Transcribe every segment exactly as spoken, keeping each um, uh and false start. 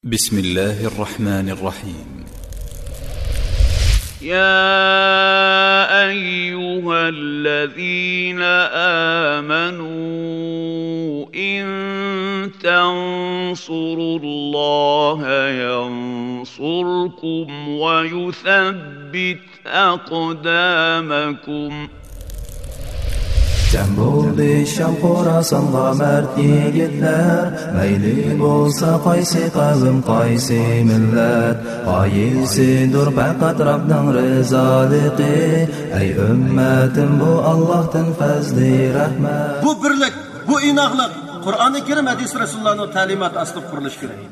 بسم الله الرحمن الرحيم. يا أيها الذين آمنوا إن تنصروا الله ينصركم ويثبت أقدامكم. جەم بولدى شام خوراسانغا مەرد يىگىتلەر، مەيلى بولسا قايسى قەۋم، قايسى مىللەت، غايىسىدۇر پەقەت رەبنىڭ رىزالىقى. ئەي ئۈممەتىم، بۇ ئاللاھتىن پەزلى رەھمەت. بۇ بىرلىك، بۇ ئىناقلىق قۇرئانى كەرىم، ھەدىس رەسۇلۇللانىڭ تەلىماتى ئاستىدا قۇرۇلۇشى كېرەك.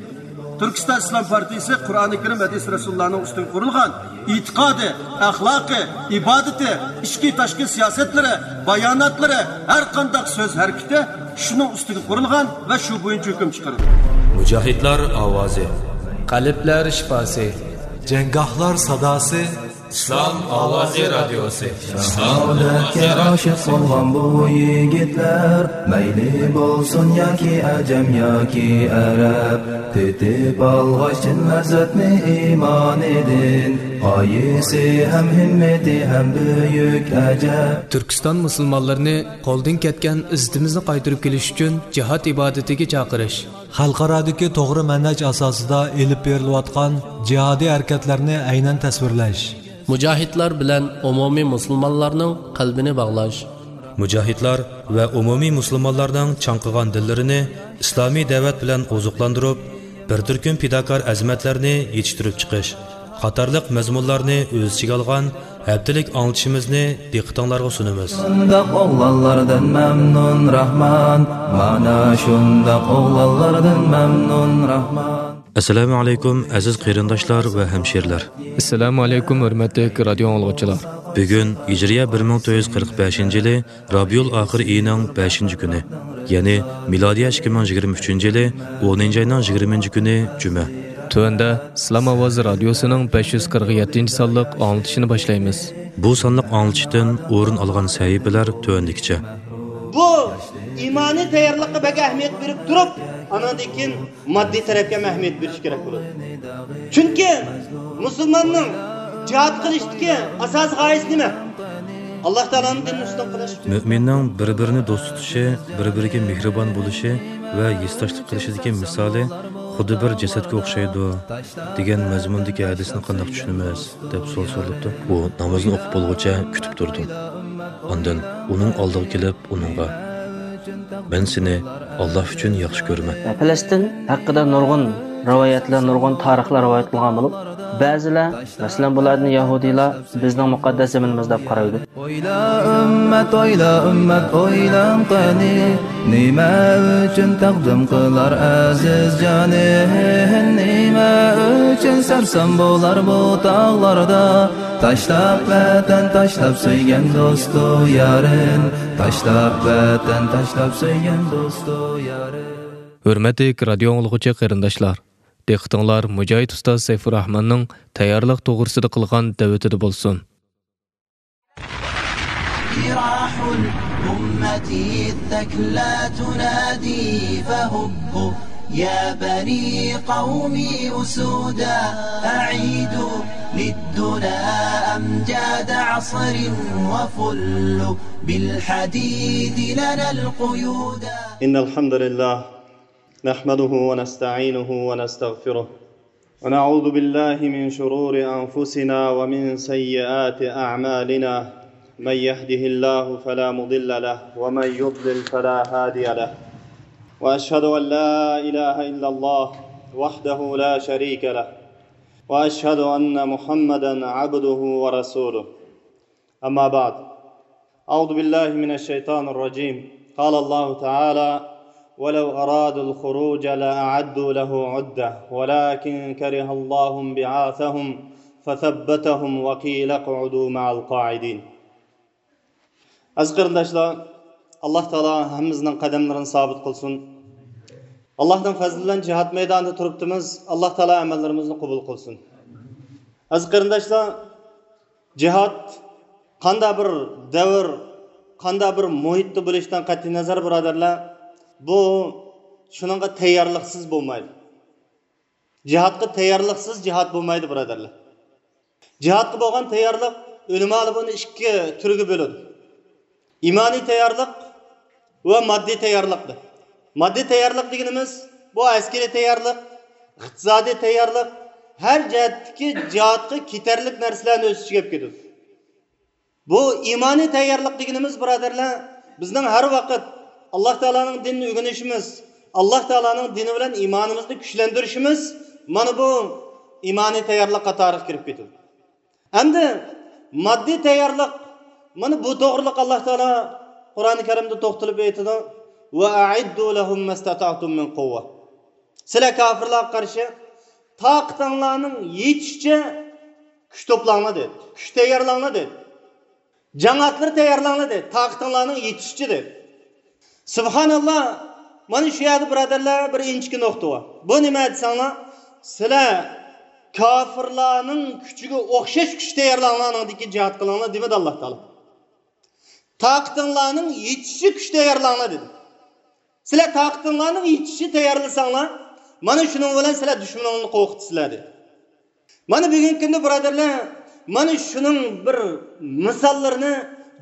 تۈركىستان ئىسلام پارتىيىسى قۇرئانى كەرىم، ھەدىس رەسۇلۇللانىڭ ئۈستىگە قۇرۇلغان ئېتىقادى، ئەخلاقى، ئىبادىتى، ئىچكى تاشقى سىياسەتلىرى، باياناتلىرى، ھەر قانداق سۆز ھەرىكىتى شۇنىڭ ئۈستىگە قۇرۇلغان ۋە شۇ بويىچە ھۆكۈم چىقىرىدۇ. مۇجاھىدلار ئاۋازى. قەلبلەر شىپاسى. جەڭگاھلار ساداسى. ئىسلام ئاۋازى رادىيوسى. شاھادەتكە ئاشىق بولغان بۇ يىگىتلەر، مەيلى بولسۇن ياكى ئەجەم ياكى ئەرەب، تېتىپ ئالغاچ چىن لەززەتنى ئىمانىدىن، غايىسى ھەم ھىممىتى ھەم بۈيۈك ئەجەب. تۈركىستان مۇسۇلمانلىرىنى قولدىن كەتكەن ئىززىتىمىزنى قايتۇرۇپ كېلىش ئۈچۈن جىھاد ئىبادىتىگە چاقىرىش. خەلقئارادىكى توغرا مەنھەج ئاساسىدا ئېلىپ بېرىلىۋاتقان جىھادىي ھەرىكەتلەرنى ئەينەن تەسۋىرلەش. مۇجاھىدلار بىلەن ئومۇمىي مۇسۇلمانلارنىڭ قەلبىنى باغلاش. مۇجاھىدلار ۋە ئومۇمىي مۇسۇلمانلارنىڭ چاڭقىغان دىللىرىنى ئىسلامىي دەۋەت بىلەن ئوزۇقلاندۇرۇپ، بىر تۈركۈم پىداكار ئەزىمەتلەرنى يېتىشتۈرۈپ چىقىش قاتارلىق مەزمۇنلارنى ئۆز ئىچىگە ئالغان ھەپتىلىك ئاڭلىتىشىمىزنى دىققىتىڭلارغا سۇنىمىز. شۇنداق ئوغلانلاردىن مەمنۇن راھمان، مانا شۇنداق ئوغلانلاردىن مەمنۇن راھمان. ئەسسالامۇ ئەلەيكۇم، ئەزىز قېرىنداشلار ۋە ھەمشىرىلەر. ئەسسالامۇ ئەلەيكۇم، ھۆرمەتلىك رادىيو ئاڭلىغۇچىلار. بۈگۈن ھىجرىيە بىر مىڭ تۆت يۈز قىرىق بەشىنچى يىلى رابىئۇل ئاخىر ئېيىنىڭ بەشىنچى كۈنى، يەنى مىلادىيە ئىككى مىڭ يىگىرمە ئۈچىنچى يىلى ئونىنچى ئاينىڭ يىگىرمىنچى كۈنى جۈمە. تۆۋەندە ئىسلام ئاۋازى رادىيوسىنىڭ بەش يۈز قىرىق يەتتىنچى سانلىق ئاڭلىتىشىنى باشلايمىز. بۇ سانلىق ئاڭلىتىشتىن ئورۇن ئالغان سەھىپىلەر تۆۋەندىكىچە. بۇ ئىمانىي تەييارلىققا بەك ئەھمىيەت بېرىپ تۇرۇپ، ئانىڭدىن كېيىن ماددىي تەرەپكە ھەم ئەھمىيەت بېرىش كېرەك بولىدۇ. چۈنكى مۇسۇلماننىڭ جىھاد قىلىشتىكى ئاساسىي غايىسى نېمە؟ ئاللاھ تائالانىڭ دىنىنى ئۈستۈن قىلىش. مۆمىننىڭ بىر-بىرىنى دوست تۇتۇشى، بىر-بىرىگە مېھرىبان بولۇشى ۋە ھېسداشلىق قىلىشىدىكى مىسالى خۇددى بىر جەسەتكە ئوخشايدۇ، دېگەن مەزمۇندىكى ھەدىسنى قانداق چۈشىنىمىز؟ دەپ سوئال سورىلىپتۇ. ئۇ نامىزىنى ئوقۇپ بولغۇچە كۈتۈپ تۇردۇم. ئاندىن ئۇنىڭ ئالدىغا كېلىپ، ئۇنىڭغا، مەن سېنى ئاللاھ ئۈچۈن ياخشى كۆرىمەن. پەلەستىن ھەققىدە نۇرغۇن رىۋايەتلەر، نۇرغۇن تارىخلار رىۋايەت قىلغان بولۇپ، بەزىلەر، مەسىلەن، بۇلاردىن يەھۇدىيلار بىزنىڭ مۇقەددەس زېمىنىمىز دەپ قارايدۇ. ئويلا ئۈممەت، ئويلا ئۈممەت، ئويلاڭ قېنى، نېمە ئۈچۈن تەقدىم قىلار ئەزىز جانى؟ نېمە ئۈچۈن سەرسان بولار بۇ تاغلاردا؟ تاشلاپ ۋەتەن، تاشلاپ سۆيگەن دوستۇ يارىن، تاشلاپ ۋەتەن، تاشلاپ سۆيگەن دوستۇ يارىن. ھۆرمەتلىك رادىيو ئاڭلىغۇچى قېرىنداشلار، دىققىتىڭلار مۇجاھىد ئۇستاز سەيپۇرراھماننىڭ تەييارلىق توغرىسىدا قىلغان دەۋىتىدە بولسۇن. جراح الأمة الثكلى تنادي فهبوا يا بني قومي أسودا أعيدوا للدنا أمجاد عصر وفلوا بالحديد لنا القيودا. إن الحمد لله نحمده ونستعينه ونستغفره ونعوذ بالله من شرور أنفسنا ومن سيئات أعمالنا. من يهده الله فلا مضل له ومن يضلل فلا هادي له. وأشهد أن لا إله إلا الله وحده لا شريك له. وأشهد أن محمدا عبده ورسوله. أما بعد. أعوذ بالله من الشيطان الرجيم. قال الله تعالى: ولو أرادوا الخروج لأعدوا له عدة ولكن كره الله انبعاثهم فثبطهم وقيل اقعدوا مع القاعدين. ئەزىز قېرىنداشلار، ئاللاھ تائالا ھەممىمىزنىڭ قەدەملىرىنى سابىت قىلسۇن. ئاللاھنىڭ پەزلى بىلەن جىھاد مەيدانىدا تۇرۇپتىمىز. ئاللاھ تائالا ئەمەللىرىمىزنى قوبۇل قىلسۇن. ئەزىز قېرىنداشلار، جىھاد قانداق بىر دەۋر، قانداق بىر مۇھىتتا بولۇشىدىن قەتئىينەزەر، بۇرادەرلەر، بۇ شۇنىڭغا تەييارلىقسىز بولمايدۇ. جىھادقا تەييارلىقسىز جىھاد بولمايدۇ، بۇرادەرلەر. جىھادقا بولغان تەييارلىق، ئۆلىمالار بۇنى ئىككى تۈرگە بۆلىدۇ. ئىمانىي تەييارلىق ۋە ماددىي تەييارلىق دەپ. ماددىي تەييارلىق دېگىنىمىز، بۇ ئەسكىرىي تەييارلىق، ئىقتىسادىي تەييارلىق، ھەر جەھەتتىكى جىھادقا كېتەرلىك نەرسىلەرنى ئۆز ئىچىگە ئېلىپ كېتىدۇ. بۇ ئىمانىي تەييارلىق دېگىنىمىز، بۇرادەرلەر، بىزنىڭ ھەر ۋاقىت ئاللاھ تائالانىڭ دىنىنى ئۆگىنىشىمىز، ئاللاھ تائالانىڭ دىنى بىلەن ئىمانىمىزنى كۈچلەندۈرۈشىمىز، مانا بۇ ئىمانىي تەييارلىق قاتارىغا كىرىپ كېتىدۇ. ئەمدى ماددىي تەييارلىق، مانا بۇ توغرىلىق ئاللاھ تائالا قۇرئانى كەرىمدە توختىلىپ ئېيتىدۇ، «ۋە ئەئىددۇ لەھۇم مەستەتەئتۇم مىن قۇۋۋە.» سىلەر كاپىرلارغا قارشى تاقىتىڭلارنىڭ يېتىشىچە كۈچ توپلاڭلار دېدى. كۈچ تەييارلاڭلار دېدى. جەڭ ئاتلىرى تەييارلاڭلار دېدى. تاقىتىڭلارنىڭ يېتىشىچە دېدى. سۇبھاناللا، مانا شۇ يەردە، بۇرادەرلەر، بىر ئىنچىكە نۇقتا بار. بۇ نېمە دېسەڭلار، سىلەر كاپىرلارنىڭ كۈچىگە ئوخشاش كۈچ تەييارلاڭلار، ئاندىن كېيىن جىھاد قىلىڭلار دېمىدى ئاللاھ تائالا. تاقىتىڭلارنىڭ يېتىشىچە كۈچ تەييارلاڭلار دېدى. سىلەر تاقىتىڭلارنىڭ يېتىشىچە تەييارلىساڭلار، مانا شۇنىڭ بىلەن سىلەر دۈشمىنىڭلارنى قورقۇتىسىلەر دېدى. مانا بۈگۈنكى كۈندە، بۇرادەرلەر، مانا شۇنىڭ بىر مىساللىرىنى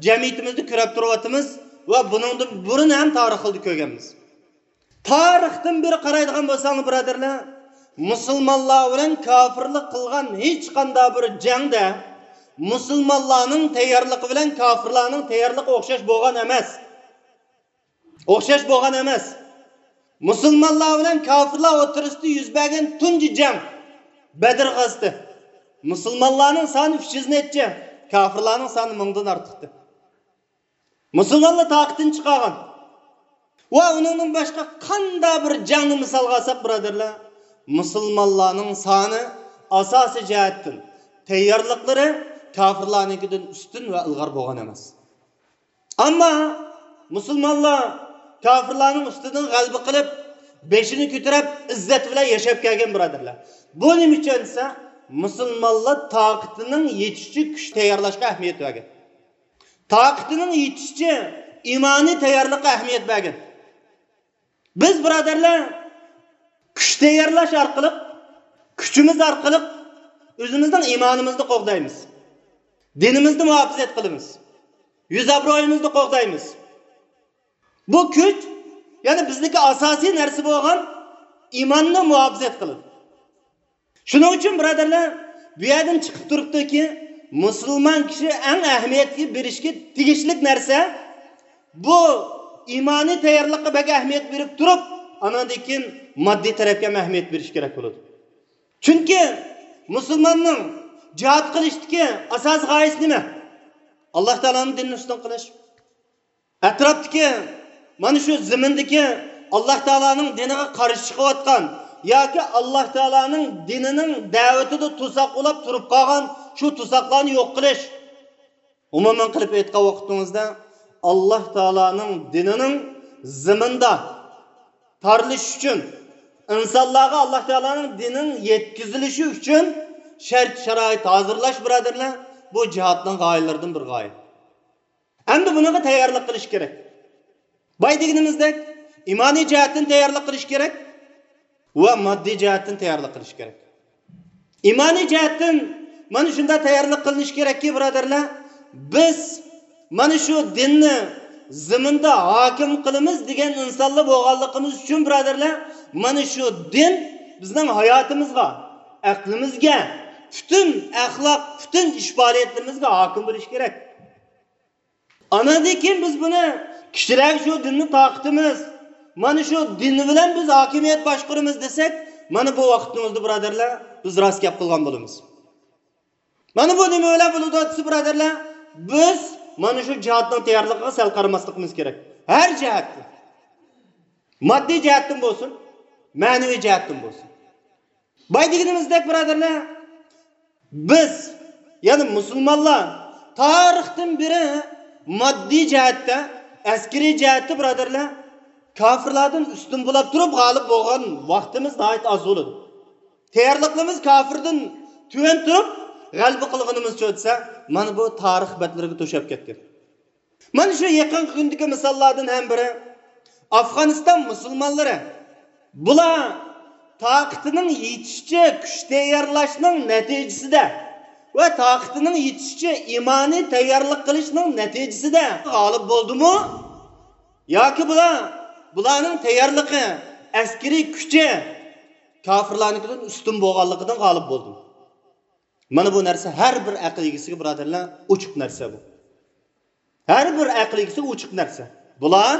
جەمئىيىتىمىزدە كۆرۈپ تۇرۇۋاتىمىز ۋە بۇنىڭدىن بۇرۇن ھەم تارىخىمىزدا كۆرگەنمىز. تارىختىن بېرى قارايدىغان بولساڭلار، بۇرادەرلەر، مۇسۇلمانلار بىلەن كاپىرلار قىلغان ھېچقانداق بىر جەڭدە مۇسۇلمانلارنىڭ تەييارلىقى بىلەن كاپىرلارنىڭ تەييارلىقى ئوخشاش بولغان ئەمەس. ئوخشاش بولغان ئەمەس. مۇسۇلمانلار بىلەن كاپىرلار ئوتتۇرىسىدا يۈز بەرگەن تۇنجى جەڭ، بەدر غازىتى. مۇسۇلمانلارنىڭ سانى ئۈچ يۈز نەچچە، كاپىرلارنىڭ سانى مىڭدىن ئارتۇقتى. مۇسۇلمانلار تاقىتىنى چىقارغان. ۋە ئۇنىڭدىن باشقا قانداق بىر جەڭنى مىسالغا ئالساق، بۇرادەرلەر، مۇسۇلمانلارنىڭ سانى ئاساسىي جەھەتتىن، تەييارلىقلىرى كاپىرلارنىڭكىدىن ئۈستۈن ۋە ئىلغار بولغان ئەمەس. ئەمما مۇسۇلمانلار كاپىرلارنىڭ ئۈستىدىن غەلىبە قىلىپ، بېشىنى كۆتۈرۈپ، ئىززەت بىلەن ياشاپ كەلگەن، بۇرادەرلەر. بۇ نېمە ئۈچۈن دېسە، مۇسۇلمانلار تاقىتىنىڭ يېتىشىچە كۈچ تەييارلاشقا ئەھمىيەت بەرگەن. تاقىتىنىڭ يېتىشىچە ئىمانىي تەييارلىققا ئەھمىيەت بەرگەن. بىز، بۇرادەرلەر، كۈچ تەييارلاش ئارقىلىق، كۈچىمىز ئارقىلىق ئۆزىمىزنىڭ ئىمانىمىزنى قوغدايمىز. دىنىمىزنى مۇھاپىزەت قىلىمىز. يۈز ئابرۇيىمىزنى قوغدايمىز. بۇ كۈچ، يەنى بىزدىكى ئاساسىي نەرسە بولغان ئىماننى مۇھاپىزەت قىلىدۇ. شۇنىڭ ئۈچۈن، بۇرادەرلەر، بۇ يەردىن چىقىپ تۇرۇپتۇكى، مۇسۇلمان كىشى ئەڭ ئەھمىيەتكە بېرىشكە تېگىشلىك نەرسە، بۇ ئىمانىي تەييارلىققا بەك ئەھمىيەت بېرىپ تۇرۇپ، ئانىڭدىن كېيىن ماددىي تەرەپكە ھەم ئەھمىيەت بېرىش كېرەك بولىدۇ. چۈنكى مۇسۇلماننىڭ جىھاد قىلىشتىكى ئاساسىي غايىسى نېمە؟ ئاللاھ تائالانىڭ دىنىنى ئۈستۈن قىلىش. ئەتراپتىكى مانا شۇ زېمىندىكى ئاللاھ تائالانىڭ دىنىغا قارشى چىقىۋاتقان ياكى ئاللاھ تائالانىڭ دىنىنىڭ دەۋىتىدە توساق بولاپ تۇرۇپ قالغان شۇ توساقلارنى يوق قىلىش. ئومۇمەن قىلىپ ئېيتقان ۋاقتىڭىزدا، ئاللاھ تائالانىڭ دىنىنىڭ زېمىندا تارىلىشى ئۈچۈن، ئىنسانلارغا ئاللاھ تائالانىڭ دىنىنىڭ يەتكۈزۈلۈشى ئۈچۈن شەرت-شارائىت ھازىرلاش، بۇرادەرلەر، بۇ جىھادنىڭ غايىلىرىدىن بىر غايە. ئەمدى بۇنىڭغا تەييارلىق قىلىش كېرەك. بايا دېگىنىمىزدەك، ئىمانىي جەھەتتىن تەييارلىق قىلىش كېرەك ۋە ماددىي جەھەتتىن تەييارلىق قىلىش كېرەك. ئىمانىي جەھەتتىن مانا شۇنداق تەييارلىق قىلىنىشى كېرەككى، بۇرادەرلەر، بىز مانا شۇ دىننى زېمىندا ھاكىم قىلىمىز دېگەن ئىنسانلار بولغانلىقىمىز ئۈچۈن، بۇرادەرلەر، مانا شۇ دىن بىزنىڭ ھاياتىمىزغا، ئەقلىمىزگە، پۈتۈن ئەخلاق، پۈتۈن ئىش پائالىيەتلىرىمىزگە ھاكىم بولۇشى كېرەك. ئاناندىن كېيىن بىز بۇنى كىشىلەرگە شۇ دىننى تارقىتىمىز، مانا شۇ دىن بىلەن بىز ھاكىمىيەت باشقۇرىمىز دېسەك، مانا بۇ ۋاقىتنىڭ ئۆزىدە، بۇرادەرلەر، بىز راست گەپ قىلغان بولىمىز. مانا بۇ نېمە بىلەن بولىدۇ دېسە، بۇرادەرلەر، بىز مانا شۇ جىھادنىڭ تەييارلىقىغا سەل قارىماسلىقىمىز كېرەك. ھەر جەھەتتىن. ماددىي جەھەتتىن بولسۇن، مەنىۋى جەھەتتىن بولسۇن. بايا دېگىنىمىزدەك، بۇرادەرلەر، بىز، يەنى مۇسۇلمانلار تارىختىن بېرى ماددىي جەھەتتە، ئەسكىرىي جەھەتتە، بۇرادەرلەر، كاپىرلاردىن ئۈستۈن بولاپ تۇرۇپ غالىب بولغان ۋاقتىمىز ناھايىتى ئاز بولىدۇ. تەييارلىقلىرىمىز كاپىردىن تۆۋەن تۇرۇپ غەلىبە قىلغىنىمىزچۇ دېسە، مانا بۇ تارىخ بەتلىرىگە توشاپ كەتكەن. مانا شۇ يېقىنقى كۈندىكى مىساللاردىن ھەم بىرى، ئافغانىستان مۇسۇلمانلىرى. بۇلار تاقىتىنىڭ يېتىشىچە كۈچ تەييارلاشنىڭ نەتىجىسىدە ۋە تاقىتىنىڭ يېتىشىچە ئىمانىي تەييارلىق قىلىشنىڭ نەتىجىسىدە غالىب بولدىمۇ؟ ياكى بۇلار، بۇلارنىڭ تەييارلىقى، ئەسكىرىي كۈچى كاپىرلارنىڭكىدىن ئۈستۈن بولغانلىقىدىن غالىب بولدىمۇ؟ مانا بۇ نەرسە ھەر بىر ئەقىل ئىگىسىگە، بۇرادەرلەر، ئوچۇق نەرسە بۇ. ھەر بىر ئەقىل ئىگىسىگە ئوچۇق نەرسە. بۇلار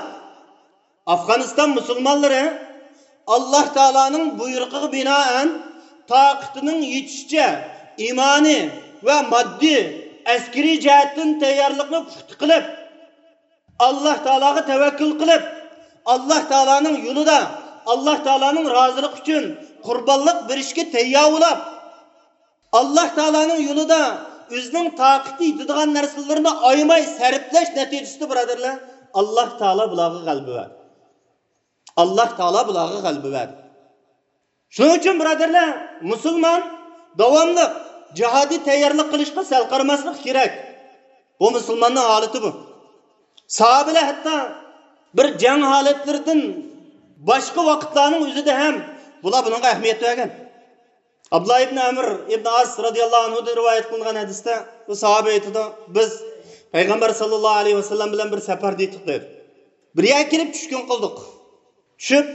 ئافغانىستان مۇسۇلمانلىرى ئاللاھ تائالانىڭ بۇيرۇقىغا بىنائەن تاقىتىنىڭ يېتىشىچە ئىمانىي ۋە ماددىي، ئەسكىرىي جەھەتتىن تەييارلىقنى پۇختا قىلىپ، ئاللاھ تائالاغا تەۋەككۈل قىلىپ، ئاللاھ تائالانىڭ يولىدا، ئاللاھ تائالانىڭ رازىلىقى ئۈچۈن قۇربانلىق بېرىشكە تەييار بولاپ، ئاللاھ تائالانىڭ يولىدا ئۆزىنىڭ تاقىتى يېتىدىغان نەرسىلىرىنى ئايىماي سەرپلەش نەتىجىسىدە، بۇرادەرلەر، ئاللاھ تائالا بۇلارغا غەلىبە بەردى. ئاللاھ تائالا بۇلارغا غەلىبە بەردى. شۇنىڭ ئۈچۈن، بۇرادەرلەر، مۇسۇلمان داۋاملىق جىھادىي تەييارلىق قىلىشقا سەل قارىماسلىق كېرەك. بۇ مۇسۇلماننىڭ ھالىتى بۇ. ساھابىلەر ھەتتا بىر جەڭ ھالەتلىرىدىن باشقا ۋاقىتلارنىڭ ئۆزىدە ھەم بۇلار بۇنىڭغا ئەھمىيەت بەرگەن. ئابدۇللا ئىبن ئەمر ئىبن ئاس رازىياللاھۇ ئەنھۇدىن رىۋايەت قىلىنغان ھەدىستە بۇ ساھابە ئېيتىدۇ، بىز پەيغەمبەر ساللاللاھۇ ئەلەيھى ۋەسەللەم بىلەن بىر سەپەردە ئىدۇق، دەيدۇ. بىر يەرگە كېلىپ چۈشكۈن قىلدۇق. چۈشۈپ،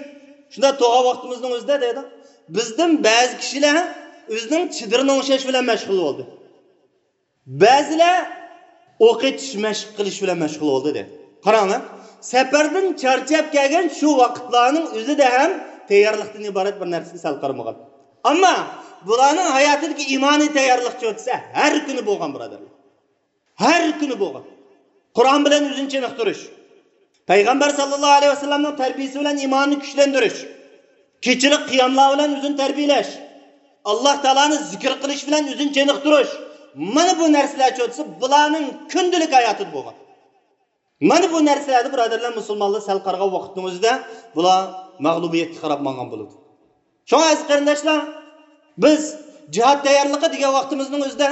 شۇنداق تۇرغان ۋاقتىمىزنىڭ ئۆزىدە، دەيدۇ، بىزدىن بەزى كىشىلەر ئۆزىنىڭ چېدىرىنى ئوڭشاش بىلەن مەشغۇل بولدى. بەزىلەر ئوق ئېتىش مەشىق قىلىش بىلەن مەشغۇل بولدى، دەيدۇ. قاراڭلار، سەپەردىن چارچاپ كەلگەن شۇ ۋاقىتلارنىڭ ئۆزىدە ھەم تەييارلىقتىن ئىبارەت بىر نەرسىگە سەل قارىمىغان. ئەمما بۇلارنىڭ ھاياتىدىكى ئىمانىي تەييارلىقچۇ دېسە، ھەر كۈنى بولغان، بۇرادەرلەر. ھەر كۈنى بولغان. قۇرئان بىلەن ئۆزىنى چېنىقتۇرۇش، پەيغەمبەر ساللاللاھۇ ئەلەيھى ۋەسەللەمنىڭ تەربىيىسى بىلەن ئىمانىنى كۈچلەندۈرۈش، كېچىلىك قىياملار بىلەن ئۆزىنى تەربىيەلەش، ئاللاھ تائالانى زىكىر قىلىش بىلەن ئۆزىنى چېنىقتۇرۇش، مانا بۇ نەرسىلەرچۇ دېسە، بۇلارنىڭ كۈندىلىك ھاياتىدا بولغان. مانا بۇ نەرسىلەردە، بۇرادەرلەر، مۇسۇلمانلار سەل قارىغان ۋاقىتنىڭ ئۆزىدە بۇلار مەغلۇبىيەتكە قاراپ ماڭغان بولىدۇ. شۇڭا، ئەزىز قېرىنداشلار، بىز جىھاد تەييارلىقى دېگەن ۋاقتىمىزنىڭ ئۆزىدە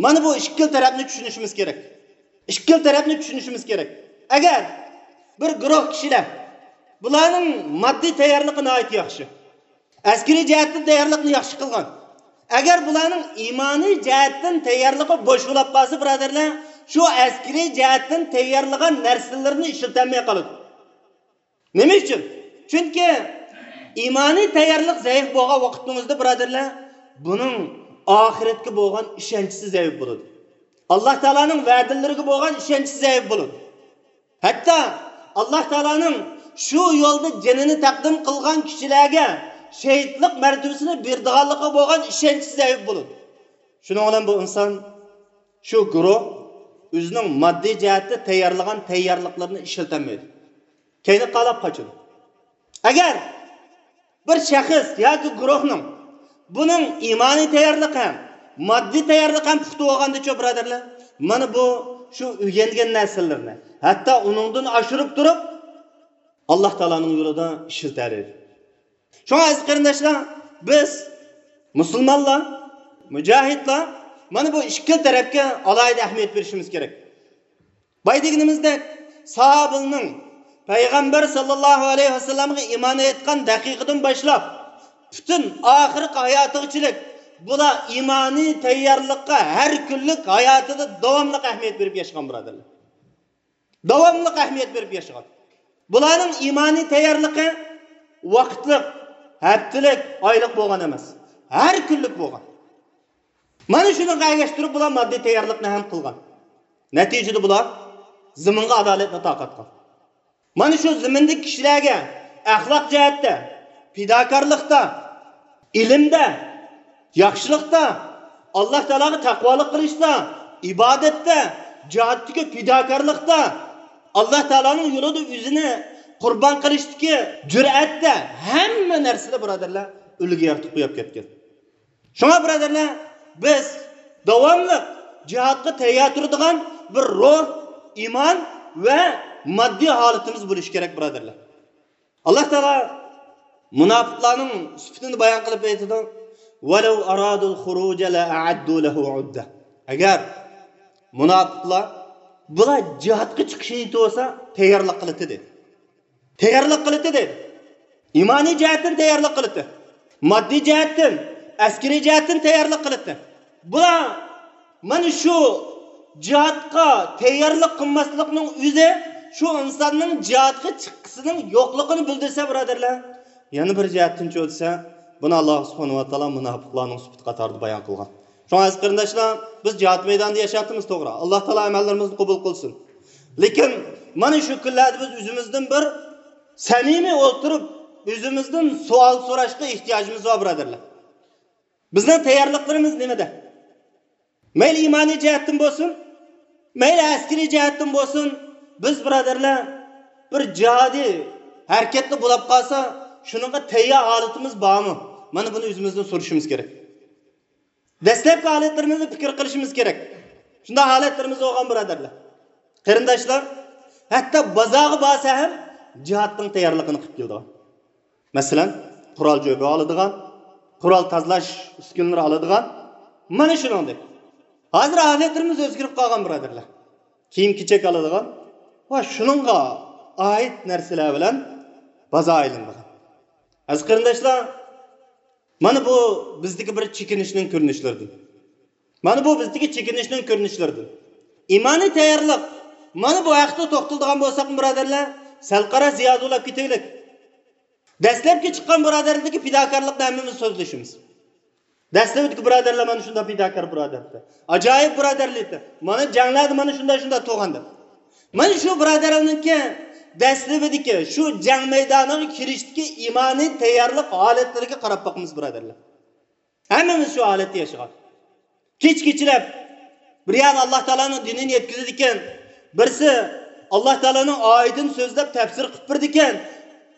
مانا بۇ ئىككىلا تەرەپنى چۈشىنىشىمىز كېرەك. ئىككىلا تەرەپنى چۈشىنىشىمىز كېرەك. ئەگەر بىر گۇرۇھ كىشىلەر، بۇلارنىڭ ماددىي تەييارلىقى ناھايىتى ياخشى، ئەسكىرىي جەھەتتىن تەييارلىقنى ياخشى قىلغان، ئەگەر بۇلارنىڭ ئىمانىي جەھەتتىن تەييارلىقى بوش بولاپ قالسا، بۇرادەرلەر، شۇ ئەسكىرىي جەھەتتىن تەييارلىغان نەرسىلىرىنى ئىشلىتەلمەي قالىدۇ. نېمە ئۈچۈن؟ چۈنكى ئىمانىي تەييارلىق زەئىپ بولغان ۋاقىتنىڭ ئۆزىدە، بۇرادەرلەر، بۇنىڭ ئاخىرەتكە بولغان ئىشەنچىسى زەئىپ بولىدۇ. ئاللاھ تائالانىڭ ۋەدىلىرىگە بولغان ئىشەنچىسى زەئىپ بولىدۇ. ھەتتا ئاللاھ تائالانىڭ شۇ يولدا جېنىنى تەقدىم قىلغان كىشىلەرگە شېھىتلىق مەرتىۋىسىنى بېرىدىغانلىقىغا بولغان ئىشەنچى زەئىپ بولىدۇ. شۇنىڭ بىلەن بۇ ئىنسان، شۇ گۇرۇھ ئۆزىنىڭ ماددىي جەھەتتە تەييارلىغان تەييارلىقلىرىنى ئىشلىتەلمەيدۇ. كەينىگە قاراپ قاچىدۇ. ئەگەر بىر شەخس ياكى گۇرۇھنىڭ بۇنىڭ ئىمانىي تەييارلىقى ھەم، ماددىي تەييارلىقى ھەم پۇختا بولغاندىچۇ، بۇرادەرلەر، مانا بۇ شۇ ئۆگەنگەن نەرسىلىرىنى ھەتتا ئۇنىڭدىن ئاشۇرۇپ تۇرۇپ، ئاللاھ تائالانىڭ يولىدا ئىشلىتەلەيدۇ. شۇڭا، ئەزىز قېرىنداشلار، بىز مۇسۇلمانلار، مۇجاھىدلار، مانا بۇ ئىككىلا تەرەپكە ئالاھىدە ئەھمىيەت بېرىشىمىز كېرەك. بايا دېگىنىمىزدەك، ساھابىلەرنىڭ پەيغەمبەر ساللاللاھۇ ئەلەيھى ۋەسەللەمگە ئىمان ئېيتقان دەقىقىدىن باشلاپ، پۈتۈن ئاخىرقى ھاياتىغىچىلىك بۇلار ئىمانىي تەييارلىققا ھەر كۈنلۈك ھاياتىدا داۋاملىق ئەھمىيەت بېرىپ ياشىغان، بۇرادەرلەر. داۋاملىق ئەھمىيەت بېرىپ ياشىغان. بۇلارنىڭ ئىمانىي تەييارلىقى ۋاقىتلىق، ھەپتىلىك، ئايلىق بولغان ئەمەس. ھەر كۈنلۈك بولغان. مانا شۇنىڭغا ئەگەشتۈرۈپ بۇلار ماددىي تەييارلىقنى ھەم قىلغان. نەتىجىدە بۇلار زېمىنغا ئادالەتنى تارقاتقان. مانا شۇ زېمىندىكى كىشىلەرگە ئەخلاق جەھەتتە، پىداكارلىقتا، ئىلىمدە، ياخشىلىقتا، ئاللاھ تائالاغا تەقۋالىق قىلىشتا، ئىبادەتتە، جىھادتىكى پىداكارلىقتا، ئاللاھ تائالانىڭ يولىدا ئۆزىنى قۇربان قىلىشتىكى جۈرئەتتە، ھەممە نەرسىدە، بۇرادەرلەر، ئۈلگە يارىتىپ قويۇپ كەتكەن. شۇڭا، بۇرادەرلەر، بىز داۋاملىق جىھادقا تەييار تۇرىدىغان بىر روھ، ئىمان ۋە ماددىي ھالىتىمىز بولۇشى كېرەك، بۇرادەرلەر. ئاللاھ تائالا مۇناپىقلارنىڭ سۈپىتىنى بايان قىلىپ ئېيتىدۇ، «ولو أرادوا الخروج لأعدوا له عدة». ئەگەر مۇناپىقلار بۇلار جىھادقا چىقىشنى ئېيتىۋالسا، تەييارلىق قىلىتتى، دېدى. تەييارلىق قىلىتتى، دېدى. ئىمانىي جەھەتتىن تەييارلىق قىلىتتى. ماددىي جەھەتتىن، ئەسكىرىي جەھەتتىن تەييارلىق قىلىدۇ. بۇلار مانا شۇ جىھادقا تەييارلىق قىلماسلىقنىڭ ئۆزى شۇ ئىنساننىڭ جىھادقا چىققىسىنىڭ يوقلۇقىنى بىلدۈرسە، بۇرادەرلەر، يەنە بىر جەھەتتىن چۆلىسە، بۇنى ئاللا سۇبھانەھۇ ۋە تائالا مۇناپىقلارنىڭ سۈپىتى قاتارىدا بايان قىلغان. شۇڭا ئەزىز قېرىنداشلار، بىز جىھاد مەيدانىدا ياشاۋاتىمىز، توغرا. ئاللا تائالا ئەمەللىرىمىزنى قوبۇل قىلسۇن. لېكىن مانا شۇ كۈنلەردە بىز ئۆزىمىزدىن بىر سەمىمىي ئولتۇرۇپ، ئۆزىمىزدىن سوئال سوراشقا ئېھتىياجىمىز بار، بۇرادەرلەر. بىزنىڭ تەييارلىقلىرىمىز نېمىدە؟ مەيلى ئىمانىي جەھەتتىن بولسۇن، مەيلى ئەسكىرىي جەھەتتىن بولسۇن، بىز، بۇرادەرلەر، بىر جىھادىي ھەرىكەتتە بولۇپ قالسا، شۇنىڭغا تەييار ھالىتىمىز بارمۇ؟ مانا بۇنى ئۆزىمىزدىن سورىشىمىز كېرەك. دەسلەپكى ھالەتلىرىمىزنى پىكىر قىلىشىمىز كېرەك. شۇنداق ھالەتلىرىمىز بولغان، بۇرادەرلەر. قېرىنداشلار، ھەتتا بازارغا بارسا ھەم جىھادنىڭ تەييارلىقىنى قىلىپ كېلىدىغان. مەسىلەن، قورال جۆگە ئالىدىغان، قورال تازىلاش ئۈسكۈنىلىرى ئالىدىغان، مانا شۇنىڭدەك. ھازىر ھالەتلىرىمىز ئۆزگىرىپ قالغان، بۇرادەرلەر. كىيىم-كېچەك ئالىدىغان ۋە شۇنىڭغا ئائىت نەرسىلەر بىلەن بازار ئايلىنىدىغان. ئەزىز قېرىنداشلار، مانا بۇ بىزدىكى بىر چېكىنىشنىڭ كۆرۈنۈشلىرىدىن. مانا بۇ بىزدىكى چېكىنىشنىڭ كۆرۈنۈشلىرىدىن. ئىمانىي تەييارلىق. مانا بۇ ھەقتە توختىلىدىغان بولساق، بۇرادەرلەر، سەل قارا زىيادە ئۇلاپ كېتەيلىك. دەسلەپكى چىققان بۇرادەرلىكتىكى پىداكارلىقنى ھەممىمىز سۆزلىشىمىز. دەسلىپىدىكى بۇرادەرلەر مانا شۇنداق پىداكار بۇرادەر. ئاجايىپ بۇرادەرلىك. مانا جەڭلەردە مانا شۇنداق، شۇنداق تۇرغان دەپ. مانا شۇ بۇرادەرلەرنىڭكى دەسلىپىدىكى شۇ جەڭ مەيدانىغا كىرىشتىكى ئىمانىي تەييارلىق ھالەتلىرىگە قاراپ باقىمىز، بۇرادەرلەر. ھەممىمىز شۇ ھالەتتە ياشىغان. كېچە كېچىلەپ، بىر يەردە ئاللا تائالانىڭ دىنىنى يەتكۈزىدىكەن، بىرسى ئاللا تائالانىڭ ئايىتىنى سۆزلەپ تەپسىر قىلىپ بېرىدىكەن،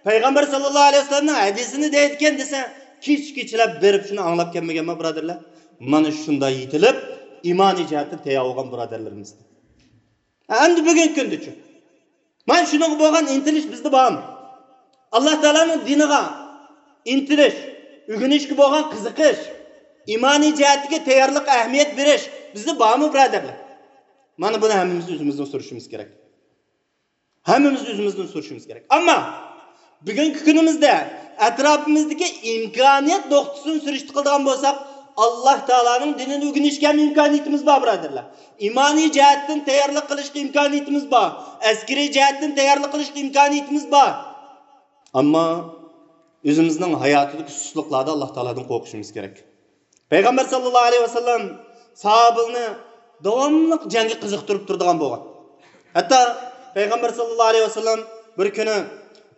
پەيغەمبەر ساللاللاھۇ ئەلەيھى ۋەسەللەمنىڭ ھەدىسىنى دەيدىكەن دېسە، كېچە كېچىلەپ بېرىپ شۇنى ئاڭلاپ كەلمىگەنمۇ، بۇرادەرلەر؟ مانا شۇنداق يېتىلىپ، ئىمانىي جەھەتتىن تەييار بولغان بۇرادەرلىرىمىز. ئەمدى بۈگۈنكى كۈندىچۇ؟ مانا شۇنىڭغا بولغان ئىنتىلىش بىزدە بارمۇ؟ ئاللا تائالانىڭ دىنىغا ئىنتىلىش، ئۆگىنىشكە بولغان قىزىقىش، ئىمانىي جەھەتتىكى تەييارلىققا ئەھمىيەت بېرىش بىزدە بارمۇ، بۇرادەرلەر؟ مانا بۇنى ھەممىمىز ئۆزىمىزدىن سورىشىمىز كېرەك. ھەممىمىز ئۆزىمىزدىن سورىشىمىز كېرەك. ئەمما بۈگۈنكى كۈنىمىزدە ئەتراپىمىزدىكى ئىمكانىيەت نۇقتىسىدىن سۈرۈشتە قىلىدىغان بولساق، ئاللا تائالانىڭ دىنىنى ئۆگىنىشكە ھەم ئىمكانىيىتىمىز بار، بۇرادەرلەر. ئىمانىي جەھەتتىن تەييارلىق قىلىشقا ئىمكانىيىتىمىز بار. ئەسكىرىي جەھەتتىن تەييارلىق قىلىشقا ئىمكانىيىتىمىز بار. ئەمما ئۆزىمىزنىڭ ھاياتىدىكى سۇسلۇقلاردا ئاللا تائالادىن قورقۇشىمىز كېرەك. پەيغەمبەر ساللاللاھۇ ئەلەيھى ۋەسەللەم ساھابىلىرىنى داۋاملىق جەڭگە قىزىقتۇرۇپ تۇرىدىغان بولغان. ھەتتا پەيغەمبەر ساللاللاھۇ ئەلەيھى ۋەسەللەم بىر كۈنى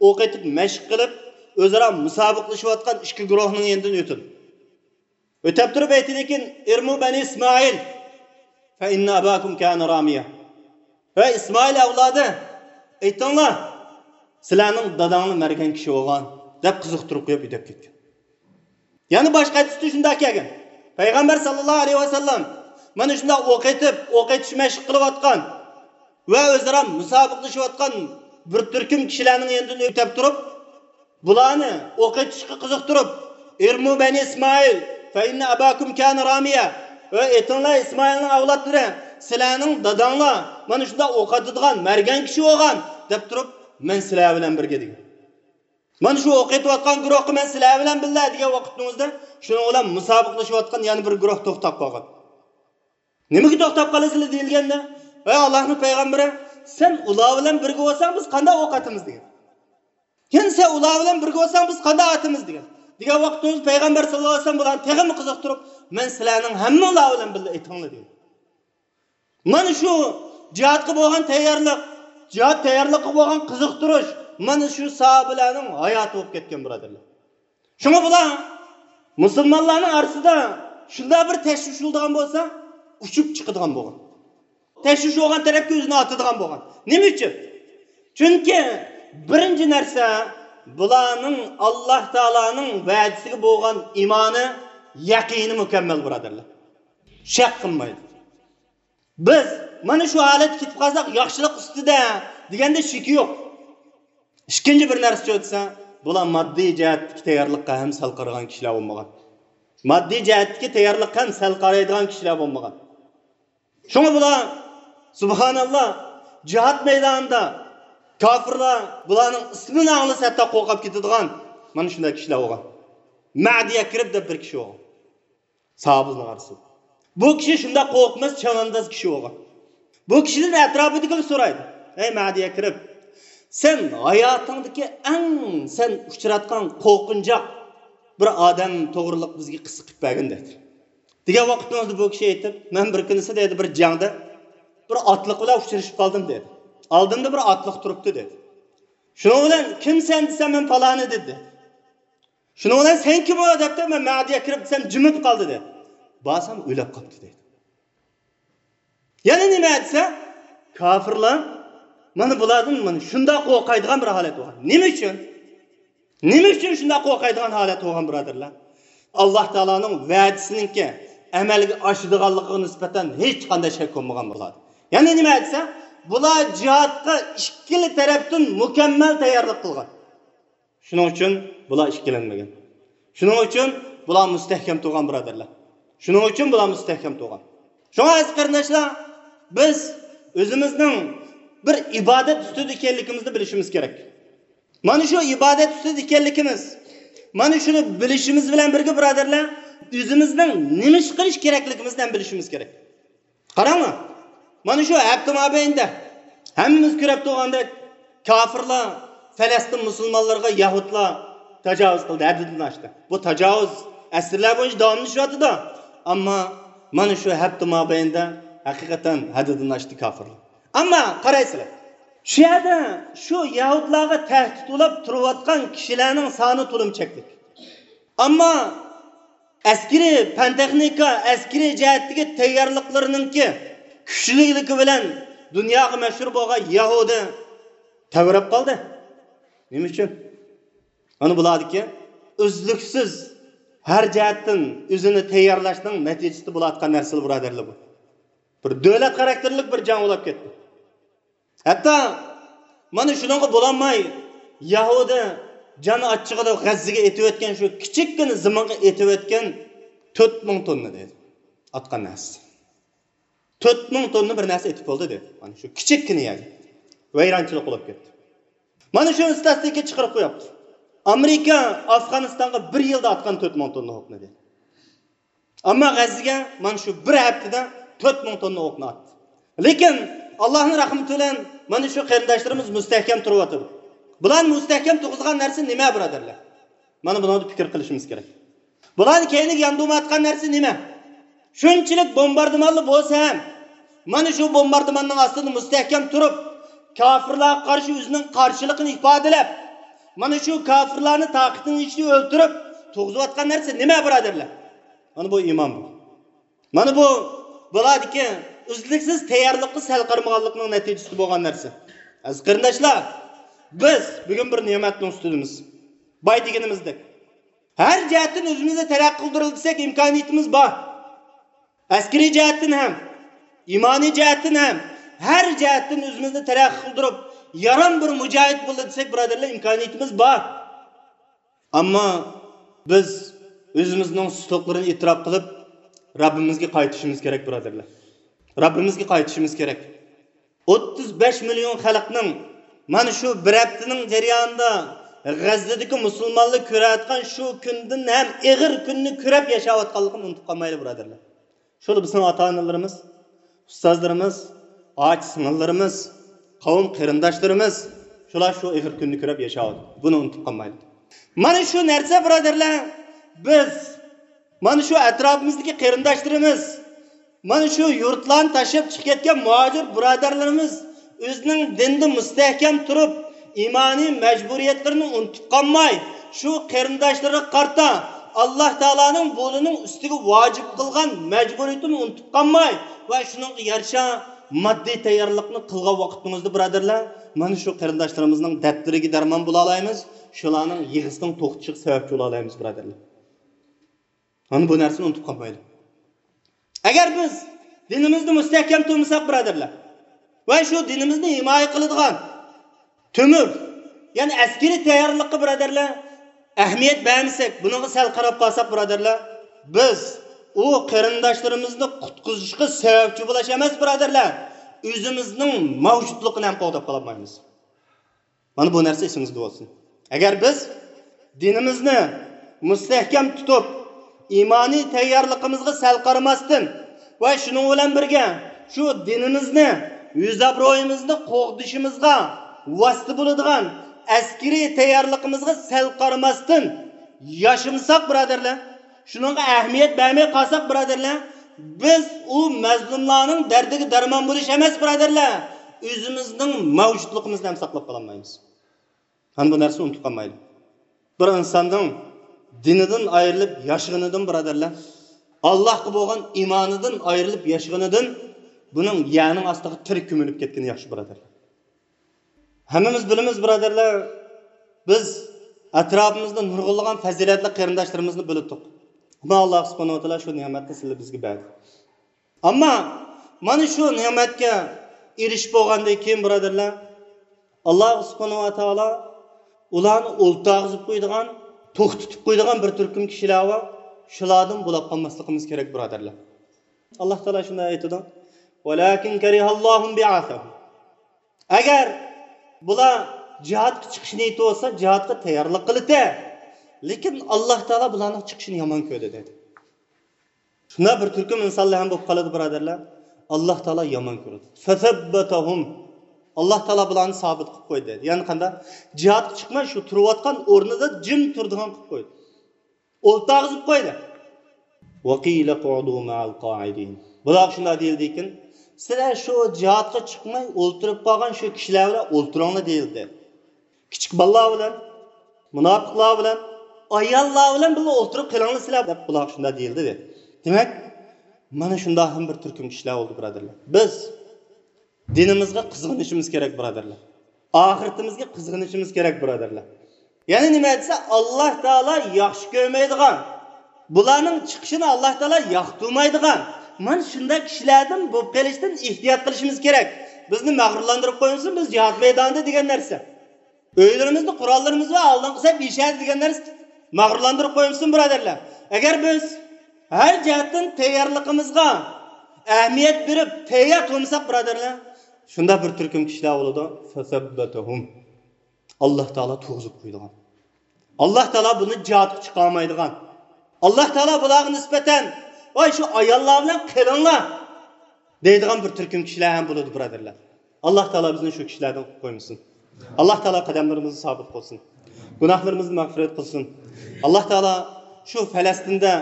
ئوق ئېتىپ مەشىق قىلىپ، ئۆزئارا مۇسابىقىلىشىۋاتقان ئىككى گۇرۇھنىڭ يېنىدىن ئۆتىدۇ. ئۆتەپ تۇرۇپ ئېيتىدىكەن، «ئىرمۇ بەنى ئىسمائىل، فەئىننە ئەباكۇم كانە رامىيە.» ھەي ئىسمائىل ئەۋلادى، ئېيتىڭلار، سىلەرنىڭ داداڭلار مەرگەن كىشى بولغان، دەپ قىزىقتۇرۇپ قويۇپ ئۆتۈپ كەتكەن. يەنە باشقا ھەدىستە شۇنداق كەلگەن. پەيغەمبەر ساللاللاھۇ ئەلەيھى ۋەسەللەم مانا شۇنداق ئوق ئېتىپ، ئوق ئېتىش مەشىق قىلىۋاتقان ۋە ئۆزئارا مۇسابىقىلىشىۋاتقان بىر تۈركۈم كىشىلەرنىڭ يېنىدىن ئۆتۈپ تۇرۇپ، بۇلارنى ئوق ئېتىشقا قىزىقتۇرۇپ، «ئىرمۇ بەنى ئىسمائىل، فەئىننە ئەباكۇم كانە رامىيە.» ۋە ئېيتىڭلار، ئىسمائىلنىڭ ئەۋلادلىرى، سىلەرنىڭ داداڭلار مانا شۇنداق ئوق ئاتىدىغان مەرگەن كىشى بولغان، دەپ تۇرۇپ، مەن سىلەر بىلەن بىرگە دېگەن. مانا شۇ ئوق ئېتىۋاتقان گۇرۇھقا مەن سىلەر بىلەن بىللە دېگەن ۋاقىتنىڭ ئۆزىدە شۇنىڭ بىلەن مۇسابىقىلىشىۋاتقان يەنە بىر گۇرۇھ توختاپ قالغان. نېمىگە توختاپ قالىسىلەر دېيىلگەندە، ۋەي ئاللاھنىڭ پەيغەمبىرى، سەن ئۇلار بىلەن بىرگە بولساڭ بىز قانداق ئوق ئاتىمىز دېگەن. يەنە سەن ئۇلار بىلەن بىرگە بولساڭ بىز قانداق ئاتىمىز دېگەن. دېگەن ۋاقىتتا ئۆزى پەيغەمبەر ساللاللاھۇ ئەلەيھى ۋەسەللەم بۇلارنى تېخىمۇ قىزىقتۇرۇپ، مەن سىلەرنىڭ ھەممىڭلار بىلەن بىللە ئېتىڭلار دېگەن. مانا شۇ جىھادقا بولغان تەييارلىق، جىھاد تەييارلىقىغا بولغان قىزىقتۇرۇش، مانا شۇ ساھابىلەرنىڭ ھاياتى بولۇپ كەتكەن، بۇرادەرلەر. شۇڭا بۇلار مۇسۇلمانلارنىڭ ئارىسىدا شۇنداق بىر تەشۋىش بولىدىغان بولسا، ئۇچۇپ چىقىدىغان بولغان. تەشۋىش بولغان تەرەپكە ئۆزىنى ئاتىدىغان بولغان. نېمە ئۈچۈن؟ چۈنكى بىرىنچى نەرسە، بۇلارنىڭ ئاللاھ تائالانىڭ ۋەدىسىگە بولغان ئىمانى، يەقىنى مۇكەممەل، بۇرادەرلەر. شەك قىلمايدۇ. بىز مانا شۇ ھالەتكە كېتىپ قالساق، ياخشىلىق ئۈستىدە دېگەندە شېكى يوق. ئىككىنچى بىر نەرسە چۆتسە، بۇلار ماددىي جەھەتتىكى تەييارلىققا ھەم سەل قارىغان كىشىلەر بولمىغان. ماددىي جەھەتتىكى تەييارلىققا ھەم سەل قارايدىغان كىشىلەر بولمىغان. شۇڭا بۇلار، سۇبھاناللا، جىھاد مەيدانىدا كاپىرلار بۇلارنىڭ ئىسمىنى ئاڭلىسا ھەتتا قورقۇپ كېتىدىغان مانا شۇنداق كىشىلەر بولغان. مەدى يەكرىب دەپ بىر كىشى بولغان. ساھابىلەرنىڭ ئارىسىدا. بۇ كىشى شۇنداق قورقماس، چەۋەنداز كىشى بولغان. بۇ كىشىدىن ئەتراپىدىكىلەر سورايدۇ، ئەي مەدى يەكرىب، سەن ھاياتىڭدىكى ئەڭ سەن ئۇچراتقان قورقۇنچاق بىر ئادەم توغرىلىق بىزگە قىسسە قىلىپ بەرگىن دەيدۇ. دېگەن ۋاقىتىڭىزدا بۇ كىشى ئېيتىپ، مەن بىر كۈنىسى دەيدۇ، بىر جەڭدە بىر ئاتلىق بىلەن ئۇچرىشىپ قالدىم دەيدۇ. ئالدىمدا بىر ئاتلىق تۇرۇپتۇ دەيدۇ. شۇنىڭ بىلەن كىمسەن دېسەم، مەن پالانى دېدى. شۇنىڭ بىلەن سەن كىم ئۇ دەپتۇ، مەن مەدى يەكرىب دېسەم جىمىپ قالدى دەيدۇ. بارسام ئۆلۈپ قاپتۇ دەيدۇ. يەنە نېمە دېسە، كاپىرلار مانا بۇلاردىن مانا شۇنداق قورقايدىغان بىر ھالەت بولغان. نېمە ئۈچۈن؟ نېمە ئۈچۈن شۇنداق قورقايدىغان ھالەت بولغان، بۇرادەرلەر؟ ئاللا تائالانىڭ ۋەدىسىنىڭكى ئەمەلگە ئاشىدىغانلىقىغا نىسبەتەن ھېچقانداق شەك بولمىغان بۇلار. يەنى نېمە دېسە، بۇلار جىھادقا ئىككىلا تەرەپتىن مۇكەممەل تەييارلىق قىلغان. شۇنىڭ ئۈچۈن بۇلار ئىككىلەنمىگەن. شۇنىڭ ئۈچۈن بۇلار مۇستەھكەم تۇرغان، بۇرادەرلەر. شۇنىڭ ئۈچۈن بۇلار مۇستەھكەم تۇرغان. شۇڭا ئەزىز قېرىنداشلار، بىز ئۆزىمىزنىڭ بىر ئىبادەت ئۈستىدە ئىكەنلىكىمىزنى بىلىشىمىز كېرەك. مانا شۇ ئىبادەت ئۈستىدە ئىكەنلىكىمىز، مانا شۇنى بىلىشىمىز بىلەن بىرگە، بۇرادەرلەر، ئۆزىمىزنىڭ نېمە ئىش قىلىش كېرەكلىكىمىزنى ھەم بىلىشىمىز كېرەك. قاراڭلار، مانا شۇ ھەپتە مابەينىدە ھەممىمىز كۆرۈپ تۇرغاندەك، كاپىرلار پەلەستىن مۇسۇلمانلىرىغا يەھۇدلار تاجاۋۇز قىلدى، ھەددىدىن ئاشتى. بۇ تاجاۋۇز ئەسىرلەر بويىچە داۋاملىشىۋاتىدۇ. ئەمما مانا شۇ ھەپتە مابەينىدە ھەقىقەتەن ھەددىدىن ئاشتى كاپىرلار. ئەمما قارايسىلەر، شۇ يەردە شۇ يەھۇدلارغا تەھدىت بولۇپ تۇرۇۋاتقان كىشىلەرنىڭ سانى تولىمۇ چەكلىك. ئەمما ئەسكىرىي پەن-تېخنىكا، ئەسكىرىي جەھەتتىكى تەييارلىقلىرىنىڭكى كۈچلۈكلۈكى بىلەن دۇنياغا مەشھۇر بولغان يەھۇدىي تەۋرەپ قالدى. نېمە ئۈچۈن؟ ئەنە بۇلاردىكى ئۈزلۈكسىز ھەر جەھەتتىن ئۆزىنى تەييارلاشنىڭ نەتىجىسىدە بولۇۋاتقان نەرسىلەر، بۇرادەرلەر، بۇ. بىر دۆلەت خاراكتېرلىك بىر جەڭ بولۇپ كەتتى. ھەتتا مانا شۇنىڭغا بولالماي، يەھۇدىي جان ئاچچىقىدا غەززىگە ئېتىۋەتكەن، شۇ كىچىككىنە زېمىنغا ئېتىۋەتكەن تۆت مىڭ توننا دەيدۇ. ئاتقان نەرسە. تۆت مىڭ توننا بىر نەرسە ئېتىپ بولدى دەيدۇ. مانا شۇ كىچىككىنە يەرگە. ۋەيرانچىلىق بولۇپ كەتتى. مانا شۇ ئىستاتىستىكا چىقىرىپ قويۇپتۇ. ئامېرىكا ئافغانىستانغا بىر يىلدا ئاتقان تۆت مىڭ توننا ئوقنى دەيدۇ. ئەمما غەززىگە مانا شۇ بىر ھەپتىدە تۆت مىڭ توننا ئوقنى ئاتتى. لېكىن ئاللانىڭ رەھمىتى بىلەن مانا شۇ قېرىنداشلىرىمىز مۇستەھكەم تۇرۇۋاتىدۇ. بۇلارنى مۇستەھكەم تۇرغۇزغان نەرسە نېمە، بۇرادەرلەر؟ مانا بۇنىڭدا پىكىر قىلىشىمىز كېرەك. بۇلارنى كەينىگە ياندۇرمايۋاتقان نەرسە نېمە؟ شۇنچىلىك بومباردىمانلا بولسا ھەم، مانا شۇ بومباردىماننىڭ ئاستىدا مۇستەھكەم تۇرۇپ، كاپىرلارغا قارشى ئۆزىنىڭ قارشىلىقىنى ئىپادىلەپ، مانا شۇ كاپىرلارنى تاقىتىنىڭ ئىچىدە ئۆلتۈرۈپ تۇرغۇزۇۋاتقان نەرسە نېمە، بۇرادەرلەر؟ مانا بۇ ئىمان بۇ. مانا بۇ بۇلاردىكى ئۈزلۈكسىز تەييارلىققا سەل قارىمىغانلىقنىڭ نەتىجىسىدە بولغان نەرسە. ئەزىز قېرىنداشلار، بىز بۈگۈن بىر نېمەتنىڭ ئۈستىدىمىز. باي دېگىنىمىزدەك، ھەر جەھەتتىن ئۆزىمىزنى تەرەققىي قىلدۇرۇۋاتساق، ئىمكانىيىتىمىز بار. ئەسكىرىي جەھەتتىن ھەم، ئىمانىي جەھەتتىن ھەم، ھەر جەھەتتىن ئۆزىمىزنى تەرەققىي قىلدۇرۇپ، يارام بىر مۇجاھىد بولدى دېسەك، بۇرادەرلەر، ئىمكانىيىتىمىز بار. ئەمما بىز ئۆزىمىزنىڭ سۇسلۇقلىرىنى ئېتىراپ قىلىپ، رەببىمىزگە قايتىشىمىز كېرەك، بۇرادەرلەر. رەببىمىزگە قايتىشىمىز كېرەك. ئوتتۇز بەش مىليون خەلقنىڭ مانا شۇ بىر ھەپتىنىڭ جەريانىدا غەززىدىكى مۇسۇلمانلار كۆرۈۋاتقان شۇ كۈندىن ھەم ئېغىر كۈننى كۆرۈپ ياشاۋاتقانلىقىنى ئۇنتۇپ قالمايلى، بۇرادەرلەر. شۇلار بىزنىڭ ئاتا-ئانىلىرىمىز، ئۇستازلىرىمىز، ئاچا-سىڭىللىرىمىز، قەۋم قېرىنداشلىرىمىز، شۇلار شۇ ئېغىر كۈننى كۆرۈپ ياشاۋاتىدۇ. بۇنى ئۇنتۇپ قالمايلى. مانا شۇ نەرسە، بۇرادەرلەر، بىز، مانا شۇ ئەتراپىمىزدىكى قېرىنداشلىرىمىز، مانا شۇ يۇرتلارنى تاشلاپ چىقىپ كەتكەن مۇھاجىر بۇرادەرلىرىمىز ئۆزىنىڭ دىنىدا مۇستەھكەم تۇرۇپ، ئىمانىي مەجبۇرىيەتلىرىنى ئۇنتۇپ قالماي، شۇ قېرىنداشلىرىغا قارىتا ئاللا تائالانىڭ بۇلىنىڭ ئۈستىگە ۋاجىپ قىلغان مەجبۇرىيىتىنى ئۇنتۇپ قالماي ۋە شۇنىڭغا يارىشا ماددىي تەييارلىقنى قىلغان ۋاقتىڭىزدا، بۇرادەرلەر، مانا شۇ قېرىنداشلىرىمىزنىڭ دەردلىرىگە دەرمان بولالايمىز، شۇلارنىڭ يىغىسىنىڭ توختىشىغا سەۋەبچى بولالايمىز، بۇرادەرلەر. مانا بۇ نەرسىنى ئۇنتۇپ قالمايلى. ئەگەر بىز دىنىمىزنى مۇستەھكەم تۇرمىساق، بۇرادەرلەر، ۋە شۇ دىنىمىزنى ھىمايە قىلىدىغان تۆمۈر، يەنى ئەسكىرىي تەييارلىققا، بۇرادەرلەر، ئەھمىيەت بەرمىسەك، بۇنىڭغا سەل قاراپ قالساق، بۇرادەرلەر، بىز ئۇ قېرىنداشلىرىمىزنى قۇتقۇزۇشقا سەۋەبچى بولاش ئەمەس، بۇرادەرلەر، ئۆزىمىزنىڭ مەۋجۇتلۇقىنى ھەم قوغداپ قالالمايمىز. مانا بۇ نەرسە ئېسىڭىزدە بولسۇن. ئەگەر بىز دىنىمىزنى مۇستەھكەم تۇتۇپ، ئىمانىي تەييارلىقىمىزغا سەل قارىماستىن ۋە شۇنىڭ بىلەن بىرگە شۇ دىنىمىزنى، يۈز ئابرۇيىمىزنى قوغدىشىمىزغا ۋاسىتە بولىدىغان ئەسكىرىي تەييارلىقىمىزغا سەل قارىماستىن ياشىمىساق، بۇرادەرلەر، شۇنىڭغا ئەھمىيەت بەرمەي قالساق، بۇرادەرلەر، بىز ئۇ مەزلۇملارنىڭ دەردىگە دەرمان بولۇش ئەمەس، بۇرادەرلەر، ئۆزىمىزنىڭ مەۋجۇتلۇقىمىزنى ھەم ساقلاپ قالالمايمىز. مانا بۇ نەرسە ئۇنتۇپ قالمايلى. بىر ئىنساننىڭ دىنىدىن ئايرىلىپ ياشىغىنىدىن، بۇرادەرلەر، ئاللاھقا بولغان ئىمانىدىن ئايرىلىپ ياشىغىنىدىن، بۇنىڭ يەرنىڭ ئاستىغا تىرىك كۆمۈلۈپ كەتكىنى ياخشى، بۇرادەرلەر. ھەممىمىز بىلىمىز، بۇرادەرلەر، بىز ئەتراپىمىزدا نۇرغۇنلىغان پەزىلەتلىك قېرىنداشلىرىمىزنى بىلىدۇق. ئەمما ئاللاھ سۇبھانەھۇ ۋە تائالا شۇ نېمەتنى سىلە بىزگە بەردى. ئەمما مانا شۇ نېمەتكە ئېرىشىپ بولغاندىن كېيىن، بۇرادەرلەر، ئاللاھ سۇبھانەھۇ ۋە تائالا ئۇلارنى ئولتۇرغۇزۇپ قويىدىغان، توختىتىپ قويىدىغان بىر تۈركۈم كىشىلەر بار. شۇلاردىن بولاپ قالماسلىقىمىز كېرەك، بۇرادەرلەر. ئاللاھ تائالا شۇنداق ئېيتىدۇ، ۋەلەكىن كەرىھەللاھۇم بىئەسەھۇم. ئەگەر بۇلار جىھادقا چىقىشنى ئېيتىۋاتسا، جىھادقا تەييارلىق قىلىتە. لېكىن ئاللاھ تائالا بۇلارنىڭ چىقىشىنى يامان كۆردى، دېدى. شۇنداق بىر تۈركۈم ئىنسانلار ھەم بولۇپ قالىدۇ، بۇرادەرلەر. ئاللاھ تائالا يامان كۆرىدۇ. فەسەببەتەھۇم. ئاللاھ تائالا بۇلارنى سابىت قىلىپ قويدى، دېدى. يەنى قانداق؟ جىھادقا چىقماي، شۇ تۇرۇۋاتقان ئورنىدا جىم تۇرىدىغان قىلىپ قويدى. ئولتۇرغۇزۇپ قويدى. ۋەقىلە قۇئۇدۇ مەئەل قائىدىن. بۇلارغا شۇنداق دېيىلدىكىن، سىلەر شۇ جىھادقا چىقماي ئولتۇرۇپ قالغان شۇ كىشىلەر بىلەن ئولتۇرۇڭلار دېيىلدى. كىچىك بالىلار بىلەن، مۇناپىقلار بىلەن، ئاياللار بىلەن بىللە ئولتۇرۇپ قېلىڭلار سىلەر، دەپ بۇلارغا شۇنداق دېيىلدى، دېدى. دېمەك، مانا شۇنداق ھەم بىر تۈركۈم كىشىلەر بولدى، بۇرادەرلەر. بىز دىنىمىزغا قىزغىنىشىمىز كېرەك، بۇرادەرلەر. ئاخىرىتىمىزگە قىزغىنىشىمىز كېرەك، بۇرادەرلەر. يەنى نېمە دېسە، ئاللاھ تائالا ياخشى كۆرمەيدىغان، بۇلارنىڭ چىقىشىنى ئاللاھ تائالا ياقتۇرمايدىغان، مانا شۇنداق كىشىلەردىن بولۇپ قېلىشتىن ئېھتىيات قىلىشىمىز كېرەك. بىزنى مەغرۇرلاندۇرۇپ قويمىسۇن، بىز جىھاد مەيدانىدا دېگەن نەرسە. ئۆيلىرىمىزدە قوراللىرىمىز بار، ئالدىنقى سەپ ئېشەدە دېگەن نەرسە مەغرۇرلاندۇرۇپ قويمىسۇن، بۇرادەرلەر. ئەگەر بىز ھەر جەھەتتىن تەييارلىقىمىزغا ئەھمىيەت بېرىپ تەييار تۇرمىساق، بۇرادەرلەر، شۇنداق بىر تۈركۈم كىشىلەر بولىدۇ. فەسەببەتەھۇم. ئاللاھ تائالا تۇرغۇزۇپ قويىدىغان. ئاللاھ تائالا بۇنى جىھادقا چىقارمايدىغان. ئاللاھ تائالا بۇلارغا نىسبەتەن، ۋاي، شۇ ئاياللار بىلەن قېلىڭلار، دەيدىغان بىر تۈركۈم كىشىلەر ھەم بولىدۇ، بۇرادەرلەر. ئاللاھ تائالا بىزنى شۇ كىشىلەردىن قىلىپ قويمىسۇن. ئاللاھ تائالا قەدەملىرىمىزنى سابىت قىلسۇن. گۇناھلىرىمىزنى مەغپىرەت قىلسۇن. ئاللاھ تائالا شۇ پەلەستىندە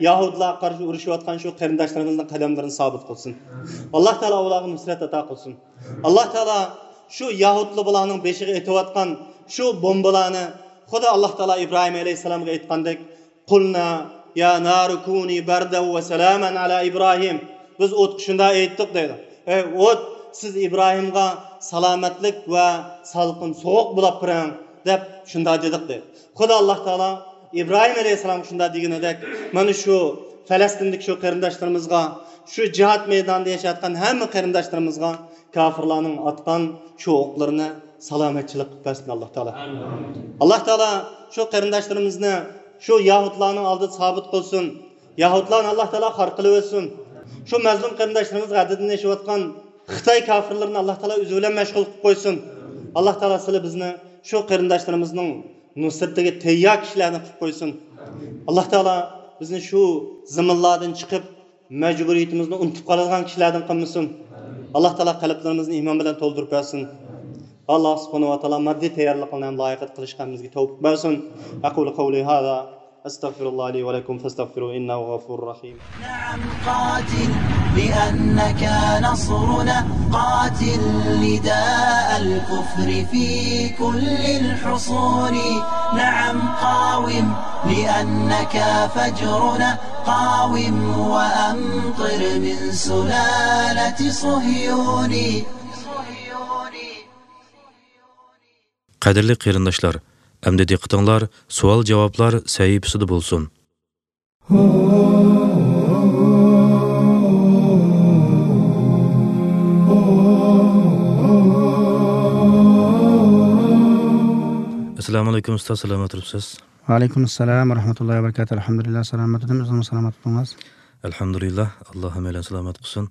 يەھۇدىيلارغا قارشى ئۇرۇشۇۋاتقان شۇ قېرىنداشلىرىمىزنىڭ قەدەملىرىنى سابىت قىلسۇن. ئاللاھ تائالا ئۇلارغا نۇسرەت ئاتا قىلسۇن. ئاللاھ تائالا شۇ يەھۇدىيلار بۇلارنىڭ بېشىغا ئېتىۋاتقان شۇ بومبىلارنى، خۇدا ئاللاھ تائالا ئىبراھىم ئەلەيھىسسالامغا ئېيتقاندەك، قۇلنا يا نارۇ كۇنى بەردەن ۋە سالامەن ئەلا ئىبراھىم. بىز ئوتقا شۇنداق ئېيتتۇق، دەيدۇ. ئەي ئوت، سىز ئىبراھىمغا سالامەتلىك ۋە سالقىن سوغۇق بولاپ بېرىڭ، دەپ شۇنداق دېدۇق، دەيدۇ. خۇدا ئاللاھ تائالا ئىبراھىم ئەلەيھىسسالامغا شۇنداق دېگىنىدەك، مانا شۇ پەلەستىندىكى شۇ قېرىنداشلىرىمىزغا، شۇ جىھاد مەيدانىدا ياشايدىغان ھەممە قېرىنداشلىرىمىزغا كاپىرلارنىڭ ئاتقان شۇ ئوقلىرىنى سالامەتچىلىك قىلىپ بەرسۇن ئاللاھ تائالا. ئاللاھ تائالا شۇ قېرىنداشلىرىمىزنى شۇ يەھۇدلارنىڭ ئالدىدا سابىت قىلسۇن. يەھۇدلارنى ئاللاھ تائالا خار قىلىۋەتسۇن. شۇ مەزلۇم قېرىنداشلىرىمىزغا ھەددىدىن ئېشىۋاتقان خىتاي كاپىرلىرىنى ئاللاھ تائالا ئۆزى بىلەن مەشغۇل قىلىپ قويسۇن. ئاللاھ تائالا سىلى بىزنى شۇ قېرىنداشلىرىمىزنىڭ نۇسرىتىگە تەييار كىشىلەردىن قىلىپ قويسۇن. ئاللاھ تائالا بىزنى شۇ زېمىنلاردىن چىقىپ، مەجبۇرىيىتىمىزنى ئۇنتۇپ قالىدىغان كىشىلەردىن قىلمىسۇن. ئاللاھ تائالا قەلبلىرىمىزنى ئىمان بىلەن تولدۇرۇپ بەرسۇن. ئاللاھ سۇبھانەھۇ ۋە تائالا ماددىي تەييارلىقلارنى ھەم لايىقىدا قىلىشقا ھەممىمىزگە تەۋپىق بەرسۇن. أقول قولي هذا، أستغفر الله لي ولكم فاستغفروه إنه غفور رحيم. نعم قاتل لأنك نصرنا، قاتل نداء الكفر في كل الحصون. نعم قاوم لأنك فجرنا، قاوم وأمطر من سلالة صهيون. قەدىرلىك قېرىنداشلار، ئەمدى دىققىتىڭلار سوئال-جاۋابلار سەھىپىسىدە بولسۇن. ئەسسالامۇئەلەيكۇم ئۇستاز، سالامەت تۇرۇپسىز؟ ۋەئەلەيكۇم ئەسسالام ۋە رەھمەتۇللاھى ۋە بەرىكاتۇھ. ئەلھەمدۇلىللاھ، سالامەت تۇردۇم. ئۆزىڭىز سالامەت تۇردىڭىز؟ ئەلھەمدۇلىللاھ، ئاللاھ ھەممەيلەن سالامەت قىلسۇن.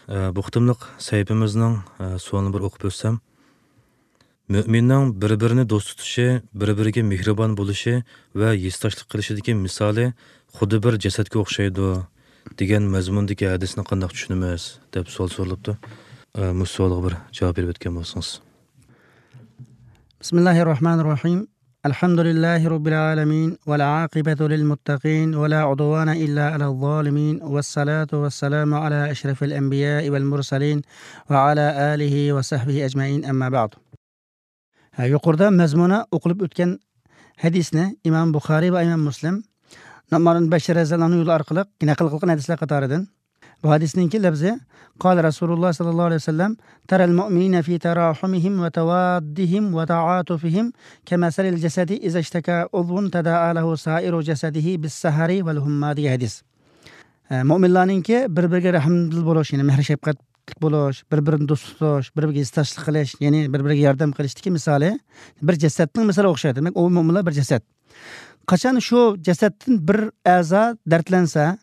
ئە، بۇ قېتىملىق سەھىپىمىزنىڭ، ئە، سوئالىنى بىر ئوقۇپ ئۆتسەم. مۆمىننىڭ بىر-بىرىنى دوست تۇتۇشى، بىر-بىرىگە مېھرىبان بولۇشى ۋە ھېسداشلىق قىلىشىدىكى مىسالى خۇددى بىر جەسەتكە ئوخشايدۇ، دېگەن مەزمۇندىكى ھەدىسنى قانداق چۈشىنىمىز؟ دەپ سوئال سورىلىپتۇ. ئە، مۇشۇ سوئالغا بىر جاۋاب بېرىپ ئۆتكەن بولسىڭىز. بسم الله الرحمن الرحيم. الحمد لله رب العالمين، والعاقبة للمتقين، ولا عدوان إلا على الظالمين، والصلاة والسلام على أشرف الأنبياء والمرسلين، وعلى آله وصحبه أجمعين، أما بعد. ھە، يۇقىرىدا مەزمۇنى ئوقۇلۇپ ئۆتكەن ھەدىسنى ئىمام بۇخارىي ۋە ئىمام مۇسلىم نۇئمان بىن بەشىر رەزىياللاھۇ ئەنھۇ يولى ئارقىلىق نەقىل قىلغان ھەدىسلەر قاتارىدىن. بۇ ھەدىسنىڭكى لەپزى: قال رسول الله صلى الله عليه وسلم: ترى المؤمنين في تراحمهم وتوادهم وتعاطفهم كمثل الجسد إذا اشتكى عضو تداعى له سائر جسده بالسهر والحمى دېگەن ھەدىس. ئە، مۆمىنلارنىڭكى بىر-بىرىگە رەھىمدىل بولۇش، يەنى مېھىر-شەپقەتلىك بولۇش، بىر-بىرىنى دوست تۇتۇش، بىر-بىرىگە ھېسداشلىق قىلىش، يەنى بىر-بىرىگە ياردەم قىلىشتىكى مىسالى بىر جەسەتنىڭ مىسالىغا ئوخشايدۇ. دېمەك، ئۇ مۆمىنلار بىر جەسەت. قاچان شۇ جەسەتتىن بىر ئەزا دەردلەنسە،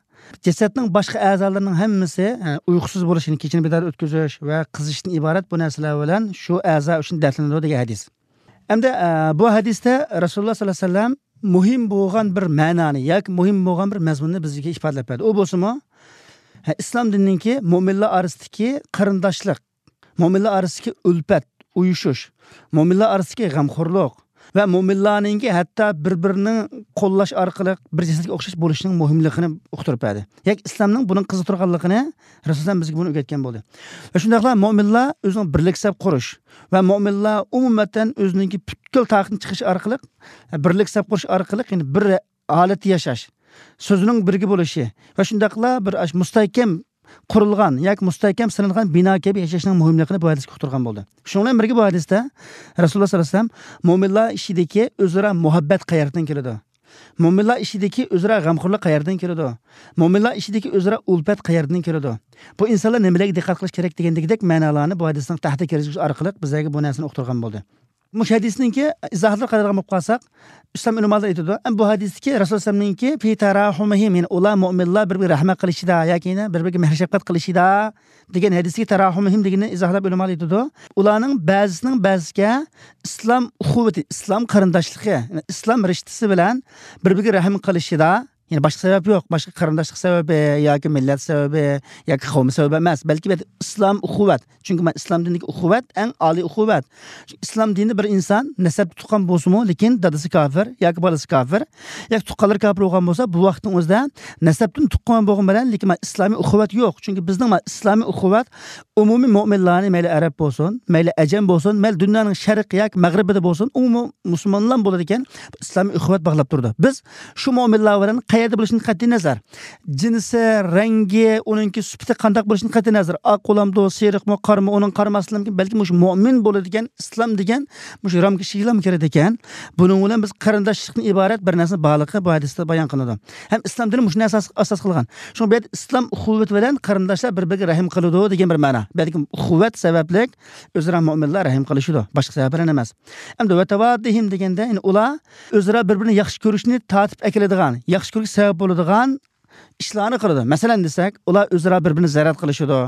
جەسەتنىڭ باشقا ئەزالىرىنىڭ ھەممىسى، ئە، ئۇيقۇسىز بولۇش، يەنى كېچىنى بىدار ئۆتكۈزۈش ۋە قىزىشتىن ئىبارەت بۇ نەرسىلەر بىلەن شۇ ئەزا ئۈچۈن دەردلىنىدۇ دېگەن ھەدىس. ئەمدى، ئە، بۇ ھەدىستە رەسۇلۇللاھ سەللەللاھۇ ئەلەيھى ۋەسەللەم مۇھىم بولغان بىر مەنانى ياكى مۇھىم بولغان بىر مەزمۇننى بىزگە ئىپادىلەپ بەردى. ئۇ بولسىمۇ، ھە، ئىسلام دىنىنىڭكى مۆمىنلار ئارىسىدىكى قېرىنداشلىق، مۆمىنلار ئارىسىدىكى ئۈلپەت، ئۇيۇشۇش، مۆمىنلار ئارىسىدىكى غەمخورلۇق ۋە مۆمىنلارنىڭكى ھەتتا بىر-بىرىنى قوللاش ئارقىلىق بىر جەسەتكە ئوخشاش بولۇشىنىڭ مۇھىملىقىنى ئۇقتۇرۇپ بەردى. ياكى ئىسلامنىڭ بۇنىڭ قىزىق تۇرغانلىقىنى رەسۇلۇللاھ بىزگە بۇنى ئۆگەتكەن بولدى. ۋە شۇنداقلا مۆمىنلار ئۆزىنىڭ بىرلىك سەپ قۇرۇش ۋە مۆمىنلار ئومۇمەن ئۆزىنىڭكى پۈتكۈل تاقىتىنى چىقىرىش ئارقىلىق، بىرلىك سەپ قۇرۇش ئارقىلىق، يەنى بىر ھالەتتە ياشاش، سۆزىنىڭ بىرگە بولۇشى ۋە شۇنداقلا بىر ئاش-، مۇستەھكەم قۇرۇلغان ياكى مۇستەھكەم سېلىنغان بىنا كەبى ياشاشنىڭ مۇھىملىقىنى بۇ ھەدىسكە ئۇقتۇرغان بولدى. شۇنىڭ بىلەن بىرگە بۇ ھەدىستە رەسۇلۇللاھ سەللەللاھۇ ئەلەيھى ۋەسەللەم مۆمىنلار ئىچىدىكى ئۆزئارا مۇھەببەت قەيەردىن كېلىدۇ؟ مۆمىنلار ئىچىدىكى ئۆزئارا غەمخورلۇق قەيەردىن كېلىدۇ؟ مۆمىنلار ئىچىدىكى ئۆزئارا ئۈلپەت قەيەردىن كېلىدۇ؟ بۇ ئىنسانلار نېمىلەرگە دىققەت قىلىش كېرەك دېگەندىكىدەك مەنالارنى بۇ ھەدىسنىڭ تەھتىگە كىرگۈزۈش ئارقىلىق بىزلەرگە بۇ نەرسىنى ئۇقتۇرغان بولدى. مۇشۇ ھەدىسنىڭكى ئىزاھاتىغا قارايدىغان بولۇپ قالساق، ئىسلام ئۆلىمالىرى ئېيتىدۇ، ئەمما بۇ ھەدىستىكى رەسۇلۇللاھ ئەلەيھىسسالامنىڭكى في تراحمهم، يەنى ئۇلار مۆمىنلار بىر-بىرىگە رەھمەت قىلىشىدا ياكى يەنە بىر-بىرىگە مېھىر-شەپقەت قىلىشىدا دېگەن ھەدىسىدىكى تراحمهم دېگىنىنى ئىزاھلاپ ئۆلىمالار ئېيتىدۇ. ئۇلارنىڭ بەزىسىنىڭ بەزىسىگە ئىسلام ئۇخۇۋىتى، ئىسلام قېرىنداشلىقى، يەنى ئىسلام رىشتىسى بىلەن بىر-بىرىگە رەھىم قىلىشىدا، يەنى باشقا سەۋەب يوق، باشقا قېرىنداشلىق سەۋەبى ياكى مىللەت سەۋەبى ياكى قەۋم سەۋەبى ئەمەس، بەلكى بىر ئىسلام ئۇخۇۋەت. چۈنكى مانا ئىسلام دىنىدىكى ئۇخۇۋەت ئەڭ ئالىي ئۇخۇۋەت. ئىسلام دىنىدا بىر ئىنسان نەسەبتە تۇغقان بولسىمۇ، لېكىن دادىسى كاپىر ياكى بالىسى كاپىر ياكى تۇغقانلىرى كاپىر بولغان بولسا، بۇ ۋاقىتنىڭ ئۆزىدە نەسەبتىن تۇغقان بولغان بىلەن، لېكىن مانا ئىسلامىي ئۇخۇۋەت يوق. چۈنكى بىزنىڭ مانا ئىسلامىي ئۇخۇۋەت ئومۇمىي مۆمىنلارنى، مەيلى ئەرەب بولسۇن، مەيلى ئەجەم بولسۇن، مەيلى دۇنيانىڭ شەرقى ياكى مەغرىبىدە بولسۇن، ئومۇمىي مۇسۇلمانلار بولىدىكەن، ئىسلامىي ئۇخۇۋەت باغلاپ تۇرىدۇ. بىز شۇ مۆمىنلار بىلەن قەيەردە بولۇشىدىن قەتئىي نەزەر، جىنسى، رەڭگى، ئۇنىڭكى سۈپىتى قانداق بولۇشىدىن قەتئىي نەزەر، ئاق بولامدۇ، سېرىقمۇ، قارىمۇ، ئۇنىڭ قارىماسلىقى مۇمكىن، بەلكى مۇشۇ مۆمىن بولىدىكەن، ئىسلام دېگەن مۇشۇ رامكا ئىچىگىلا كىرىدىكەن. بۇنىڭ بىلەن بىز قېرىنداشلىقتىن ئىبارەت بىر نەرسىنى بارلىقى بۇ ھەدىستە بايان قىلىنىدۇ. ھەم ئىسلام دىنى مۇشۇنى ئاساس، ئاساس قىلغان. شۇڭا بۇ يەردە ئىسلام ئۇخۇۋىتى بىلەن قېرىنداشلار بىر-بىرىگە رەھىم قىلىدۇ دېگەن بىر مەنا. بۇ يەردىكى ئۇخۇۋەت سەۋەبلىك ئۆزئارا مۆمىنلار رەھىم قىلىشىدۇ. باشقا سەۋەب بىلەن ئەمەس. ئەمدى ۋەتەۋادىھىم دېگەندە، يەنى ئۇلار ئۆزئارا بىر-بىرىنى ياخشى كۆرۈشنى تارتىپ ئەكېلىدىغان، ياخشى كۆرۈشكە سەۋەب بولىدىغان ئىشلارنى قىلىدۇ. مەسىلەن دېسەك، ئۇلار ئۆزئارا بىر-بىرىنى زىيارەت قىلىشىدۇ،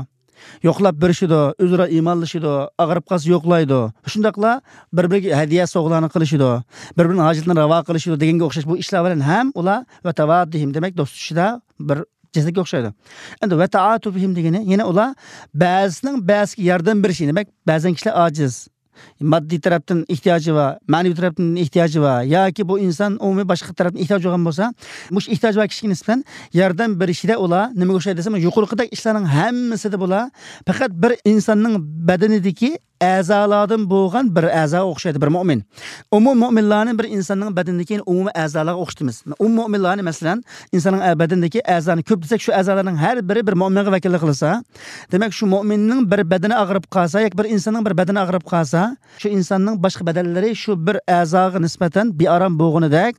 يوقلاپ بېرىشىدۇ، ئۆزئارا ئىمانلىشىدۇ، ئاغرىپ قالسا يوقلايدۇ. شۇنداقلا بىر-بىرىگە ھەدىيە سوۋغىلارنى قىلىشىدۇ، بىر-بىرىنىڭ ھاجىتىنى راۋا قىلىشىدۇ دېگەنگە ئوخشاش بۇ ئىشلار بىلەن ھەم ئۇلار ۋەتەۋادىھىم، دېمەك، دوست تۇتۇشىدا بىر جەسەتكە ئوخشايدۇ. ئەمدى ۋەتەئاتۇفىھىم دېگىنى، يەنە ئۇلار بەزىسىنىڭ بەزىسىگە ياردەم بېرىشى، دېمەك، بەزەن كىشىلەر ئاجىز، ماددىي تەرەپتىن ئېھتىياجى بار، مەنىۋى تەرەپتىن ئېھتىياجى بار ياكى بۇ ئىنسان ئومۇمىي باشقا تەرەپتىن ئېھتىياجى بولغان بولسا، مۇشۇ ئېھتىياجى بار كىشىگە نىسبەتەن ياردەم بېرىشىدە ئۇلار نېمىگە ئوخشايدۇ دېسەم، يۇقىرىقىدەك ئىشلارنىڭ ھەممىسىدە بۇلار پەقەت بىر ئىنساننىڭ بەدىنىدىكى ئەزالاردىن بولغان بىر ئەزاغا ئوخشايدۇ، بىر مۆمىن. ئومۇمىي مۆمىنلارنى بىر ئىنساننىڭ بەدىنىدىكى ئومۇمىي ئەزالارغا ئوخشىتىمىز. ئومۇمىي مۆمىنلارنى، مەسىلەن، ئىنساننىڭ ئە-، بەدىنىدىكى ئەزانى كۆپ دېسەك، شۇ ئەزالارنىڭ ھەر بىرى بىر مۆمىنگە ۋەكىللىك قىلسا، دېمەك، شۇ مۆمىننىڭ بىر بەدىنى ئاغرىپ قالسا ياكى بىر ئىنساننىڭ بىر بەدىنى ئاغرىپ قالسا، شۇ ئىنساننىڭ باشقا بەدەنلىرى شۇ بىر ئەزاغا نىسبەتەن بىئارام بولغىنىدەك،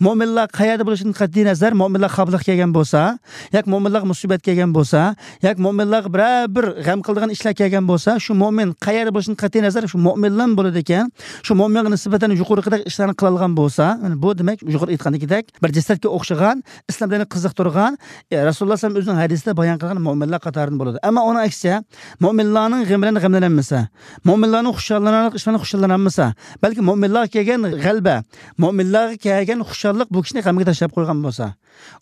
مۆمىنلار قەيەردە بولۇشىدىن قەتئىي نەزەر، مۆمىنلار خاپىلىققا كەلگەن بولسا، ياكى مۆمىنلارغا مۇسىبەت كەلگەن بولسا، ياكى مۆمىنلارغا بىرەر بىر غەم قىلىدىغان ئىشلار كەلگەن بولسا، شۇ مۆمىن قەيەردە قەتئىي نەزەر شۇ مۆمىنلەرمۇ بولىدىكەن. شۇ مۆمىنگە نىسبەتەن يۇقىرىقىدەك ئىشلارنى قىلالىغان بولسا، يەنى بۇ دېمەك يۇقىرىدا ئېيتقاندىكىدەك بىر جەسەتكە ئوخشىغان، ئىسلام دىنىنى قىزىقتۇرغان، ئە، رەسۇلۇللا ئەلەيھىسسالام ئۆزىنىڭ ھەدىسىدە بايان قىلغان مۆمىنلەر قاتارىدىن بولىدۇ. ئەمما ئۇنىڭ ئەكسىچە، مۆمىنلارنىڭ غېمى بىلەن غەملەنمىسە، مۆمىنلارنىڭ خۇشاللىنارلىق ئىش بىلەن خۇشاللانمىسا، بەلكى مۆمىنلارغا كەلگەن غەلىبە، مۆمىنلارغا كەلگەن خۇشاللىق بۇ كىشىنى غەمگە تاشلاپ قويغان بولسا،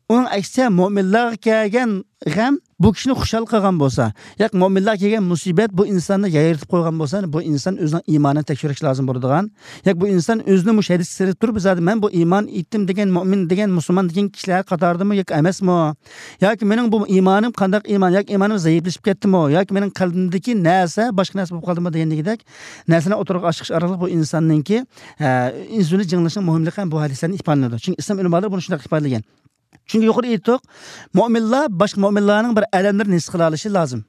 ئۇنىڭ ئەكسىچە، مۆمىنلارغا كەلگەن غەم بۇ كىشىنى خۇشال قىلغان بولسا، ياكى مۆمىنلارغا كەلگەن مۇسىبەت بۇ ئىنساننى يايرىتىپ قويغان بولسا، بۇ ئىنسان ئۆزىنىڭ ئىمانىنى تەكشۈرۈش لازىم بولىدىغان. ياكى بۇ ئىنسان ئۆزىنى مۇشۇ ھەدىسكە سېلىپ تۇرۇپ، زادى مەن بۇ ئىمان ئېيتتىم دېگەن مۆمىن دېگەن مۇسۇلمان دېگەن كىشىلەر قاتارىدىمۇ ياكى ئەمەسمۇ؟ ياكى مېنىڭ بۇ ئىمانىم قانداق ئىمان؟ ياكى ئىمانىم زەئىپلىشىپ كەتتىمۇ؟ ياكى مېنىڭ قەلبىمدىكى نەرسە باشقا نەرسە بولۇپ قالدىمۇ دېگەندىكىدەك نەرسىلەرنى ئوتتۇرىغا ئاچىقىش ئارقىلىق بۇ ئىنساننىڭكى، ئە، ئۆزىنى جىڭلىشىنىڭ مۇھىملىقى ھەم بۇ ھەدىسلەردىن ئىپادىلىنىدۇ. چۈنكى ئىسلام ئۆلىمالىرى بۇنى شۇنداق ئىپادىلىگەن. چۈنكى يۇقىرىدا ئېيتتۇق، مۆمىنلار باشقا مۆمىنلارنىڭ بىر ئەلەملىرىنى ھېس قىلالىشى لازىم.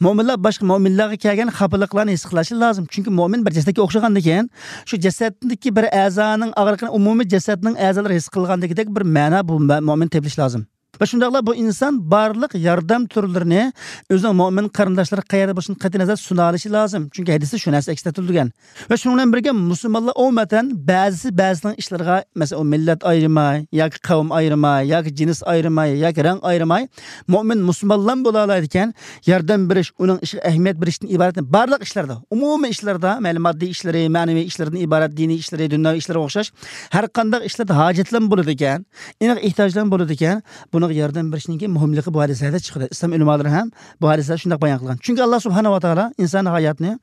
مۆمىنلار باشقا مۆمىنلارغا كەلگەن خاپىلىقلارنى ھېس قىلالىشى لازىم. چۈنكى مۆمىن بىر جەسەتكە ئوخشىغاندىكىن، شۇ جەسەتتىكى بىر ئەزانىڭ ئاغرىقىنى ئومۇمىي جەسەتنىڭ ئەزالىرى ھېس قىلغاندىكىدەك بىر مەنا بۇ مە-، مۆمىن تېپىلىشى لازىم. ۋە شۇنداقلا بۇ ئىنسان بارلىق ياردەم تۈرلىرىنى ئۆزىنىڭ مۆمىن قېرىنداشلىرىغا قەيەردە بولسۇن قەتئىي نەزەر سۇنالىشى لازىم. چۈنكى ھەدىستە شۇ نەرسە ئەكس ئەتتۈرۈلگەن. ۋە شۇنىڭ بىلەن بىرگە مۇسۇلمانلار ئومۇمەن بەزىسى بەزىسىنىڭ ئىشلىرىغا، مەسىلەن، ئۇ مىللەت ئايرىماي، ياكى قەۋم ئايرىماي، ياكى جىنس ئايرىماي، ياكى رەڭ ئايرىماي، مۆمىن مۇسۇلمانلارمۇ بولالايدىكەن، ياردەم بېرىش، ئۇنىڭ ئىشىغا ئەھمىيەت بېرىشتىن ئىبارەت بارلىق ئىشلاردا، ئومۇمىي ئىشلاردا، مەيلى ماددىي ئىشلىرى، مەنىۋى ئىشلىرىدىن ئىبارەت، دىنىي ئىشلىرى، دۇنياۋى ئىشلىرىغا ئوخشاش ھەر قانداق ئىشلاردا ھاجەتلەرمۇ بولىدىكەن، ئېنىق ئېھتىياجلارمۇ بولىدىكەن، بۇنىڭغا ياردەم بېرىشنىڭكى مۇھىملىقى بۇ ھەدىسلەردە چىقىدۇ. ئىسلام ئۆلىمالىرى ھەم بۇ ھەدىسلەردە شۇنداق بايان قىلغان. چۈنكى ئاللا سۇبھانەھۇ ۋە تائالا ئىنسانىي ھاياتنى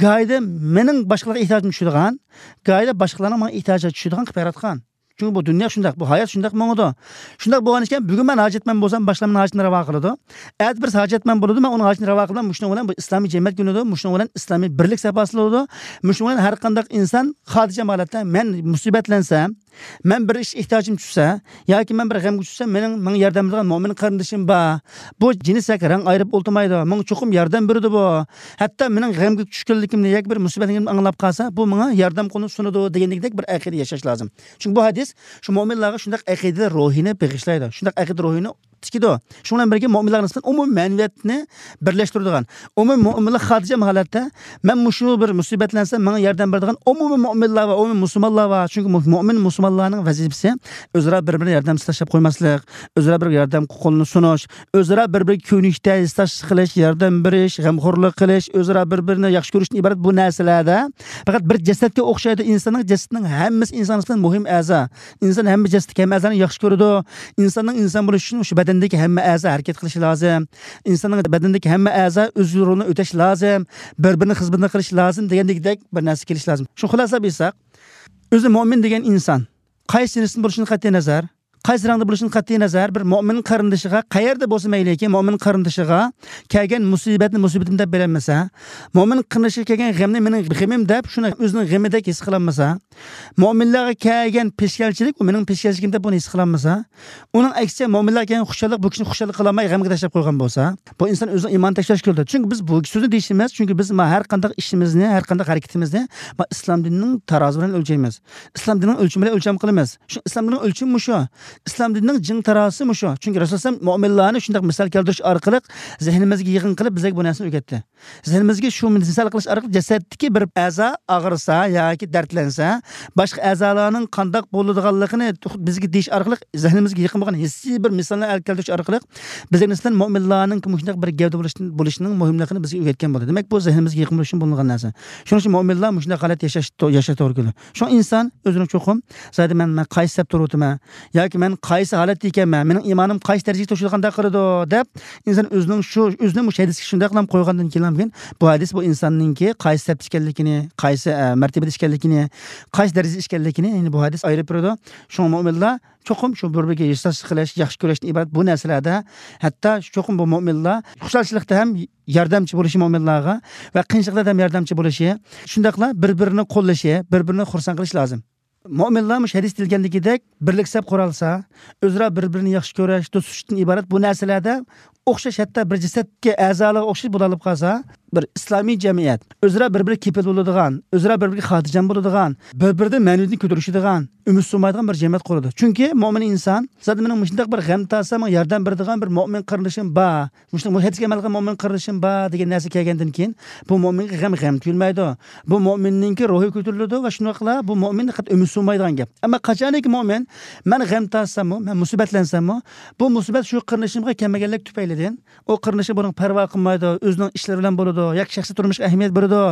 گاھىدا مېنىڭ باشقىلارغا ئېھتىياجىم چۈشىدىغان، گاھىدا باشقىلارنىڭ ماڭا ئېھتىياجىغا چۈشىدىغان قىلىپ ياراتقان. چۈنكى بۇ دۇنيا شۇنداق، بۇ ھايات شۇنداق ماڭىدۇ. شۇنداق بولغان ئىكەن، بۈگۈن مەن ھاجەتمەن بولسام، باشقىلار مېنىڭ ھاجىتىمنى راۋا قىلىدۇ. ئەتە بىرسى ھاجەتمەن بولىدۇ، مەن ئۇنىڭ ھاجىتىنى راۋا قىلىمەن. مۇشۇنىڭ بىلەن بۇ ئىسلامىي جەمئىيەت گۈللىنىدۇ، مۇشۇنىڭ بىلەن ئىسلامىي بىرلىك سەپاسى بولىدۇ. مۇشۇنىڭ بىلەن ھەر قانداق ئىنسان خاتىرجەم ھالەتتە، مەن مۇسىبەتلەنسەم، مەن بىر ئىش ئېھتىياجىم چۈشسە، ياكى مەن بىر غەمگە چۈشسەم، مېنىڭ، ماڭا ياردەم بېرىدىغان مۆمىن قېرىندىشىم بار. بۇ جىنس ياكى رەڭ ئايرىپ ئولتۇرمايدۇ. ماڭا چوقۇم ياردەم بېرىدۇ بۇ. ھەتتا مېنىڭ غەمگە چۈشكەنلىكىمنى ياكى بىر مۇسىبەتلىكىمنى ئاڭلاپ قالسا، بۇ ماڭا ياردەم قولىنى سۇنىدۇ دېگەندەك بىر ئەقىدە ياشاش لازىم. چۈنكى بۇ ھەدىس شۇ مۆمىنلارغا شۇنداق ئەقىدە روھىنى بېغىشلايدۇ. شۇنداق ئەقىدە روھىنى تىكىدۇ. شۇنىڭ بىلەن بىرگە مۆمىنلارغا نىسبەتەن ئومۇمىي مەنىۋىيەتنى بىرلەشتۈرىدىغان، ئومۇمىي مۆمىنلار خاتىرجەم ھالەتتە، مەن مۇشۇ بىر مۇسىبەتلەنسەم، ماڭا ياردەم بېرىدىغان ئومۇمىي مۆمىنلار بار، ئومۇمىي مۇسۇلمانلار بار. چۈنكى مۇ-، مۆمىن مۇسۇلمانلارنىڭ ۋەزىپىسى ئۆزئارا بىر-بىرىنى ياردەمسىز تاشلاپ قويماسلىق، ئۆزئارا بىر ياردەم قولىنى سۇنۇش، ئۆزئارا بىر-بىرىگە كۆيۈنۈش، تەسىر قىلىش، ياردەم بېرىش، غەمخورلۇق قىلىش، ئۆزئارا بىر-بىرىنى ياخشى كۆرۈشتىن ئىبارەت بۇ نەرسىلەردە. پەقەت بىر جەسەتكە ئوخشايدۇ ئىنساننىڭ، جەسىتىنىڭ ھەممىسى ئىنسان نىسبەتەن مۇھىم ئەزا. ئىنسان ھەممە جەسىتتىكى ھەممە ئەزانى ياخشى كۆرىدۇ. ئىنساننىڭ ئىنسان بولۇشى ئۈچۈن شۇ بەدەندىكى ھەممە ئەزا ھەرىكەت قىلىشى لازىم. ئىنساننىڭ بەدىنىدىكى ھەممە ئەزا ئۆز رولىنى ئۆتەش لازىم. بىر-بىرىنىڭ خىزمىتىنى قىلىش لازىم دېگەندەكدەك بىر نەرسە كېلىشى لازىم. شۇ خۇلاسىلەپ ئېيتساق، ئۆزى مۆمىن دېگەن ئىنسان قايسى جىنستىن بولۇشىدىن قەتئىي نەزەر، قايسى رەڭدە بولۇشىدىن قەتئىي نەزەر، بىر مۆمىن قېرىندىشىغا قەيەردە بولسا مەيلىكى، مۆمىن قېرىندىشىغا كەلگەن مۇسىبەتنى مۇسىبىتىم دەپ بىلەلمىسە، مۆمىن قېرىندىشىغا كەلگەن غەمنى مېنىڭ غېمىم دەپ شۇنى ئۆزىنىڭ غېمىدەك ھېس قىلالمىسا، مۆمىنلەرگە كەلگەن پېشكەلچىلىك ئۇ مېنىڭ پېشكەلچىلىكىم دەپ بۇنى ھېس قىلالمىسا، ئۇنىڭ ئەكسىچە مۆمىنلەرگە كەلگەن خۇشاللىق بۇ كىشىنى خۇشال قىلالماي غەمگە تاشلاپ قويغان بولسا، بۇ ئىنسان ئۆزىنىڭ ئىمانىنى تەكشۈرۈشكە كېلىدۇ. چۈنكى بىز بۇ سۆزنى دېيىشىمىز، چۈنكى بىز ما-، ھەر قانداق ئىشىمىزنى، ھەر قانداق ھەرىكىتىمىزنى ما-، ئىسلام دىنىنىڭ تارازۇ بىلەن ئۆلچەيمىز. ئىسلام دىنىنىڭ ئۆلچىمى بىلەن ئۆلچەم قىلىمىز. شۇ ئىسلام دىنىنىڭ ئۆلچىمى مۇشۇ. ئىسلام دىنىنىڭ جىڭ تارازىسى مۇشۇ. چۈنكى رەسۇلۇللا ئەلەيھىسسالام مۆمىنلارنى شۇنداق مىسال كەلتۈرۈش ئارقىلىق زېھنىمىزگە يېقىن قىلىپ بىزگە بۇ نەرسىنى ئۆگەتتى. زېھنىمىزگە شۇ مىسال قىلىش ئارقىلىق جەسەتتىكى بىر ئەزا ئاغرىسا ياكى دەردلەنسە، باشقا ئەزالارنىڭ قانداق بولىدىغانلىقىنى بىزگە دېيىش ئارقىلىق زېھنىمىزگە يېقىن بولغان ھېسسىي بىر مىسالنى ئەكەلتۈرۈش ئارقىلىق بىزگە نىسبەتەن مۆمىنلارنىڭ مۇشۇنداق بىر گەۋدە بولۇشىنىڭ مۇھىملىقىنى بىزگە ئۆگەتكەن بولدى. دېمەك، بۇ زېھنىمىزگە يېقىن بولۇش ئۈچۈن بولۇنغان نەرسە. شۇنىڭ ئۈچۈن مۆمىنلار مۇشۇنداق ھالەتتە ياشاش، ياشاش توغرا كېلىدۇ. شۇڭا ئىنسان ئۆزىنى چوقۇم، زادى مەن، مەن قايسى سەپتە تۇرۇۋاتىمەن ياكى مەن قايسى ھالەتتە ئىكەنمەن، مېنىڭ ئىمانىم قايسى دەرىجىگە توشىدىغانداق قىلىدۇ دەپ، ئىنسان ئۆزىنىڭ شۇ، ئۆزىنى مۇشۇ ھەدىسكە شۇنداق قىلىپ قويغاندىن كېيىن، بۇ ھەدىس بۇ ئىنساننىڭكى قايسى سەپتە ئىكەنلىكىنى، قايسى، ئە، مەرتىبىدە ئىكەنلىكىنى، قايسى دەرىجىدە ئىكەنلىكىنى، يەنى بۇ ھەدىس ئايرىپ بېرىدۇ. شۇڭا مۆمىنلار چوقۇم شۇ بىر-بىرىگە ھېسداشلىق قىلىش، ياخشى كۆرۈشتىن ئىبارەت بۇ نەرسىلەردە، ھەتتا چوقۇم بۇ مۆمىنلار خۇشالچىلىقتا ھەم ياردەمچى بولۇشى، مۆمىنلارغا ۋە قىيىنچىلىقلاردا ھەم ياردەمچى بولۇشى، شۇنداقلا بىر-بىرىنى قوللىشى، بىر-بىرىنى خۇرسەن قىلىشى لازىم. مۆمىنلار مۇشۇ ھەدىستە دېيىلگەندىكىدەك بىرلىك سەپ قۇرالسا، ئۆزئارا بىر-بىرىنى ياخشى كۆرۈش، دوستلۇقتىن ئىبارەت بۇ نەرسىلەردە ئوخشاش، ھەتتا بىر جەسەتكە ئەزالارغا ئوخشاش بولۇپ قالسا، بىر ئىسلامىي جەمئىيەت، ئۆزئارا بىر-بىرىگە كېپىل بولىدىغان، ئۆزئارا بىر-بىرىگە خاتىرجەم بولىدىغان، بىر-بىرىدىن مەنىۋىيىتىنى كۆتۈرۈشىدىغان، ئۈمىد سۇنمايدىغان بىر جەمئىيەت قۇرىدۇ. چۈنكى مۆمىن ئىنسان، زادى مېنىڭ مۇشۇنداق بىر غەم تارتسام، ماڭا ياردەم بېرىدىغان بىر مۆمىن قېرىندىشىم بار، مۇشۇنداق، مۇ ھەدىسكە ئەمەل قىلغان مۆمىن قېرىندىشىم بار دېگەن نەرسە كەلگەندىن كېيىن، بۇ مۆمىنگە غەم، غەم تۇيۇلمايدۇ. بۇ مۆمىننىڭكى روھى كۆتۈرۈلىدۇ ۋە شۇنداقلا بۇ مۆمىن پەقەت ئۈمىد سۇنمايدىغان گەپ. ئەمما قاچانكى مۆمىن، مەن غەم تارتساممۇ، مەن مۇسىبەتلەنسەممۇ، بۇ مۇسىبەت شۇ قېرىندىشىمغا كەلمىگەنلىك تۈپەيلىدىن، ئۇ قېرىندىشى بۇنىڭغا پەرۋا قىلمايدۇ، ئۆزىنىڭ ئىشلىرى بىلەن بولىدۇ، ياكى شەخسىي تۇرمۇشقا ئەھمىيەت بېرىدۇ،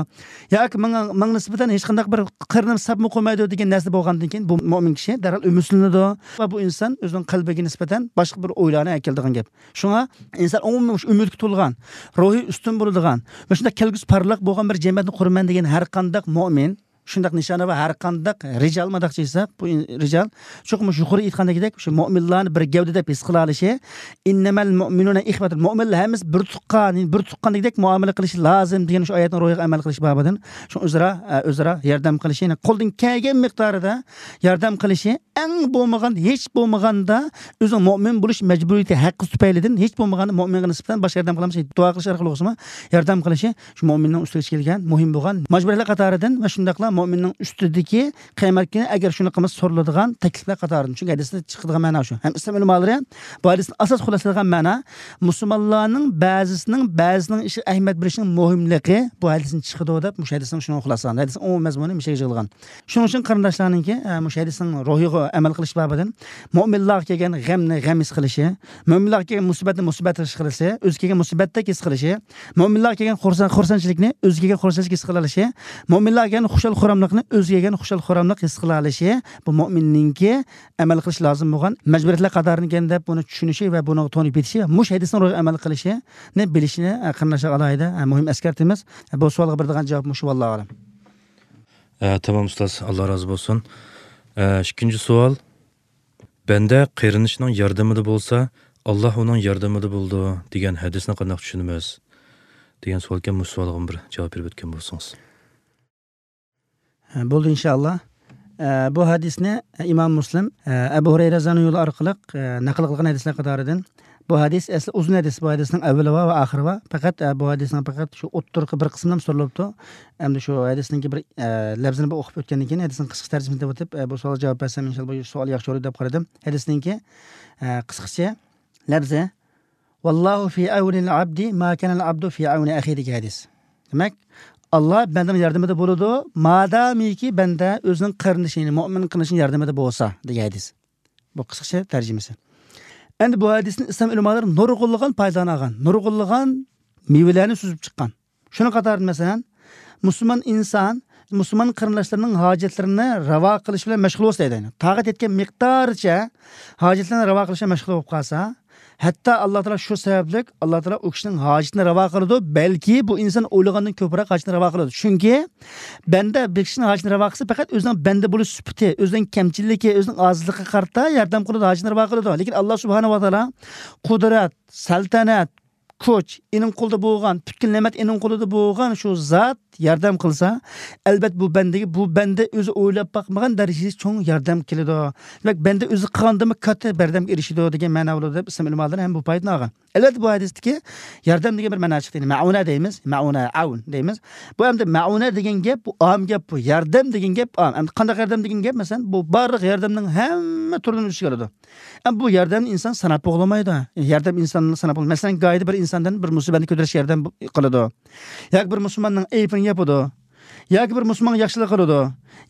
ياكى ماڭا، ماڭا نىسبەتەن ھېچقانداق بىر قېرىندىشى سەپمۇ قويمايدۇ دېگەن نەرسە بولغاندىن كېيىن، بۇ مۆمىن كىشى دەرھال ئۈمىدسىزلىنىدۇ ۋە بۇ ئىنسان ئۆزىنىڭ قەلبىگە نىسبەتەن باشقا بىر ئويلارنى ئەكېلىدىغان گەپ. شۇڭا ئىنسان ئومۇميۈزلۈك ئۈمىدكە تولغان، روھى ئۈستۈن بولىدىغان ۋە شۇنداق كەلگۈسى پارلاق بولغان بىر جەمئىيەتنى قۇرىمەن دېگەن ھەر قانداق مۆمىن، شۇنداق نىشانى ۋە ھەر قانداق رىجال ماداقچى دېسەك، بۇ ئىن-، رىجال چوقۇم مۇشۇ يۇقىرى ئېيتقاندىكىدەك، شۇ مۆمىنلارنى بىر گەۋدە دەپ ھېس قىلالىشى، ئىننەمەل مۆمىنۇنە ئىخۋەتۇن، مۆمىنلەر ھەممىسى بىر تۇغقان، بىر تۇغقاندەك مۇئامىلە قىلىشى لازىم دېگەن شۇ ئايەتنىڭ روھىغا ئەمەل قىلىش بابىدىن، شۇ ئۆزئارا، ئە، ئۆزئارا ياردەم قىلىشى، يەنى قولدىن كەلگەن مىقدارىدا ياردەم قىلىشى، ئەڭ بولمىغان، ھېچ بولمىغاندا ئۆزىنىڭ مۆمىن بولۇش مەجبۇرىيىتى ھەققى تۈپەيلىدىن ھېچ بولمىغاندا مۆمىنغا نىسبەتەن باشقا ياردەم قىلالمىسا، دۇئا قىلىش ئارقىلىق بولسىمۇ ياردەم قىلىشى شۇ مۆمىننىڭ ئۈستىگە كەلگەن مۇھىم بولغان مەجبۇرىيەتلەر قاتارىدىن ۋە شۇنداقلا مۆمىننىڭ ئۈستىدىكى قىيامەت كۈنى ئەگەر شۇنى قىلمىسا سورىلىدىغان تەكلىپلەر قاتارىدىن. چۈنكى ھەدىستىن چىقىدىغان مەنا شۇ. ھەم ئىسلام ئۆلىمالىرى بۇ ھەدىستىن ئاساس خۇلاسىلىغان مەنا مۇسۇلمانلارنىڭ بەزىسىنىڭ بەزىسىنىڭ ئىشىغا ئەھمىيەت بېرىشنىڭ مۇھىملىقى بۇ ھەدىستىن چىقىدۇ دەپ مۇشۇ ھەدىسنىڭ شۇنىڭ خۇلاسىلىغان. ھەدىسنىڭ ئومۇمىي مەزمۇنى مۇشۇ يەرگە يىغىلغان. شۇنىڭ ئۈچۈن قېرىنداشلارنىڭكى، ئە، مۇشۇ ھەدىسنىڭ روھىغا ئەمەل قىلىش بابىدىن مۆمىنلارغا كەلگەن غەمنى غەم ھېس قىلىشى، مۆمىنلارغا كەلگەن مۇسىبەتنى مۇسىبەت ھېس قىلىشى، ئۆزىگە كەلگەن مۇسىبەتتەك ھېس قىلىشى، مۆمىنلارغا كەلگەن خۇرسەن-، خۇرسەنچىلىكنى ئۆزىگە كەلگەن خۇرسەنچىلىك ھېس قىلالىشى، مۆمىنلارغا كەلگەن خۇشال-خۇراملىقنى ئۆزىگە كەلگەن خۇشال-خۇراملىق ھېس قىلالىشى، بۇ مۆمىننىڭكى ئەمەل قىلىش لازىم بولغان مەجبۇرىيەتلەر قاتارىدىكەن دەپ بۇنى چۈشىنىشى ۋە بۇنىڭغا تونۇپ يېتىشى ۋە مۇشۇ ھەدىسنىڭ روھىغا ئەمەل قىلىشىنى بىلىشىنى، ئە، قېرىنداشلارغا ئالاھىدە، ئە، مۇھىم ئەسكەرتىمىز. بۇ سوئالغا بېرىدىغان جاۋاب مۇشۇ، ۋاللاھۇ ئەلەم. ئە، تامام ئۇستاز، ئاللا رازى بولسۇن. ئە، ئىككىنچى سوئال. بەندە قېرىندىشىنىڭ ياردىمىدە بولسا، ئاللا ئۇنىڭ ياردىمىدە بولىدۇ دېگەن ھەدىسنى قانداق چۈشىنىمىز؟ دېگەن سوئالكەن، مۇشۇ سوئالغىمۇ بىر جاۋاب بېرىپ ئۆتكەن بولسىڭىز. ھە، بولدى، ئىنشائاللا. ئە، بۇ ھەدىسنى ئىمام مۇسلىم، ئە، ئەبۇ ھۇرەيرە رەزىياللاھۇ ئەنھۇ ئارقىلىق، ئە، نەقىل قىلغان ھەدىسلەر قاتارىدىن. بۇ ھەدىس ئەسلى ئۇزۇن ھەدىس، بۇ ھەدىسنىڭ ئەۋۋىلى بار ۋە ئاخىرى بار. پەقەت، ئە، بۇ ھەدىسنىڭ پەقەت شۇ ئوتتۇرىقى بىر قىسمىلا سورىلىپتۇ. ئەمدى شۇ ھەدىسنىڭكى بىر، ئە، لەپزىنى بىر ئوقۇپ ئۆتكەندىن كېيىن، ھەدىسنىڭ قىسقىچە تەرجىمىسىنى دەپ ئۆتۈپ، ئە، بۇ سوئالغا جاۋاب بەرسەم، ئىنشائاللا، بۇ سوئال ياخشى بولىدۇ دەپ قارىدىم. ھەدىسنىڭكى، ئە، قىسقىچە لەپزى، ۋاللاھۇ فى ئەۋنىل ئەبدى ما كانەل ئەبدۇ فى ئەۋنى ئەخىھى دېگەن ھەدىس. دېمەك، ئاللا بەندىنىڭ ياردىمىدە بولىدۇ، مادامىكى بەندە ئۆزىنىڭ قېرىندىشى، يەنى مۆمىن قېرىندىشىنىڭ ياردىمىدە بولسا دېگەن ھەدىس. بۇ قىسقىچە تەرجىمىسى. ئەمدى بۇ ھەدىستىن ئىسلام ئۆلىمالىرى نۇرغۇنلىغان پايدىلارنى ئالغان، نۇرغۇنلىغان مېۋىلەرنى سۈزۈپ چىققان. شۇنىڭ قاتارىدا، مەسىلەن، مۇسۇلمان ئىنسان مۇسۇلمان قېرىنداشلىرىنىڭ ھاجەتلىرىنى راۋا قىلىش بىلەن مەشغۇل بولسا دەيدۇ. تاقەت يەتكەن مىقدارىچە ھاجەتلىرىنى راۋا قىلىش بىلەن مەشغۇل بولۇپ قالسا، ھەتتا ئاللا تائالا شۇ سەۋەبلىك ئاللا تائالا ئۇ كىشىنىڭ ھاجىتىنى راۋا قىلىدۇ، بەلكى بۇ ئىنسان ئويلىغاندىن كۆپرەك ھاجىتىنى راۋا قىلىدۇ. چۈنكى بەندە بىر كىشىنىڭ ھاجىتىنى راۋا قىلسا، پەقەت ئۆزىنىڭ بەندە بولۇش سۈپىتى، ئۆزىنىڭ كەمچىلىكى، ئۆزىنىڭ ئاجىزلىقىغا قارىتا ياردەم قىلىدۇ، ھاجىتىنى راۋا قىلىدۇ. لېكىن ئاللا سۇبھانەھۇ ۋە تائالا قۇدرەت، سەلتەنەت، كۈچ ئېنىڭ قولىدا بولغان، پۈتكۈل نېمەت ئېنىڭ قولىدا بولغان شۇ زات ياردەم قىلسا، ئەلۋەتتە بۇ بەندىگە، بۇ بەندە ئۆزى ئويلاپ باقمىغان دەرىجىدە چوڭ ياردەم كېلىدۇ. دېمەك، بەندە ئۆزى قىلغاندىنمۇ كاتتا بەردەمگە ئېرىشىدۇ دېگەن مەنا بولىدۇ دەپ ئىسلام ئۆلىمالىرى ھەم بۇ پايدىنى ئالغان. ئەلۋەتتە، بۇ ھەدىستىكى ياردەم دېگەن بىر مەنا چىقتى. يەنى مەئۇنە دەيمىز، مەئۇنە، ئەۋن دەيمىز. بۇ ئەمدى مەئۇنە دېگەن گەپ، بۇ ئام گەپ، بۇ ياردەم دېگەن گەپ ئام. ئەمدى قانداق ياردەم دېگەن گەپ؟ مەسىلەن، بۇ بارلىق ياردەمنىڭ ھەممە تۈرىنى ئۆز ئىچىگە ئالىدۇ. ئەمما بۇ ياردەمنى ئىنسان ساناپ بولالمايدۇ. ياردەم ئىنساننى ساناپ بولمايدۇ. مەسىلەن، گاھىدا بىر ئىنساندىن بىر مۇسىبەتنى كۆتۈرۈش ياردەم بو-، قىلىدۇ. ياكى بىر مۇسۇلماننىڭ ئەيىبىنى ياپىدۇ. ياكى بىر مۇسۇلمانغا ياخشىلىق قىلىدۇ.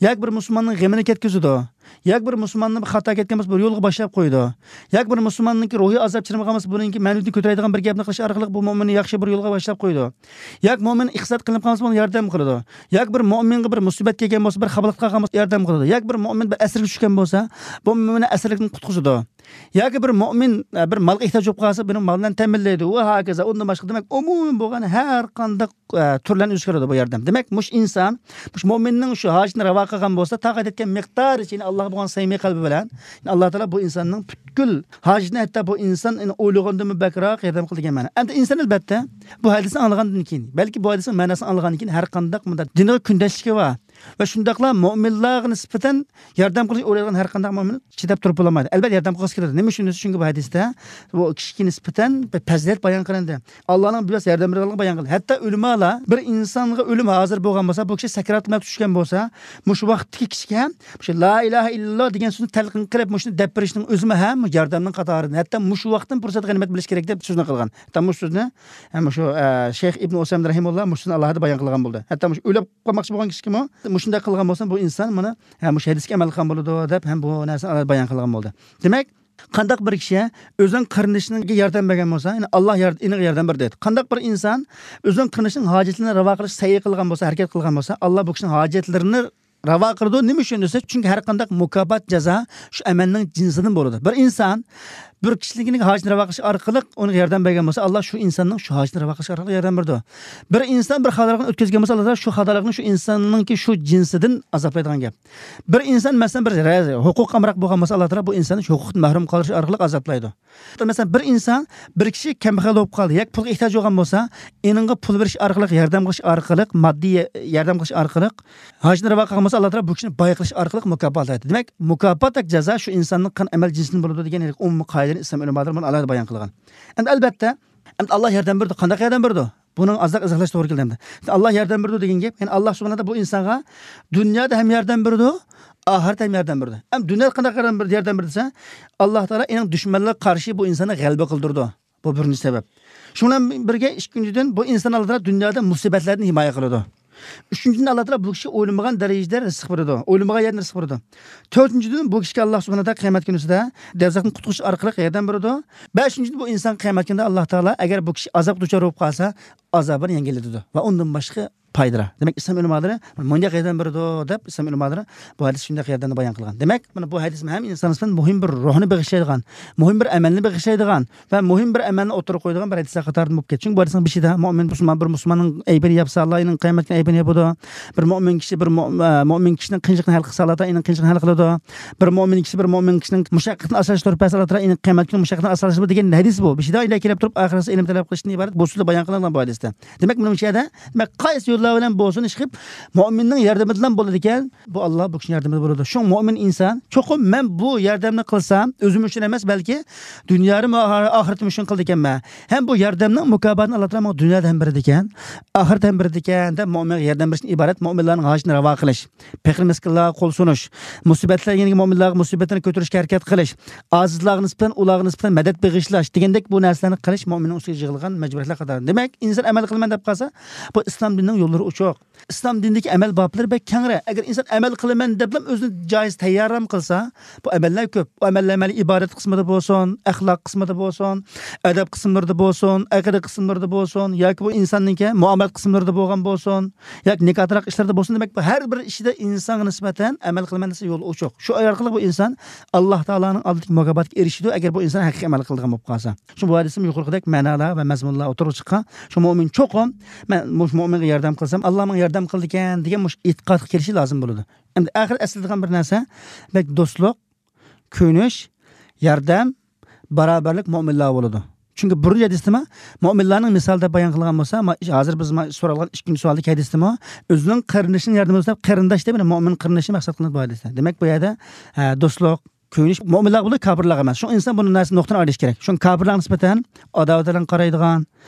ياكى بىر مۇسۇلماننىڭ غېمىنى كەتكۈزىدۇ. ياكى بىر مۇسۇلماننى بىر خاتا كەتكەن بولسا، بىر يولغا باشلاپ قويىدۇ. ياكى بىر مۇسۇلماننىڭكى روھىي ئازاب چىدىمىغان بولسا، بۇنىڭكى مەنىۋىيىتىنى كۆتۈرەيدىغان بىر گەپنى قىلىش ئارقىلىق بۇ مۆمىننى ياخشى بىر يولغا باشلاپ قويىدۇ. ياكى مۆمىن ئىقتىساد قىلىپ قالسا، بۇنى ياردەم قىلىدۇ. ياكى بىر مۆمىنگە بىر مۇسىبەت كەلگەن بولسا، بىر خاپىلىق قالغان بولسا، ياردەم قىلىدۇ. ياكى بىر مۆمىن بىر ئەسىرگە چۈشكەن بولسا، بۇ مۆمىننى ئەسىرلىكتىن قۇتقۇزىدۇ. ياكى بىر مۆمىن، ئە، بىر مالغا ئېھتىياج بولۇپ قالسا، بۇنى مال بىلەن تەمىنلەيدۇ. ۋە ھاكازا، ئۇندىن باشقا، دېمەك، ئومۇمىي بولغان ھەر قانداق، ئە، تۈرلەرنى ئۆزگەرتىدۇ بۇ ياردەم. دېمەك، مۇشۇ ئىنسان، مۇشۇ مۆمىننىڭ شۇ ھاجىتىنى راۋا قىلغان بولسا، تاقەت يەتكەن مىقدارىچە، يەنى ئاللاغا بولغان سەمىمىي قەلبى بىلەن، يەنى ئاللا تائالا بۇ ئىنساننىڭ پۈتكۈل ھاجىتىنى، ھەتتا بۇ ئىنسان ئويلىغاندىنمۇ بەكرەك ياردەم قىلىدۇ دېگەن مەنا. ئەمدى ئىنسان، ئەلۋەتتە، بۇ ھەدىسنى ئاڭلىغاندىن كېيىن، بەلكى بۇ ھەدىسنىڭ مەناسىنى ئاڭلىغاندىن كېيىن، ھەر قانداق مۇنداق دىنغا كۈندەشلىكى بار، ۋە شۇنداقلا مۆمىنلارغا نىسبەتەن ياردەم قىلىش ئويلايدىغان ھەر قانداق مۆمىن چىداپ تۇرۇپ بولالمايدۇ. ئەلبەتتە، ياردەم قىلغۇسى كېلىدۇ. نېمە ئۈچۈن دېسە، چۈنكى بۇ ھەدىستە بۇ كىشىگە نىسبەتەن بىر پەزىلەت بايان قىلىندى. ئاللانىڭ بىۋاسىتە ياردەم بېرىدىغانلىقىنى بايان قىلدى. ھەتتا ئۆلىمالار بىر ئىنسانغا ئۆلۈم ھازىر بولغان بولسا، بۇ كىشى سەكرات مەۋت چۈشكەن بولسا، مۇشۇ ۋاقىتتىكى كىشىگە مۇشۇ لا ئىلاھە ئىللاللا دېگەن سۆزنى تەلقىن قىلىپ، مۇشۇنى دەپ بېرىشنىڭ ئۆزىمۇ ھەم ياردەمنىڭ قاتارىدىن، ھەتتا مۇشۇ ۋاقىتتىن پۇرسەت غەنىيمەت بىلىش كېرەك دەپ سۆزنى قىلغان. ھەتتا مۇشۇ سۆزنى، ھەم مۇشۇ، ئە، شەيخ ئىبن ئۇسەيمىن رەھىمۇللا مۇشۇ سۆزنى ئالاھىدە بايان قىلغان بولدى. ھەتتا مۇشۇ ئۆلۈپ قالماقچى بولغان كىشىگىمۇ مۇشۇنداق قىلغان بولسا، بۇ ئىنسان مانا، ھە، مۇشۇ ھەدىسكە ئەمەل قىلغان بولىدۇ دەپ ھەم بۇ نەرسىنى ئالاھىدە بايان قىلغان بولدى. دېمەك، قانداق بىر كىشى ئۆزىنىڭ قېرىندىشىغا ياردەم بەرگەن بولسا، يەنى ئاللا يار-، ئېنىغا ياردەم بېرىدۇ دەيدۇ. قانداق بىر ئىنسان ئۆزىنىڭ قېرىندىشىنىڭ ھاجەتلىرىنى راۋا قىلىش سەي قىلغان بولسا، ھەرىكەت قىلغان بولسا، ئاللا بۇ كىشىنىڭ ھاجەتلىرىنى راۋا قىلىدۇ. نېمە ئۈچۈن دېسە، چۈنكى ھەر قانداق مۇكاپات، جازا شۇ ئەمەلنىڭ جىنسىدىن بولىدۇ. بىر ئىنسان بىر كىشىنىڭ ھاجىتىنى راۋا قىلىش ئارقىلىق ئۇنىڭغا ياردەم بەرگەن بولسا، ئاللا شۇ ئىنساننىڭ شۇ ھاجىتىنى راۋا قىلىش ئارقىلىق ياردەم بېرىدۇ. بىر ئىنسان بىر خاتالىقنى ئۆتكۈزگەن بولسا، ئاللا تائالا شۇ خاتالىقنى شۇ ئىنساننىڭكى شۇ جىنسىدىن ئازابلايدىغان گەپ. بىر ئىنسان، مەسىلەن، بىر رە-، ھوقۇققا ئامراق بولغان بولسا، ئاللا تائالا بۇ ئىنساننى شۇ ھوقۇقتىن مەھرۇم قالدۇرۇش ئارقىلىق ئازابلايدۇ. مەسىلەن، بىر ئىنسان، بىر كىشى كەمبەغەل بولۇپ قالدى ياكى پۇلغا ئېھتىياجى بولغان بولسا، ئېنىڭغا پۇل بېرىش ئارقىلىق، ياردەم قىلىش ئارقىلىق، ماددىي ياردەم قىلىش ئارقىلىق، ھاجىتىنى راۋا قىلغان بولسا، ئاللا تائالا بۇ كىشىنى باي قىلىش ئارقىلىق مۇكاپاتلايدۇ. دېمەك، مۇكاپات ياكى جازا شۇ ئىنساننىڭ قىلغان ئەمەل جىنسىدىن بولىدۇ دېگەن ئومۇمىي قائىدىنى ئىسلام ئۆلىمالىرى بۇنى ئالاھىدە بايان قىلغان. ئەمدى ئەلبەتتە، ئەمدى ئاللا ياردەم بېرىدۇ. قانداق ياردەم بېرىدۇ؟ بۇنىڭ ئازراق ئىزاھلاش توغرا كېلىدۇ ئەمدى. ئاللا ياردەم بېرىدۇ دېگەن گەپ، يەنى ئاللا سۇبھانەھۇ ۋە تائالا بۇ ئىنسانغا دۇنيادا ھەم ياردەم بېرىدۇ، ئاخىرەتتە ھەم ياردەم بېرىدۇ. ھەم دۇنيادا قانداق ياردەم بېرىدۇ، ياردەم بېرىدۇ دېسە، ئاللا تائالا ئېنىڭ دۈشمەنلىرىگە قارشى بۇ ئىنساننى غەلىبە قىلدۇرىدۇ. بۇ بىرىنچى سەۋەب. شۇنىڭ بىلەن بىرگە، ئىككىنچىدىن، بۇ ئىنسان ئاللا تائالا دۇنيادا مۇسىبەتلەردىن ھىمايە قىلىدۇ. ئۈچىنچىدىن، ئاللا تائالا بۇ كىشى ئويلىمىغان دەرىجىدە رىزىق بېرىدۇ. ئويلىمىغان يەردىن رىزىق بېرىدۇ. تۆتىنچىدىن، بۇ كىشىگە ئاللا سۇبھانەھۇ ۋە تائالا قىيامەت كۈنىسىدە دوزاختىن قۇتقۇزۇش ئارقىلىق ياردەم بېرىدۇ. بەشىنچىدىن، بۇ ئىنسان قىيامەت كۈنىدە ئاللا تائالا ئەگەر بۇ كىشى ئازابقا دۇچار بولۇپ قالسا، ئازابىنى يەڭگىللىتىدۇ ۋە ئۇندىن باشقا پايدىلار. دېمەك، ئىسلام ئۆلىمالىرى مۇنداق ياردەم بېرىدۇ دەپ، ئىسلام ئۆلىمالىرى بۇ ھەدىس شۇنداق ياردەمنى بايان قىلغان. دېمەك، مانا بۇ ھەدىس ھەم ئىنسان نىسبەتەن مۇھىم بىر روھنى بېغىشلايدىغان، مۇھىم بىر ئەمەلنى بېغىشلايدىغان ۋە مۇھىم بىر ئەمەلنى ئوتتۇرىغا قويىدىغان بىر ھەدىسلەر قاتارىدىن بولۇپ كەتتى. چۈنكى بۇ ھەدىسنىڭ بېشىدا مۆمىن، مۇسۇلمان، بىر مۇسۇلماننىڭ ئەيىبىنى ياپسا، ئاللا ئېنىڭ قىيامەت كۈنى ئەيىبىنى ياپىدۇ. بىر مۆمىن كىشى بىر مۆ-، ئە، مۆمىن كىشىنىڭ قىيىنچىلىقىنى ھەل قىلسا، ئاللا تائالا ئېنىڭ قىيىنچىلىقىنى ھەل قىلىدۇ. بىر مۆمىن كىشى بىر مۆمىن كىشىنىڭ مۇشەققىتىنى ئاسانلاشتۇرۇپ بەرسە، ئاللا تائالا ئېنىڭ قىيامەت كۈنى مۇشەققىتىنى ئاسانلاشتۇرىدۇ دېگەن ھەدىس بۇ. بېشىدا ئىلگىرى كېلىپ تۇرۇپ، ئاخىرسىدا ئىلىم تەلەپ قىلىشتىن ئىبارەت بۇ سۆزدە بايان قىلىنغان بۇ ھەدىستە. دېمەك، مېنىڭ مۇشۇ يەردە، دېمەك، قايسى يوللار بىلەن بولسۇن، ئىشقىلىپ، مۆمىننىڭ ياردىمىدىن بولىدىكەن، بۇ ئاللا بۇ كىشىنىڭ ياردىمىدە بولىدۇ. شۇڭا مۆمىن ئىنسان، چوقۇم مەن بۇ ياردەمنى قىلسام، ئۆزۈم ئۈچۈن ئەمەس، بەلكى دۇنيامۇ، ئاخىرىتىم ئۈچۈن قىلىدىكەنمەن. ھەم بۇ ياردەمنىڭ مۇكاپاتىنى ئاللا تائالا ماڭا دۇنيادا ھەم بېرىدىكەن، ئاخىرەتتە ھەم بېرىدىكەن دەپ، مۆمىنگە ياردەم بېرىشتىن ئىبارەت مۆمىنلارنىڭ ھاجىتىنى راۋا قىلىش، پەقىر مىسكىنلارغا قول سۇنۇش، مۇسىبەتلەنگەن مۆمىنلارغا مۇسىبەتلەرنى كۆتۈرۈشكە ھەرىكەت قىلىش، ئاجىزلارغا نىسبەتەن، ئۇلارغا نىسبەتەن مەدەت بېغىشلاش دېگەندەك بۇ نەرسىلەرنى قىلىش مۆمىننىڭ ئۈستىگە يىغىلغان مەجبۇرىيەتلەر قاتارىدىن. دېمەك، ئىنسان ئەمەل قىلىمەن دەپ قالسا، بۇ ئىسلام دىنىنىڭ يوللىرى ئوچۇق. ئىسلام دىنىدىكى ئەمەل بابلىرى بەك كەڭرى. ئەگەر ئىنسان ئەمەل قىلىمەن دەپلا ئۆزىنى جايىز تەييارلام قىلسا، بۇ ئەمەللەر كۆپ. بۇ ئەمەللەر مەيلى ئىبادەت قىسمىدا بولسۇن، ئەخلاق قىسمىدا بولسۇن، ئەدەپ قىسىملىرىدا بولسۇن، ئەقىدە قىسىملىرىدا بولسۇن، ياكى بۇ ئىنساننىڭكى مۇئامىلە قىسىملىرىدا بولغان بولسۇن، ياكى نىكاھ تالاق ئىشلىرىدا بولسۇن، دېمەك، بۇ ھەر بىر ئىشىدا ئىنسانغا نىسبەتەن ئەمەل قىلىمەن دېسە يول ئوچۇق. شۇ ئارقىلىق بۇ ئىنسان ئاللا تائالانىڭ ئالدىدىكى مۇكاپاتىغا ئېرىشىدۇ، ئەگەر بۇ ئىنسان ھەقىقىي ئەمەل قىلىدىغان بولۇپ قالسا. شۇ بۇ ھەدىستىمۇ يۇقىرىقىدەك مەنالار ۋە مەزمۇنلار ئوتتۇرىغا چىققان. شۇ مۆمىن چوقۇم، مەن مۇشۇ مۆمىنگە ياردەم قىلسام، ئاللا ماڭا ياردەم قىلىدىكەن دېگەن مۇشۇ ئېتىقادقا كېلىشى لازىم بولىدۇ. ئەمدى ئاخىر ئەسلىدىغان بىر نەرسە، دېمەك، دوستلۇق، كۆيۈنۈش، ياردەم، باراۋەرلىك مۆمىنلەرگە بولىدۇ. چۈنكى بۇرۇنقى ھەدىستىمۇ مۆمىنلارنىڭ مىسالى دەپ بايان قىلغان بولسا، ما-، ھازىر بىز ما-، سورالغان ئىككىنچى سوئالدىكى ھەدىستىمۇ ئۆزىنىڭ قېرىندىشىنىڭ ياردىمى دەپ، قېرىنداش دەپ، يەنى مۆمىن قېرىندىشى مەقسەت قىلىنىدۇ بۇ ھەدىستە. دېمەك، بۇ يەردە، ھە، دوستلۇق، كۆيۈنۈش مۆمىنلەرگە بولىدۇ، كاپىرلارغا ئەمەس. شۇڭا ئىنسان بۇ نەرسىنى نۇقتىنى ئايرىش كېرەك. شۇڭا كاپىرلارغا نىسبەتەن ئاداۋەت بىلەن قارايدىغان،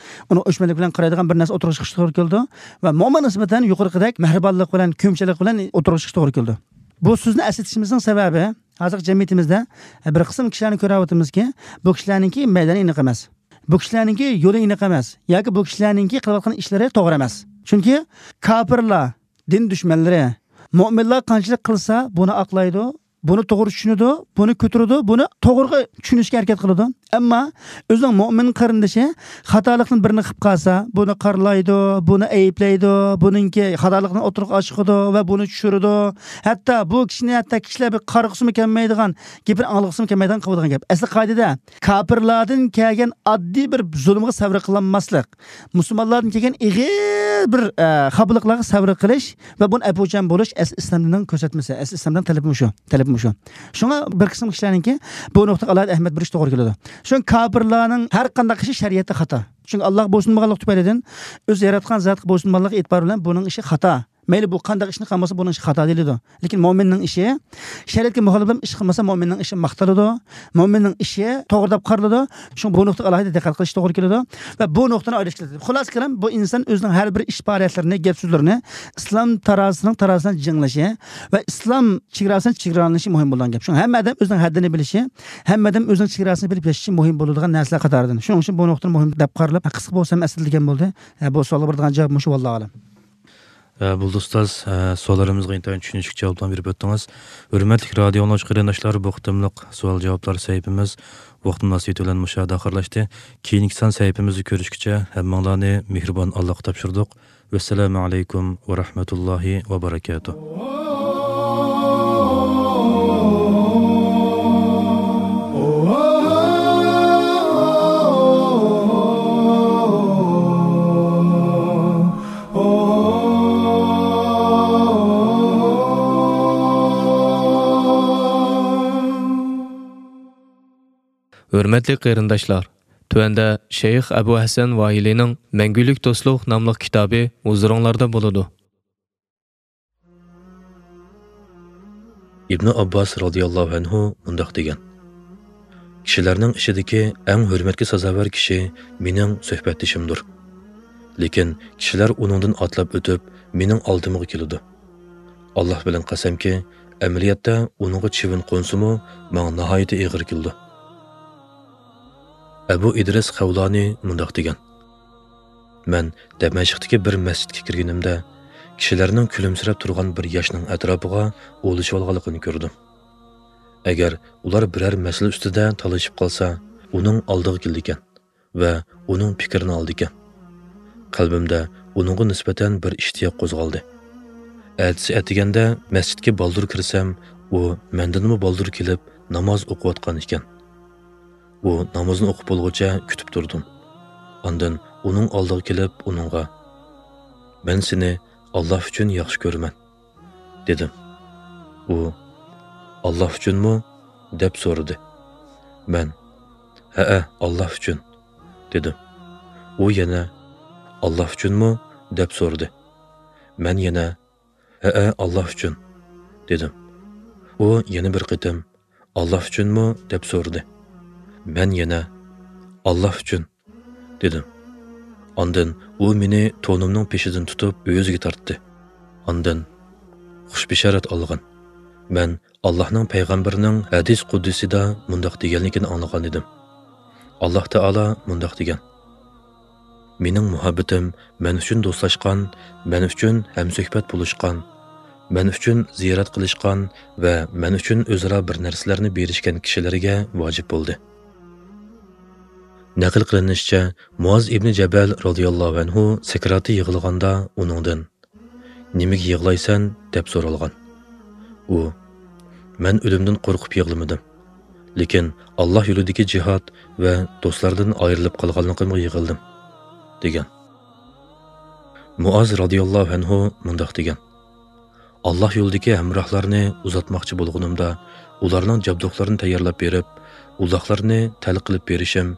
ئۇنى ئۆچمەنلىك بىلەن قارايدىغان بىر نەرسە ئوتتۇرىغا چىقىشى توغرا كېلىدۇ. ۋە مۆمىنگە نىسبەتەن يۇقىرىقىدەك مەھرىبانلىق بىلەن، كۆيۈمچانلىق بىلەن ئوتتۇرىغا چىقىشى توغرا كېلىدۇ. بۇ سۆزنى ئەسلىتىشىمىزنىڭ سەۋەبى، ھازىرقى جەمئىيىتىمىزدە بىر قىسىم كىشىلەرنى كۆرۈۋاتىمىزكى، بۇ كىشىلەرنىڭكى مەيدانى ئېنىق ئەمەس. بۇ كىشىلەرنىڭكى يولى ئېنىق ئەمەس. ياكى بۇ كىشىلەرنىڭكى قىلىۋاتقان ئىشلىرى توغرا ئەمەس. چۈنكى كاپىرلار، دىن دۈشمەنلىرى، مۆمىنلار قانچىلىك قىلسا، بۇنى ئاقلايدۇ، بۇنى توغرا چۈشىنىدۇ، بۇنى كۆتۈرىدۇ، بۇنى توغرىغا چۈشىنىشكە ھەرىكەت قىلىدۇ. ئەمما ئۆزىنىڭ مۆمىن قېرىندىشى خاتالىقنى بىرنى قىلىپ قالسا، بۇنى قارىلايدۇ، بۇنى ئەيىبلەيدۇ، بۇنىڭكى خاتالىقىنى ئوتتۇرىغا ئاچىقىدۇ ۋە بۇنى چۈشۈرىدۇ. ھەتتا بۇ كىشىنى ھەتتا كىشىلەر بىر قارىغۇسىمۇ كەلمەيدىغان، گېپىنى ئاڭلىغۇسىمۇ كەلمەيدىغان قىلىدىغان گەپ. ئەسلى قائىدىدە كاپىرلاردىن كەلگەن ئاددىي بىر زۇلۇمغا سەۋر قىلالماسلىق، مۇسۇلمانلاردىن كەلگەن ئېغىر بىر، ئە، خاپىلىقلارغا سەۋر قىلىش ۋە بۇنى ئەپۇچان بولۇش ئەسلى ئىسلام دىنىنىڭ كۆرسەتمىسى، ئەسلى ئىسلام دىنىنىڭ تەلىپى مۇشۇ، تەلىپى مۇشۇ. شۇڭا بىر قىسىم كىشىلەرنىڭكى بۇ نۇقتىغا ئالاھىدە ئەھمىيەت بېرىشى توغرا كېلىدۇ. شۇڭا كاپىرلارنىڭ ھەر قانداق ئىشى شەرىئەتتە خاتا. چۈنكى ئاللاغا بويسۇنمىغانلىق تۈپەيلىدىن، ئۆز ياراتقان زاتقا بويسۇنمىغانلىقى ئېتىبارى بىلەن بۇنىڭ ئىشى خاتا. مەيلى بۇ قانداق ئىشنى قىلمىسا، بۇنىڭ ئىشى خاتا دېيىلىدۇ. لېكىن مۆمىننىڭ ئىشى، شەرىئەتكە مۇخالىپ بولۇپ ئىش قىلمىسا، مۆمىننىڭ ئىشى ماختىلىدۇ. مۆمىننىڭ ئىشى توغرا دەپ قارىلىدۇ. شۇڭا بۇ نۇقتىغا ئالاھىدە دىققەت قىلىش توغرا كېلىدۇ. ۋە بۇ نۇقتىنى ئايرىش كېلىدۇ. خۇلاسە كېلىم، بۇ ئىنسان ئۆزىنىڭ ھەر بىر ئىش پائالىيەتلىرىنى، گەپ سۆزلىرىنى ئىسلام تارازىسىنىڭ تارازىسىنى جىڭلىشى ۋە ئىسلام چېگراسىنىڭ چېگرالىنىشى مۇھىم بولىدىغان گەپ. شۇڭا ھەممە ئادەم ئۆزىنىڭ ھەددىنى بىلىشى، ھەممە ئادەم ئۆزىنىڭ چېگراسىنى بىلىپ ياشىشى مۇھىم بولىدىغان نەرسىلەر قاتارىدىن. شۇنىڭ ئۈچۈن بۇ نۇقتىنى مۇھىم دەپ قارىلىپ، قىسقا بولسا ھەم ئەسلىتىلگەن بولدى. ھە، بۇ سوئالغا بېرىدىغان جاۋاب مۇشۇ، ۋاللاھۇ ئەلەم. ئە، بولدى ئۇستاز، ئە، سوئاللىرىمىزغا ئىنتايىن چۈشىنىشلىك جاۋابلارنى بېرىپ ئۆتتىڭىز. ھۆرمەتلىك رادىيو ئاڭلىغۇچى قېرىنداشلار، بۇ قېتىملىق سوئال جاۋابلار سەھىپىمىز ۋاقىت مۇناسىۋىتى بىلەن مۇشۇ يەردە ئاخىرلاشتى. كېيىنكى سان سەھىپىمىزدە كۆرۈشكىچە ھەممىڭلارنى مېھرىبان ئاللاغا تاپشۇردۇق. ۋەسسالامۇ ئەلەيكۇم ۋە رەھمەتۇللاھى ۋە بەرەكاتۇھ. ھۆرمەتلىك قېرىنداشلار، تۆۋەندە شەيخ ئەبۇ ھەسەن ۋاھىلىنىڭ مەڭگۈلۈك دوستلۇق ناملىق كىتابى ھۇزۇرۇڭلاردا بولىدۇ. ئىبنى ئابباس رازىياللاھۇ ئەنھۇ مۇنداق دېگەن: كىشىلەرنىڭ ئىچىدىكى ئەڭ ھۆرمەتكە سازاۋەر كىشى مېنىڭ سۆھبەتدىشىمدۇر. لېكىن كىشىلەر ئۇنىڭدىن ئاتلاپ ئۆتۈپ، مېنىڭ ئالدىمغا كېلىدۇ. ئاللاھ بىلەن قەسەمكى، ئەمەلىيەتتە ئۇنىڭغا چىۋىن قونسىمۇ، ماڭا ناھايىتى ئېغىر كېلىدۇ. ئەبۇ ئىدرىس خەۋلانى مۇنداق دېگەن: مەن دەمەشقتىكى بىر مەسچىتكە كىرگىنىمدە، كىشىلەرنىڭ كۈلۈمسىرەپ تۇرغان بىر ياشنىڭ ئەتراپىغا ئولىشىۋالغانلىقىنى كۆردۈم. ئەگەر ئۇلار بىرەر مەسىلە ئۈستىدە تالىشىپ قالسا، ئۇنىڭ ئالدىغا كېلىدىكەن ۋە ئۇنىڭ پىكرىنى ئالىدىكەن. قەلبىمدە ئۇنىڭغا نىسبەتەن بىر ئىشتىياق قوزغالدى. ئەتىسى ئەتىگەندە مەسچىتكە بالدۇر كىرسەم، ئۇ مەندىنمۇ بالدۇر كېلىپ ناماز ئوقۇۋاتقان ئىكەن. ئۇ نامىزىنى ئوقۇپ بولغۇچە كۈتۈپ تۇردۇم. ئاندىن ئۇنىڭ ئالدىغا كېلىپ ئۇنىڭغا: «مەن سېنى ئاللاھ ئۈچۈن ياخشى كۆرىمەن» دېدىم. ئۇ: «ئاللاھ ئۈچۈنمۇ؟» دەپ سورىدى. مەن: «ھەئە، ئاللاھ ئۈچۈن» دېدىم. ئۇ يەنە: «ئاللاھ ئۈچۈنمۇ؟» دەپ سورىدى. مەن يەنە: «ھەئە، ئاللاھ ئۈچۈن» دېدىم. ئۇ يەنە بىر قېتىم: «ئاللاھ ئۈچۈنمۇ؟» دەپ سورىدى. مەن يەنە: «ئاللاھ ئۈچۈن» دېدىم. ئاندىن ئۇ مېنى تونۇمنىڭ پېشىدىن تۇتۇپ ئۆزىگە تارتتى. ئاندىن خۇش بېشارەت ئالغىن. مەن ئاللاھنىڭ پەيغەمبىرىنىڭ ھەدىس قۇدسىدا مۇنداق دېگەنلىكىنى ئاڭلىغان ئىدىم. ئاللاھ تائالا مۇنداق دېگەن: «مېنىڭ مۇھەببىتىم مەن ئۈچۈن دوستلاشقان، مەن ئۈچۈن ھەمسۆھبەت بولۇشقان، مەن ئۈچۈن زىيارەت قىلىشقان ۋە مەن ئۈچۈن ئۆزئارا بىر نەرسىلەرنى بېرىشكەن كىشىلەرگە ۋاجىپ بولدى.» نەقىل قىلىنىشىچە، مۇئاز ئىبنى جەبەل رازىياللاھۇ ئەنھۇ سەكراتى يىغلىغاندا ئۇنىڭدىن: «نېمىگە يىغلايسەن؟» دەپ سورالغان. ئۇ: «مەن ئۆلۈمدىن قورقۇپ يىغلىمىدىم، لېكىن ئاللاھ يولىدىكى جىھاد ۋە دوستلاردىن ئايرىلىپ قالغانلىقىمغا يىغلىدىم» دېگەن. مۇئاز رازىياللاھۇ ئەنھۇ مۇنداق دېگەن: «ئاللاھ يولىدىكى ھەمراھلارنى ئۇزاتماقچى بولغىنىمدا، ئۇلارنىڭ جابدۇقلىرىنى تەييارلاپ بېرىپ، ئۇلاقلىرىنى تەل قىلىپ بېرىشىم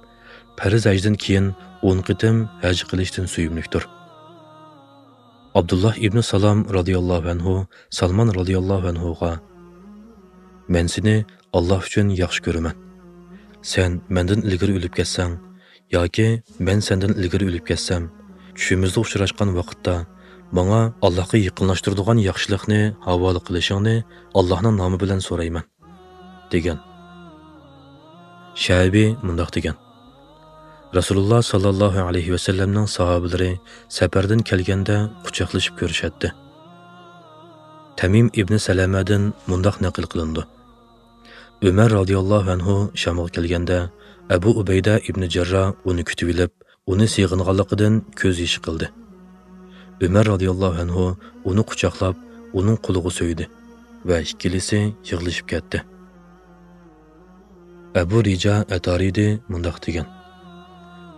پەرز ھەجدىن كېيىن ئون قېتىم ھەج قىلىشتىن سۆيۈملۈكتۇر.» ئابدۇللاھ ئىبنى سالام رازىياللاھۇ ئەنھۇ سالمان رازىياللاھۇ ئەنھۇغا: «مەن سېنى ئاللاھ ئۈچۈن ياخشى كۆرىمەن. سەن مەندىن ئىلگىرى ئۆلۈپ كەتسەڭ ياكى مەن سەندىن ئىلگىرى ئۆلۈپ كەتسەم، چۈشىمىزدە ئۇچراشقان ۋاقىتتا ماڭا ئاللاھقا يېقىنلاشتۇرىدىغان ياخشىلىقنى ھاۋالە قىلىشىڭنى ئاللاھنىڭ نامى بىلەن سورايمەن» دېگەن. شەئبى مۇنداق دېگەن: رەسۇلۇللاھ ساللاللاھۇ ئەلەيھى ۋەسەللەمنىڭ ساھابىلىرى سەپەردىن كەلگەندە قۇچاقلىشىپ كۆرۈشەتتى. تەمىم ئىبنى سەلەمەدىن مۇنداق نەقىل قىلىنىدۇ: ئۆمەر رازىياللاھۇ ئەنھۇ شامغا كەلگەندە، ئەبۇ ئۇبەيدە ئىبنى جەرراھ ئۇنى كۈتۈۋېلىپ، ئۇنى سېغىنغانلىقىدىن كۆز يېشى قىلدى. ئۆمەر رازىياللاھۇ ئەنھۇ ئۇنى قۇچاقلاپ، ئۇنىڭ قولىغا سۆيدى ۋە ئىككىلىسى يىغلىشىپ كەتتى. ئەبۇ رىجا ئەتارىدى مۇنداق دېگەن: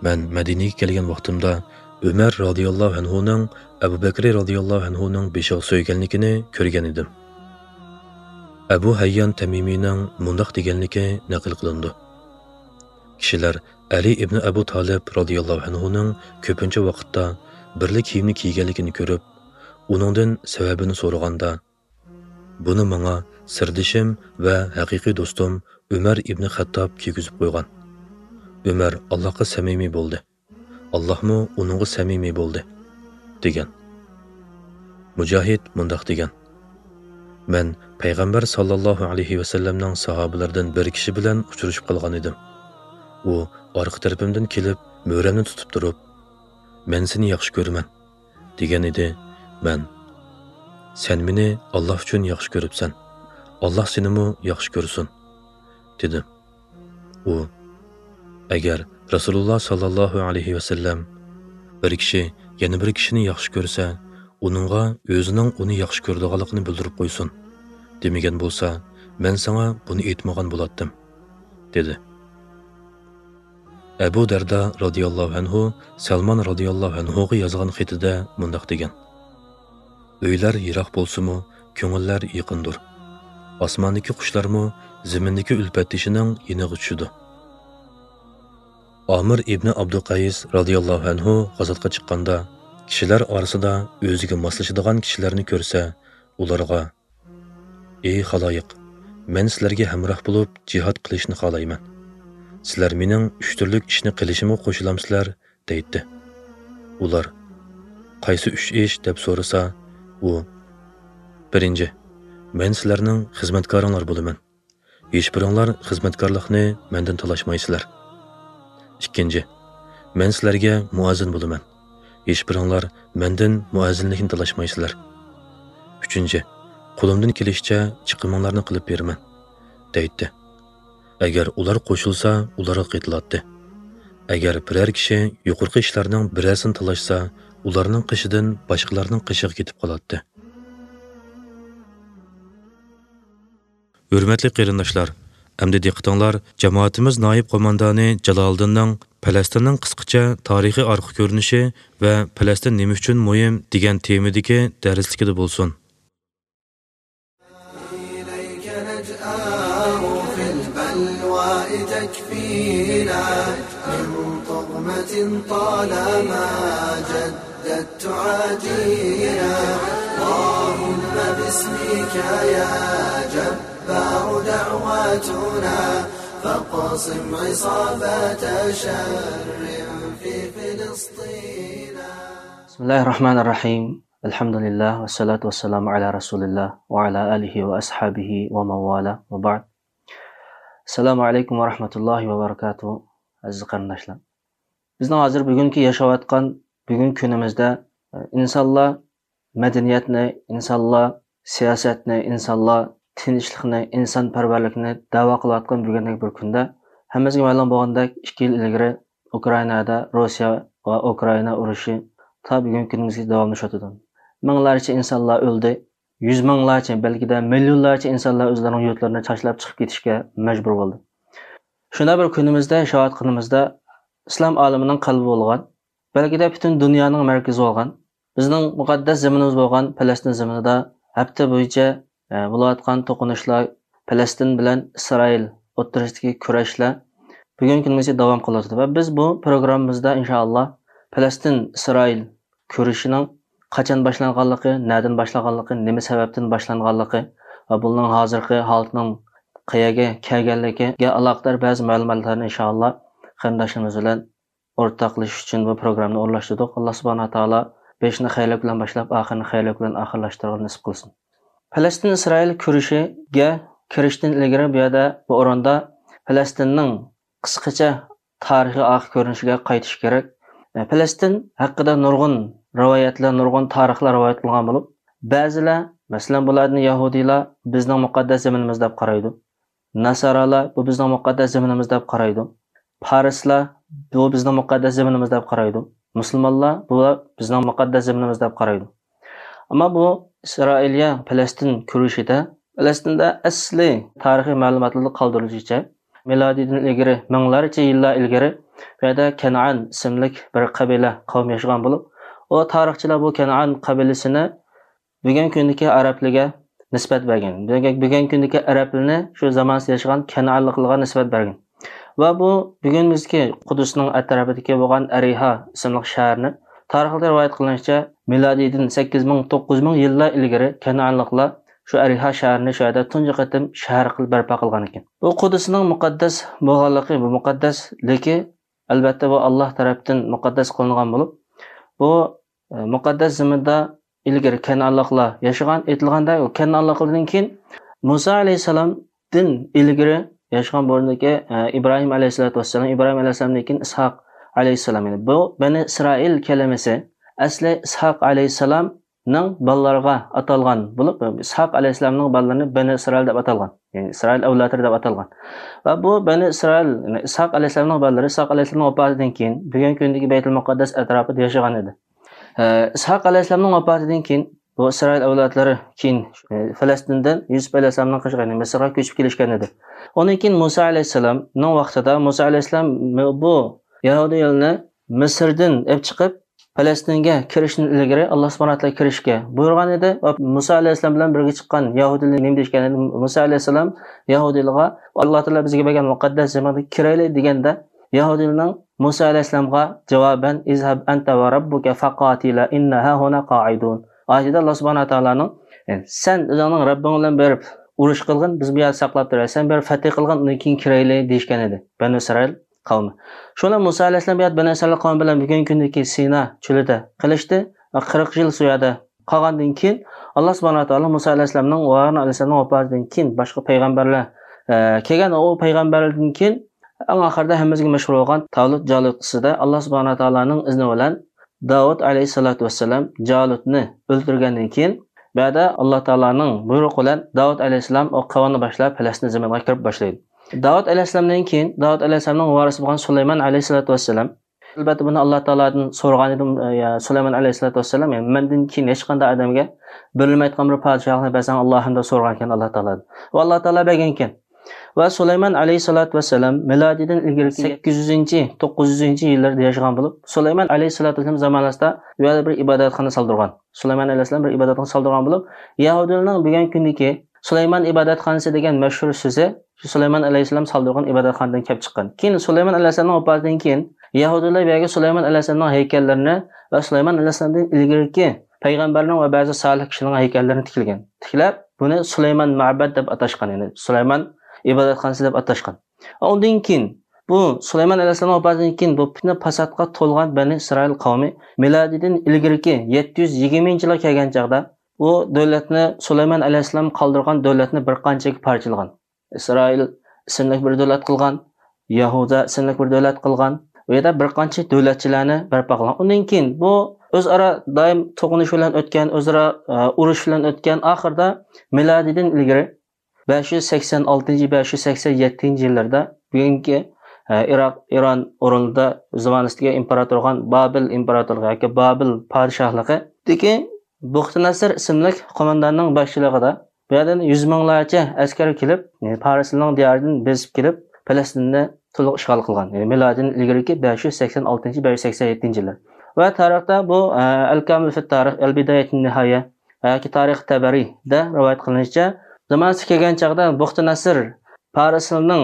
مەن مەدىنىگە كەلگەن ۋاقتىمدا ئۆمەر رازىياللاھۇ ئەنھۇنىڭ ئەبۇ بەكرى رازىياللاھۇ ئەنھۇنىڭ بېشىغا سۆيگەنلىكىنى كۆرگەن ئىدىم. ئەبۇ ھەييان تەمىمىنىڭ مۇنداق دېگەنلىكى نەقىل قىلىنىدۇ: كىشىلەر ئەلى ئىبنى ئەبۇ تالىپ رازىياللاھۇ ئەنھۇنىڭ كۆپىنچە ۋاقىتتا بىرلا كىيىمنى كىيگەنلىكىنى كۆرۈپ، ئۇنىڭدىن سەۋەبىنى سورىغاندا، بۇنى ماڭا سىردىشىم ۋە ھەقىقىي دوستۇم ئۆمەر ئىبنى خەتتاب كىيگۈزۈپ قويغان. ئۆمەر ئاللاھقا سەمىمىي بولدى. ئاللاھمۇ ئۇنىڭغا سەمىمىي بولدى، دېگەن. مۇجاھىد مۇنداق دېگەن: مەن پەيغەمبەر ساللاللاھۇ ئەلەيھى ۋەسەللەمنىڭ ساھابىلىرىدىن بىر كىشى بىلەن ئۇچرىشىپ قالغان ئىدىم. ئۇ ئارقا تەرىپىمدىن كېلىپ، مۈرەمنى تۇتۇپ تۇرۇپ، «مەن سېنى ياخشى كۆرىمەن» دېگەن ئىدى. مەن، «سەن مېنى ئاللاھ ئۈچۈن ياخشى كۆرۈپسەن، ئاللاھ سېنىمۇ ياخشى كۆرسۇن» دېدىم. ئۇ، ئەگەر رەسۇلۇللاھ ساللاللاھۇ ئەلەيھى ۋەسەللەم، «بىر كىشى يەنە بىر كىشىنى ياخشى كۆرسە، ئۇنىڭغا ئۆزىنىڭ ئۇنى ياخشى كۆرىدىغانلىقىنى بىلدۈرۈپ قويسۇن» دېمىگەن بولسا، مەن ساڭا بۇنى ئېيتمىغان بولاتتىم، دېدى. ئەبۇ دەردا رازىياللاھۇ ئەنھۇ سەلمان رازىياللاھۇ ئەنھۇغا يازغان خېتىدە مۇنداق دېگەن: «ئۆيلەر يىراق بولسىمۇ، كۆڭۈللەر يېقىندۇر. ئاسماندىكى قۇشلارمۇ زېمىندىكى ئۈلپەتدىشىنىڭ يېنىغا چۈشىدۇ.» ئامىر ئىبنى ئابدۇقەيس رازىياللاھۇ ئەنھۇ غازاتقا چىققاندا، كىشىلەر ئارىسىدا ئۆزىگە ماسلىشىدىغان كىشىلەرنى كۆرسە، ئۇلارغا، «ئەي خالايىق، مەن سىلەرگە ھەمراھ بولۇپ جىھاد قىلىشنى خالايمەن. سىلەر مېنىڭ ئۈچ تۈرلۈك ئىشنى قىلىشىمغا قوشۇلامسىلەر؟» دەيتتى. ئۇلار، «قايسى ئۈچ ئىش؟» دەپ سورىسا، ئۇ، «بىرىنچى، مەن سىلەرنىڭ خىزمەتكارىڭلار بولىمەن. ھېچبىرىڭلار خىزمەتكارلىقنى مەندىن تالاشمايسىلەر. ئىككىنچى، مەن سىلەرگە مۇئەززىن بولىمەن. ھېچبىرىڭلار مەندىن مۇئەززىنلىكنى تالاشمايسىلەر. ئۈچىنچى، قولۇمدىن كېلىشىچە چىقىمىڭلارنى قىلىپ بېرىمەن» دەيتتى. ئەگەر ئۇلار قوشۇلسا، ئۇلارغا قېتىلاتتى. ئەگەر بىرەر كىشى يۇقىرىقى ئىشلارنىڭ بىرەرسىنى تالاشسا، ئۇلارنىڭ قېشىدىن باشقىلارنىڭ قېشىغا كېتىپ قالاتتى. ھۆرمەتلىك قېرىنداشلار، ئەمدى دىققىتىڭلار جامائىتىمىز نائىب قوماندانى جالالىدىننىڭ پەلەستىننىڭ قىسقىچە تارىخىي ئارقا كۆرۈنۈشى ۋە پەلەستىن نېمە ئۈچۈن مۇھىم دېگەن تېمىدىكى دەرسلىكىدە بولسۇن. إليك نجأه في البلوى تكفينا، من طغمة طالما جدت تعادينا. اللهم باسمك يا جبار دعواتنا، فاقسم عصابة شر في فلسطين. بسم الله الرحمن الرحيم. الحمد لله والصلاة والسلام على رسول الله وعلى آله وأصحابه ومن والاه وبعد. السلام عليكم ورحمة الله وبركاته. ئەزىز قېرىنداشلار، بىزنىڭ ھازىر بۈگۈنكى ياشاۋاتقان بۈگۈنكى كۈنىمىزدە، ئە، ئىنسانلار مەدەنىيەتنى، ئىنسانلار سىياسەتنى، ئىنسانلار تىنچلىقنى، ئىنسانپەرۋەرلىكنى دەۋا قىلىۋاتقان بۈگۈندەك بىر كۈندە، ھەممىمىزگە مەلۇم بولغاندەك، ئىككى يىل ئىلگىرى ئۇكرائىنادا روسىيە ۋە ئۇكرائىنا ئۇرۇشى تا بۈگۈنكى كۈنىمىزگىچە داۋاملىشىۋاتىدۇ. مىڭلارچە ئىنسانلار ئۆلدى، يۈز مىڭلارچە، بەلكىدە مىليونلارچە ئىنسانلار ئۆزلىرىنىڭ يۇرتلىرىنى تاشلاپ چىقىپ كېتىشكە مەجبۇر بولدى. شۇنداق بىر كۈنىمىزدە ياشاۋاتقىنىمىزدا، ئىسلام ئالىمىنىڭ قەلبى بولغان، بەلكىدە پۈتۈن دۇنيانىڭ مەركىزى بولغان، بىزنىڭ مۇقەددەس زېمىنىمىز بولغان پەلەستىن زېمىنىدا ھەپتە بويىچە، ئە، بولۇۋاتقان توقۇنۇشلار، پەلەستىن بىلەن ئىسرائىل ئوتتۇرىسىدىكى كۈرەشلەر بۈگۈنكى كۈنىگىچە داۋام قىلىۋاتىدۇ. ۋە بىز بۇ پروگراممىمىزدا ئىنشائاللا پەلەستىن ئىسرائىل كۈرىشىنىڭ قاچان باشلانغانلىقى، نەدىن باشلانغانلىقى، نېمە سەۋەبتىن باشلانغانلىقى ۋە بۇنىڭ ھازىرقى ھالىتىنىڭ قەيەرگە كەلگەنلىكىگە ئالاقىدار بەزى مەلۇماتلارنى ئىنشائاللا قېرىنداشلىرىمىز بىلەن ئورتاقلىشىش ئۈچۈن بۇ پروگراممىنى ئورۇنلاشتۇردۇق. ئاللا سۇبھانەھۇ ۋە تائالا بېشىنى خەيرلىك بىلەن باشلاپ، ئاخىرىنى خەيرلىك بىلەن ئاخىرلاشتۇرغىنى نېسىپ قىلسۇن. پەلەستىن ئىسرائىل كۈرىشىگە كىرىشتىن ئىلگىرى بۇ يەردە، بۇ ئورۇندا پەلەستىننىڭ قىسقىچە تارىخىي ئارقا كۆرۈنۈشىگە قايتىش كېرەك. پەلەستىن ھەققىدە نۇرغۇن رىۋايەتلەر، نۇرغۇن تارىخلار رىۋايەت قىلىنغان بولۇپ، بەزىلەر، مەسىلەن، بۇلاردىن يەھۇدىيلار بىزنىڭ مۇقەددەس زېمىنىمىز دەپ قارايدۇ. ناسارالار بۇ بىزنىڭ مۇقەددەس زېمىنىمىز دەپ قارايدۇ. پارسلار بۇ بىزنىڭ مۇقەددەس زېمىنىمىز دەپ قارايدۇ. مۇسۇلمانلار بۇ بىزنىڭ مۇقەددەس زېمىنىمىز دەپ قارايدۇ. ئەمما بۇ ئىسرائىلىيە پەلەستىن كۈرىشىدە، پەلەستىندە ئەسلى تارىخىي مەلۇماتلاردا قالدۇرۇلۇشىچە، مىلادىيدىن ئىلگىرى، مىڭلارچە يىللار ئىلگىرى بۇ يەردە كەنئان ئىسىملىك بىر قەبىلە، قەۋم ياشىغان بولۇپ، ئۇ تارىخچىلار بۇ كەنئان قەبىلىسىنى بۈگۈنكى كۈندىكى ئەرەبلىگە نىسبەت بەرگەن. بۈگۈن-، بۈگۈنكى كۈندىكى ئەرەبلىنى شۇ زامانىسىدا ياشىغان كەنئانلىقلارغا نىسبەت بەرگەن. ۋە بۇ بۈگۈنىمىزدىكى قۇدۇسنىڭ ئەتراپىدىكى بولغان ئەرىھا ئىسىملىق شەھەرنى تارىخلاردا رىۋايەت قىلىنىشىچە، مىلادىيدىن سەككىز مىڭ، توققۇز مىڭ يىللار ئىلگىرى كەنئانلىقلار شۇ ئەرىھا شەھىرىنى شۇ يەردە تۇنجى قېتىم شەھەر قىلىپ بەرپا قىلغان ئىكەن. بۇ قۇدسنىڭ مۇقەددەس بولغانلىقى، بۇ مۇقەددەسلىكى، ئەلۋەتتە، بۇ ئاللاھ تەرەپتىن مۇقەددەس قىلىنغان بولۇپ، بۇ، ئە، مۇقەددەس زېمىندا ئىلگىرى كەنئانلىقلار ياشىغان، ئېيتىلغاندا، كەنئانلىقلاردىن كېيىن مۇسا ئەلەيھىسسالامدىن ئىلگىرى ياشىغان بۇ ئورۇندىكى، ئە، ئىبراھىم ئەلەيھىسسالاتۇ ۋەسسالام، ئىبراھىم ئەلەيھىسسالامدىن كېيىن ئىسھاق ئەلەيھىسسالام. يەنى بۇ بەنى ئىسرائىل كەلىمىسى ئەسلى ئىسھاق ئەلەيھىسسالامنىڭ بالىلىرىغا ئاتالغان بولۇپ، ئىسھاق ئەلەيھىسسالامنىڭ بالىلىرىنى بەنى ئىسرائىل دەپ ئاتالغان. يەنى ئىسرائىل ئەۋلادلىرى دەپ ئاتالغان. ۋە بۇ بەنى ئىسرائىل، يەنى ئىسھاق ئەلەيھىسسالامنىڭ بالىلىرى ئىسھاق ئەلەيھىسسالامنىڭ ۋاپاتىدىن كېيىن بۈگۈنكى كۈندىكى بەيتۇل مۇقەددەس ئەتراپىدا ياشىغان ئىدى. ئە، ئىسھاق ئەلەيھىسسالامنىڭ ۋاپاتىدىن كېيىن بۇ ئىسرائىل ئەۋلادلىرى كېيىن، ئە، فەلەستىندىن يۈسۈپ ئەلەيھىسسالامنىڭ قېشىغا، يەنى مىسىرغا كۆچۈپ كېلىشكەن ئىدى. ئۇنىڭ كېيىن مۇسا ئەلەيھىسسالامنىڭ ۋاقتىدا مۇسا ئەلەيھىسسالام بۇ يەھۇدىيلارنى مىسىردىن ئېلىپ چىقىپ، پەلەستىنگە كىرىشتىن ئىلگىرى ئاللاھ سۇبھانەھۇ ۋە تائالا كىرىشكە بۇيرۇغان ئىدى. ۋە مۇسا ئەلەيھىسسالام بىلەن بىرگە چىققان يەھۇدىيلار نېمە دېيىشكەن ئىدى؟ مۇسا ئەلەيھىسسالام يەھۇدىيلارغا، «ئاللاھ تائالا بىزگە بەرگەن مۇقەددەس زېمىنغا كىرەيلى» دېگەندە، يەھۇدىيلارنىڭ مۇسا ئەلەيھىسسالامغا جاۋابەن، «اذهب أنت وربك فقاتلا إنا هاهنا قاعدون» ئايىتىدە ئاللاھ سۇبھانەھۇ ۋە تائالانىڭ، «سەن ئۆزۈڭنىڭ رەببىڭ بىلەن بېرىپ ئۇرۇش قىلغىن، بىز بۇ يەردە ساقلاپ تۇرايلى، سەن بېرىپ فەتھى قىلغىن، ئۇنىڭ كېيىن كىرەيلى» دېيىشكەن ئىدى بەنۇ ئىسرائىل قەۋمى. شۇ بىلەن مۇسا ئەلەيھىسسالام بۇ يەردە بەنۇ ئىسرائىل قەۋمى بىلەن بۈگۈنكى كۈندىكى سىنا چۆلىدە قىلىشتى ۋە قىرىق يىل شۇ يەردە قالغاندىن كېيىن، ئاللاھ سۇبھانەھۇ ۋە تائالا مۇسا ئەلەيھىسسالامنىڭ ۋە ھارۇن ئەلەيھىسسالامنىڭ ۋاپاتىدىن كېيىن باشقا پەيغەمبەرلەر، ئە، كەلگەن. ئۇ پەيغەمبەرلەردىن كېيىن ئەڭ ئاخىرىدا ھەممىمىزگە مەشھۇر بولغان تالۇت جالۇت قىسسىسىدا ئاللاھ سۇبھانەھۇ ۋە تائالانىڭ ئىزنى بىلەن داۋۇت ئەلەيھىسسالاتۇ ۋەسسالام جالۇتنى ئۆلتۈرگەندىن كېيىن، بۇ يەردە ئاللاھ تائالانىڭ بۇيرۇقى بىلەن داۋۇت ئەلەيھىسسالام ئۇ قەۋمنى باشلاپ پەلەستىن زېمىنىغا كىرىپ باشلايدۇ. داۋۇت ئەلەيھىسسالامدىن كېيىن داۋۇت ئەلەيھىسسالامنىڭ ۋارىسى بولغان سۇلايمان ئەلەيھىسسالاتۇ ۋەسسالام، ئەلۋەتتە، بۇنى ئاللاھ تائالادىن سورىغان ئىدى، يا سۇلايمان ئەلەيھىسسالاتۇ ۋەسسالام، يەنى مەندىن كېيىن ھېچقانداق ئادەمگە بېرىلمەيدىغان بىر پادىشاھلىقنى بەرسەڭ ئاللاھىم دەپ سورىغان ئىكەن ئاللاھ تائالادىن. ۋە ئاللاھ تائالا بەرگەن ئىكەن. ۋە سۇلايمان ئەلەيھىسسالاتۇ ۋەسسالام مىلادىدىن ئىلگىرىكى سەككىز يۈزىنچى، توققۇز يۈزىنچى يىللىرىدا ياشىغان بولۇپ، سۇلايمان ئەلەيھىسسالاتۇ ۋەسسالام زامانىسىدا بۇ يەردە بىر ئىبادەتخانا سالدۇرغان. سۇلايمان ئەلەيھىسسالام بىر ئىبادەتخانا سالدۇرغان بولۇپ، يەھۇدىيلارنىڭ بۈگۈنكى كۈندىكى سۇلايمان ئىبادەتخانىسى دېگەن مەشھۇر سۆزى شۇ سۇلايمان ئەلەيھىسسالام سالدۇرغان ئىبادەتخانىدىن كېلىپ چىققان. كېيىن سۇلايمان ئەلەيھىسسالامنىڭ ۋاپاتىدىن كېيىن يەھۇدىيلار بۇ يەرگە سۇلايمان ئەلەيھىسسالامنىڭ ھەيكەللىرىنى ۋە سۇلايمان ئەلەيھىسسالامدىن ئىلگىرىكى پەيغەمبەرنىڭ ۋە بەزى سالىھ كىشىلەرنىڭ ھەيكەللىرىنى تىكلىگەن. تىكلەپ، بۇنى سۇلايمان مەبەد دەپ ئاتاشقان، يەنى سۇلايمان ئىبادەتخانىسى دەپ ئاتاشقان. ئۇندىن كېيىن بۇ سۇلايمان ئەلەيھىسسالام ۋاپاتىدىن كېيىن بۇ پىتنە پاساتقا تولغان بەنى ئىسرائىل قەۋمى مىلادىدىن ئىلگىرىكى يەتتە يۈز يىگىرمىنچى يىلغا كەلگەن چاغدا، ئۇ دۆلەتنى، سۇلايمان ئەلەيھىسسالام قالدۇرغان دۆلەتنى بىر قانچىگە پارچىلىغان. ئىسرائىل ئىسىملىك بىر دۆلەت قىلغان، يەھۇدىيە ئىسىملىك بىر دۆلەت قىلغان، ئۇ يەردە بىر قانچە دۆلەتچىلەرنى بەرپا قىلغان. ئۇندىن كېيىن بۇ ئۆزئارا دائىم توقۇنۇش بىلەن ئۆتكەن، ئۆزئارا، ئە، ئۇرۇش بىلەن ئۆتكەن، ئاخىرىدا مىلادىدىن ئىلگىرى بەش يۈز سەكسەن ئالتىنچى، بەش يۈز سەكسەن يەتتىنچى يىللىرىدا بۈگۈنكى، ئە، ئىراق، ئىران ئورنىدا زامانىسىدىكى ئىمپېراتور بولغان بابىل ئىمپېراتورلۇقى ياكى بابىل پادىشاھلىقىدىكى بۇختىنەسىر ئىسىملىك قومانداننىڭ باشچىلىقىدا بۇ يەردىن يۈز مىڭلارچە ئەسكەر كېلىپ، يەنى پارسلارنىڭ دىيارىدىن بېسىپ كېلىپ، پەلەستىننى تولۇق ئىشغال قىلغان. يەنى مىلادىدىن ئىلگىرىكى بەش يۈز سەكسەن ئالتىنچى، بەش يۈز سەكسەن يەتتىنچى يىللار. ۋە تارىختا بۇ، ئە، ئەل-كامىل فىت تارىخ، ئەل-بىدايەتۇن نىھايە ياكى تارىخ تەبەرىيدە رىۋايەت قىلىنىشىچە، زامانىسى كەلگەن چاغدا بۇختىنەسىر پارسلارنىڭ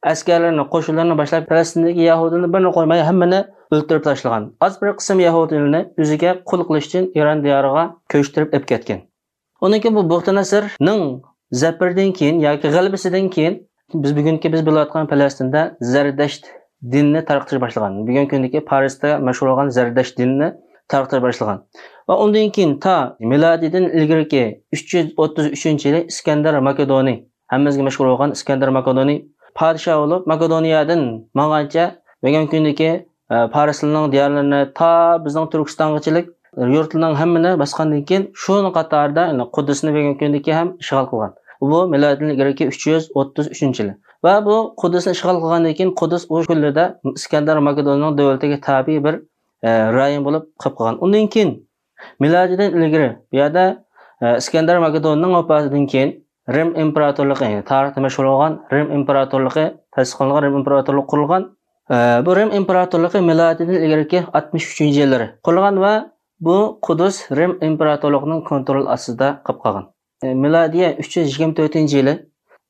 ئەسكەرلىرىنى، قوشۇنلىرىنى باشلاپ، پەلەستىندىكى يەھۇدىيلارنى بىرىنى قويماي ھەممىنى ئۆلتۈرۈپ تاشلىغان. ئاز بىر قىسىم يەھۇدىيلارنى ئۆزىگە قۇل قىلىش ئۈچۈن ئىران دىيارىغا كۆچۈرۈپ ئېلىپ كەتكەن. ئۇنىڭ كېيىن بۇ بۇختىنەسىرنىڭ زەپىرىدىن كېيىن ياكى غەلىبىسىدىن كېيىن بىز بۈگۈنكى بىز بىلىۋاتقان پەلەستىندە زەردەشت دىنىنى تارقىتىش باشلىغان. بۈگۈنكى كۈندىكى پارستا مەشھۇر بولغان زەردەشت دىنىنى تارقىتىش باشلىغان. ۋە ئۇندىن كېيىن تا مىلادىدىن ئىلگىرىكى ئۈچ يۈز ئوتتۇز ئۈچىنچى يىلى ئىسكەندەر ماكېدونىي، ھەممىمىزگە مەشھۇر بولغان ئىسكەندەر ماكېدونىي پادىشاھ بولۇپ، ماكېدونىيەدىن ماڭغانچە بۈگۈنكى كۈندىكى، ئە، پارسلارنىڭ دىيارلىرىنى تا بىزنىڭ تۈركىستانغىچىلىك يۇرتلارنىڭ ھەممىنى باسقاندىن كېيىن، شۇنىڭ قاتارىدا، يەنى قۇددۇسنى بۈگۈنكى كۈندىكى ھەم ئىشغال قىلغان. بۇ مىلادىدىن ئىلگىرىكى ئۈچ يۈز ئوتتۇز ئۈچىنچى يىلى. ۋە بۇ قۇددۇسنى ئىشغال قىلغاندىن كېيىن، قۇددۇس ئۇ كۈنلىرىدە ئىسكەندەر ماكېدوننىڭ دۆلىتىگە تابىئىي بىر، ئە، رايون بولۇپ قېلىپ قالغان. ئۇندىن كېيىن مىلادىدىن ئىلگىرى بۇ يەردە، ئە، ئىسكەندەر ماكېدوننىڭ ۋاپاتىدىن كېيىن رىم ئىمپېراتورلۇقى، يەنى تارىختا مەشھۇر بولغان رىم ئىمپېراتورلۇقى تەسىس قىلىنغان، رىم ئىمپېراتورلۇقى قۇرۇلغان. ئە، بۇ رىم ئىمپېراتورلۇقى مىلادىدىن ئىلگىرىكى ئاتمىش ئۈچىنچى يىللىرى قۇرۇلغان ۋە بۇ قۇدۇس رىم ئىمپېراتورلۇقىنىڭ كونترول ئاستىدا قېلىپ قالغان. ئە، مىلادىيە ئۈچ يۈز يىگىرمە تۆتىنچى يىلى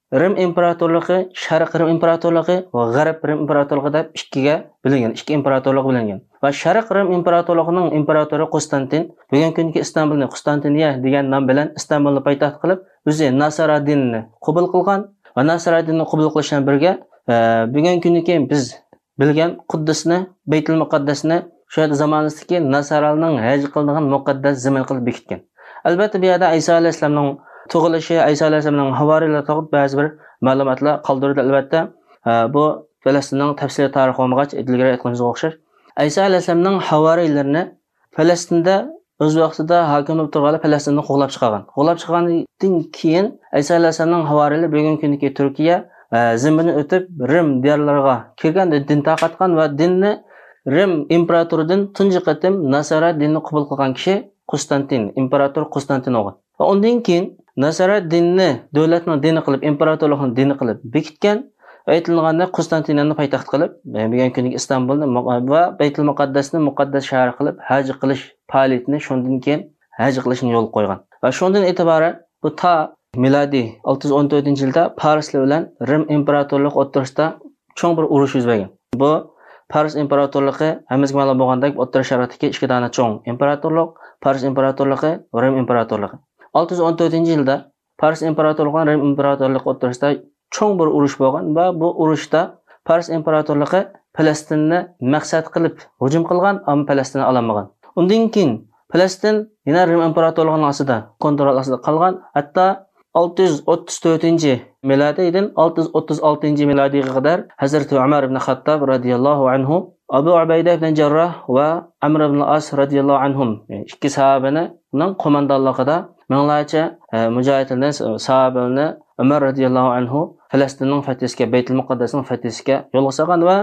رىم ئىمپېراتورلۇقى، شەرق رىم ئىمپېراتورلۇقى ۋە غەرب رىم ئىمپېراتورلۇقى دەپ ئىككىگە بۆلۈنگەن، ئىككى ئىمپېراتورلۇققا بۆلۈنگەن. ۋە شەرق رىم ئىمپېراتورلۇقىنىڭ ئىمپېراتورى قۇستانتىن، بۈگۈنكى كۈندىكى ئىستانبۇلنى، قۇستانتىنىيە دېگەن نام بىلەن ئىستانبۇلنى پايتەخت قىلىپ، ئۆزى ناسارا دىنىنى قوبۇل قىلغان ۋە ناسارا دىنىنى قوبۇل قىلىش بىلەن بىرگە، ئە، بۈگۈنكى كۈندىكى بىز بىلگەن قۇددۇسنى، بەيتۇل مۇقەددەسنى شۇ يەردە زامانىسىدىكى ناسارالارنىڭ ھەج قىلىدىغان مۇقەددەس زېمىن قىلىپ بېكىتكەن. ئەلۋەتتە، بۇ يەردە ئەيسا ئەلەيھىسسالامنىڭ تۇغۇلۇشى، ئەيسا ئەلەيھىسسالامنىڭ ھاۋارىيلىرى توغرىلىق بەزى بىر مەلۇماتلار قالدۇرۇلدى، ئەلۋەتتە. ئە، بۇ پەلەستىننىڭ تەپسىلىي تارىخى بولمىغاچ، ئىلگىرى ئېيتقىنىمىزغا ئوخشاش. ئەيسا ئەلەيھىسسالامنىڭ ھاۋارىيلىرىنى پەلەستىندە ئۆز ۋاقتىدا ھاكىم بولۇپ تۇرغانلار پەلەستىندىن قوغلاپ چىقارغان. قوغلاپ چىقارغاندىن كېيىن ئەيسا ئەلەيھىسسالامنىڭ ھاۋارىيلىرى بۈگۈنكى كۈندىكى تۈركىيە، ئە، زېمىنىنى ئۆتۈپ، رىم دىيارلىرىغا كىرگەن، دىن تارقاتقان ۋە دىننى رىم ئىمپېراتورىدىن تۇنجى قېتىم ناسارا دىنىنى قوبۇل قىلغان كىشى قۇستانتىن، ئىمپېراتور قۇستانتىن بولغان. ۋە ئۇندىن كېيىن ناسارا دىنىنى دۆلەتنىڭ دىنى قىلىپ، ئىمپېراتورلۇقنىڭ دىنى قىلىپ بېكىتكەن ۋە ئېيتىلغاندا قۇستانتىنىيەنى پايتەخت قىلىپ، بۈگۈنكى كۈندىكى ئىستانبۇلنى مۇ-، ۋە بەيتۇل مۇقەددەسنى مۇقەددەس شەھەر قىلىپ ھەج قىلىش پائالىيىتىنى شۇندىن كېيىن ھەج قىلىشنى يولغا قويغان. ۋە شۇندىن ئېتىبارەن بۇ تا مىلادىي ئالتە يۈز ئون تۆتىنچى يىلدا پارسلار بىلەن رىم ئىمپېراتورلۇقى ئوتتۇرىسىدا چوڭ بىر ئۇرۇش يۈز بەرگەن. بۇ پارس ئىمپېراتورلۇقى ھەممىمىزگە مەلۇم بولغاندەك ئوتتۇرا شەرقتىكى ئىككى دانە چوڭ ئىمپېراتورلۇق، پارس ئىمپېراتورلۇقى ۋە رىم ئىمپېراتورلۇقى. ئالتە يۈز ئون تۆتىنچى يىلدا پارس ئىمپېراتورلۇقى بىلەن رىم ئىمپېراتورلۇقى ئوتتۇرىسىدا چوڭ بىر ئۇرۇش بولغان ۋە بۇ ئۇرۇشتا پارس ئىمپېراتورلۇقى پەلەستىننى مەقسەت قىلىپ ھۇجۇم قىلغان، ئەمما پەلەستىننى ئالالمىغان. ئۇندىن كېيىن پەلەستىن يەنە رىم ئىمپېراتورلۇقىنىڭ ئاستىدا، كونترول ئاستىدا قالغان. ھەتتا ئالتە يۈز ئوتتۇز تۆتىنچى مىلادىيدىن ئالتە يۈز ئوتتۇز ئالتىنچى مىلادىيغا قەدەر ھەزرىتى ئۆمەر ئىبن خەتتاب رەزىياللاھۇ ئەنھۇ، ئەبۇ ئۇبەيدە ئىبن جەرراھ ۋە ئەمر ئىبن ئاس رەزىياللاھۇ ئەنھۇم، ئىككى ساھابىنىڭ قوماندانلىقىدا مىڭلارچە، ئە، مۇجاھىدلارنى، ساھابىلەرنى ئۆمەر رەزىياللاھۇ ئەنھۇ پەلەستىننىڭ فەتھىسىگە، بەيتۇل مۇقەددەسنىڭ فەتھىسىگە يولغا سالغان ۋە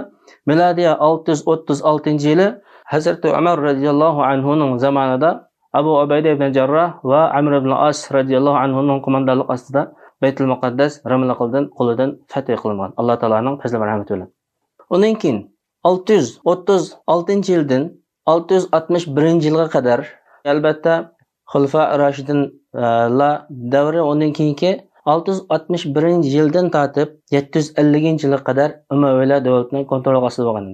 مىلادىيە ئالتە يۈز ئوتتۇز ئالتىنچى يىلى ھەزرىتى ئۆمەر رەزىياللاھۇ ئەنھۇنىڭ زامانىدا ئەبۇ ئۇبەيدە ئىبن جەرراھ ۋە ئەمر ئىبن ئاس رەزىياللاھۇ ئەنھۇنىڭ قوماندانلىقى ئاستىدا بەيتۇل مۇقەددەس رىملىقلىرىدىن، قولىدىن فەتھ قىلىنغان، ئاللا تائالانىڭ پەزلى مەرھەمىتى بىلەن. ئۇنىڭ كېيىن ئالتە يۈز ئوتتۇز ئالتىنچى يىلدىن ئالتە يۈز ئاتمىش بىرىنچى يىلغا قەدەر، ئەلۋەتتە، خۇلىفا راشىدىنلار دەۋرى، ئۇنىڭ كېيىنكى ئالتە يۈز ئاتمىش بىرىنچى يىلدىن تارتىپ يەتتە يۈز ئەللىكىنچى يىلغا قەدەر ئۇمەۋىيلەر دۆلىتىنىڭ كونترولى ئاستىدا بولغان.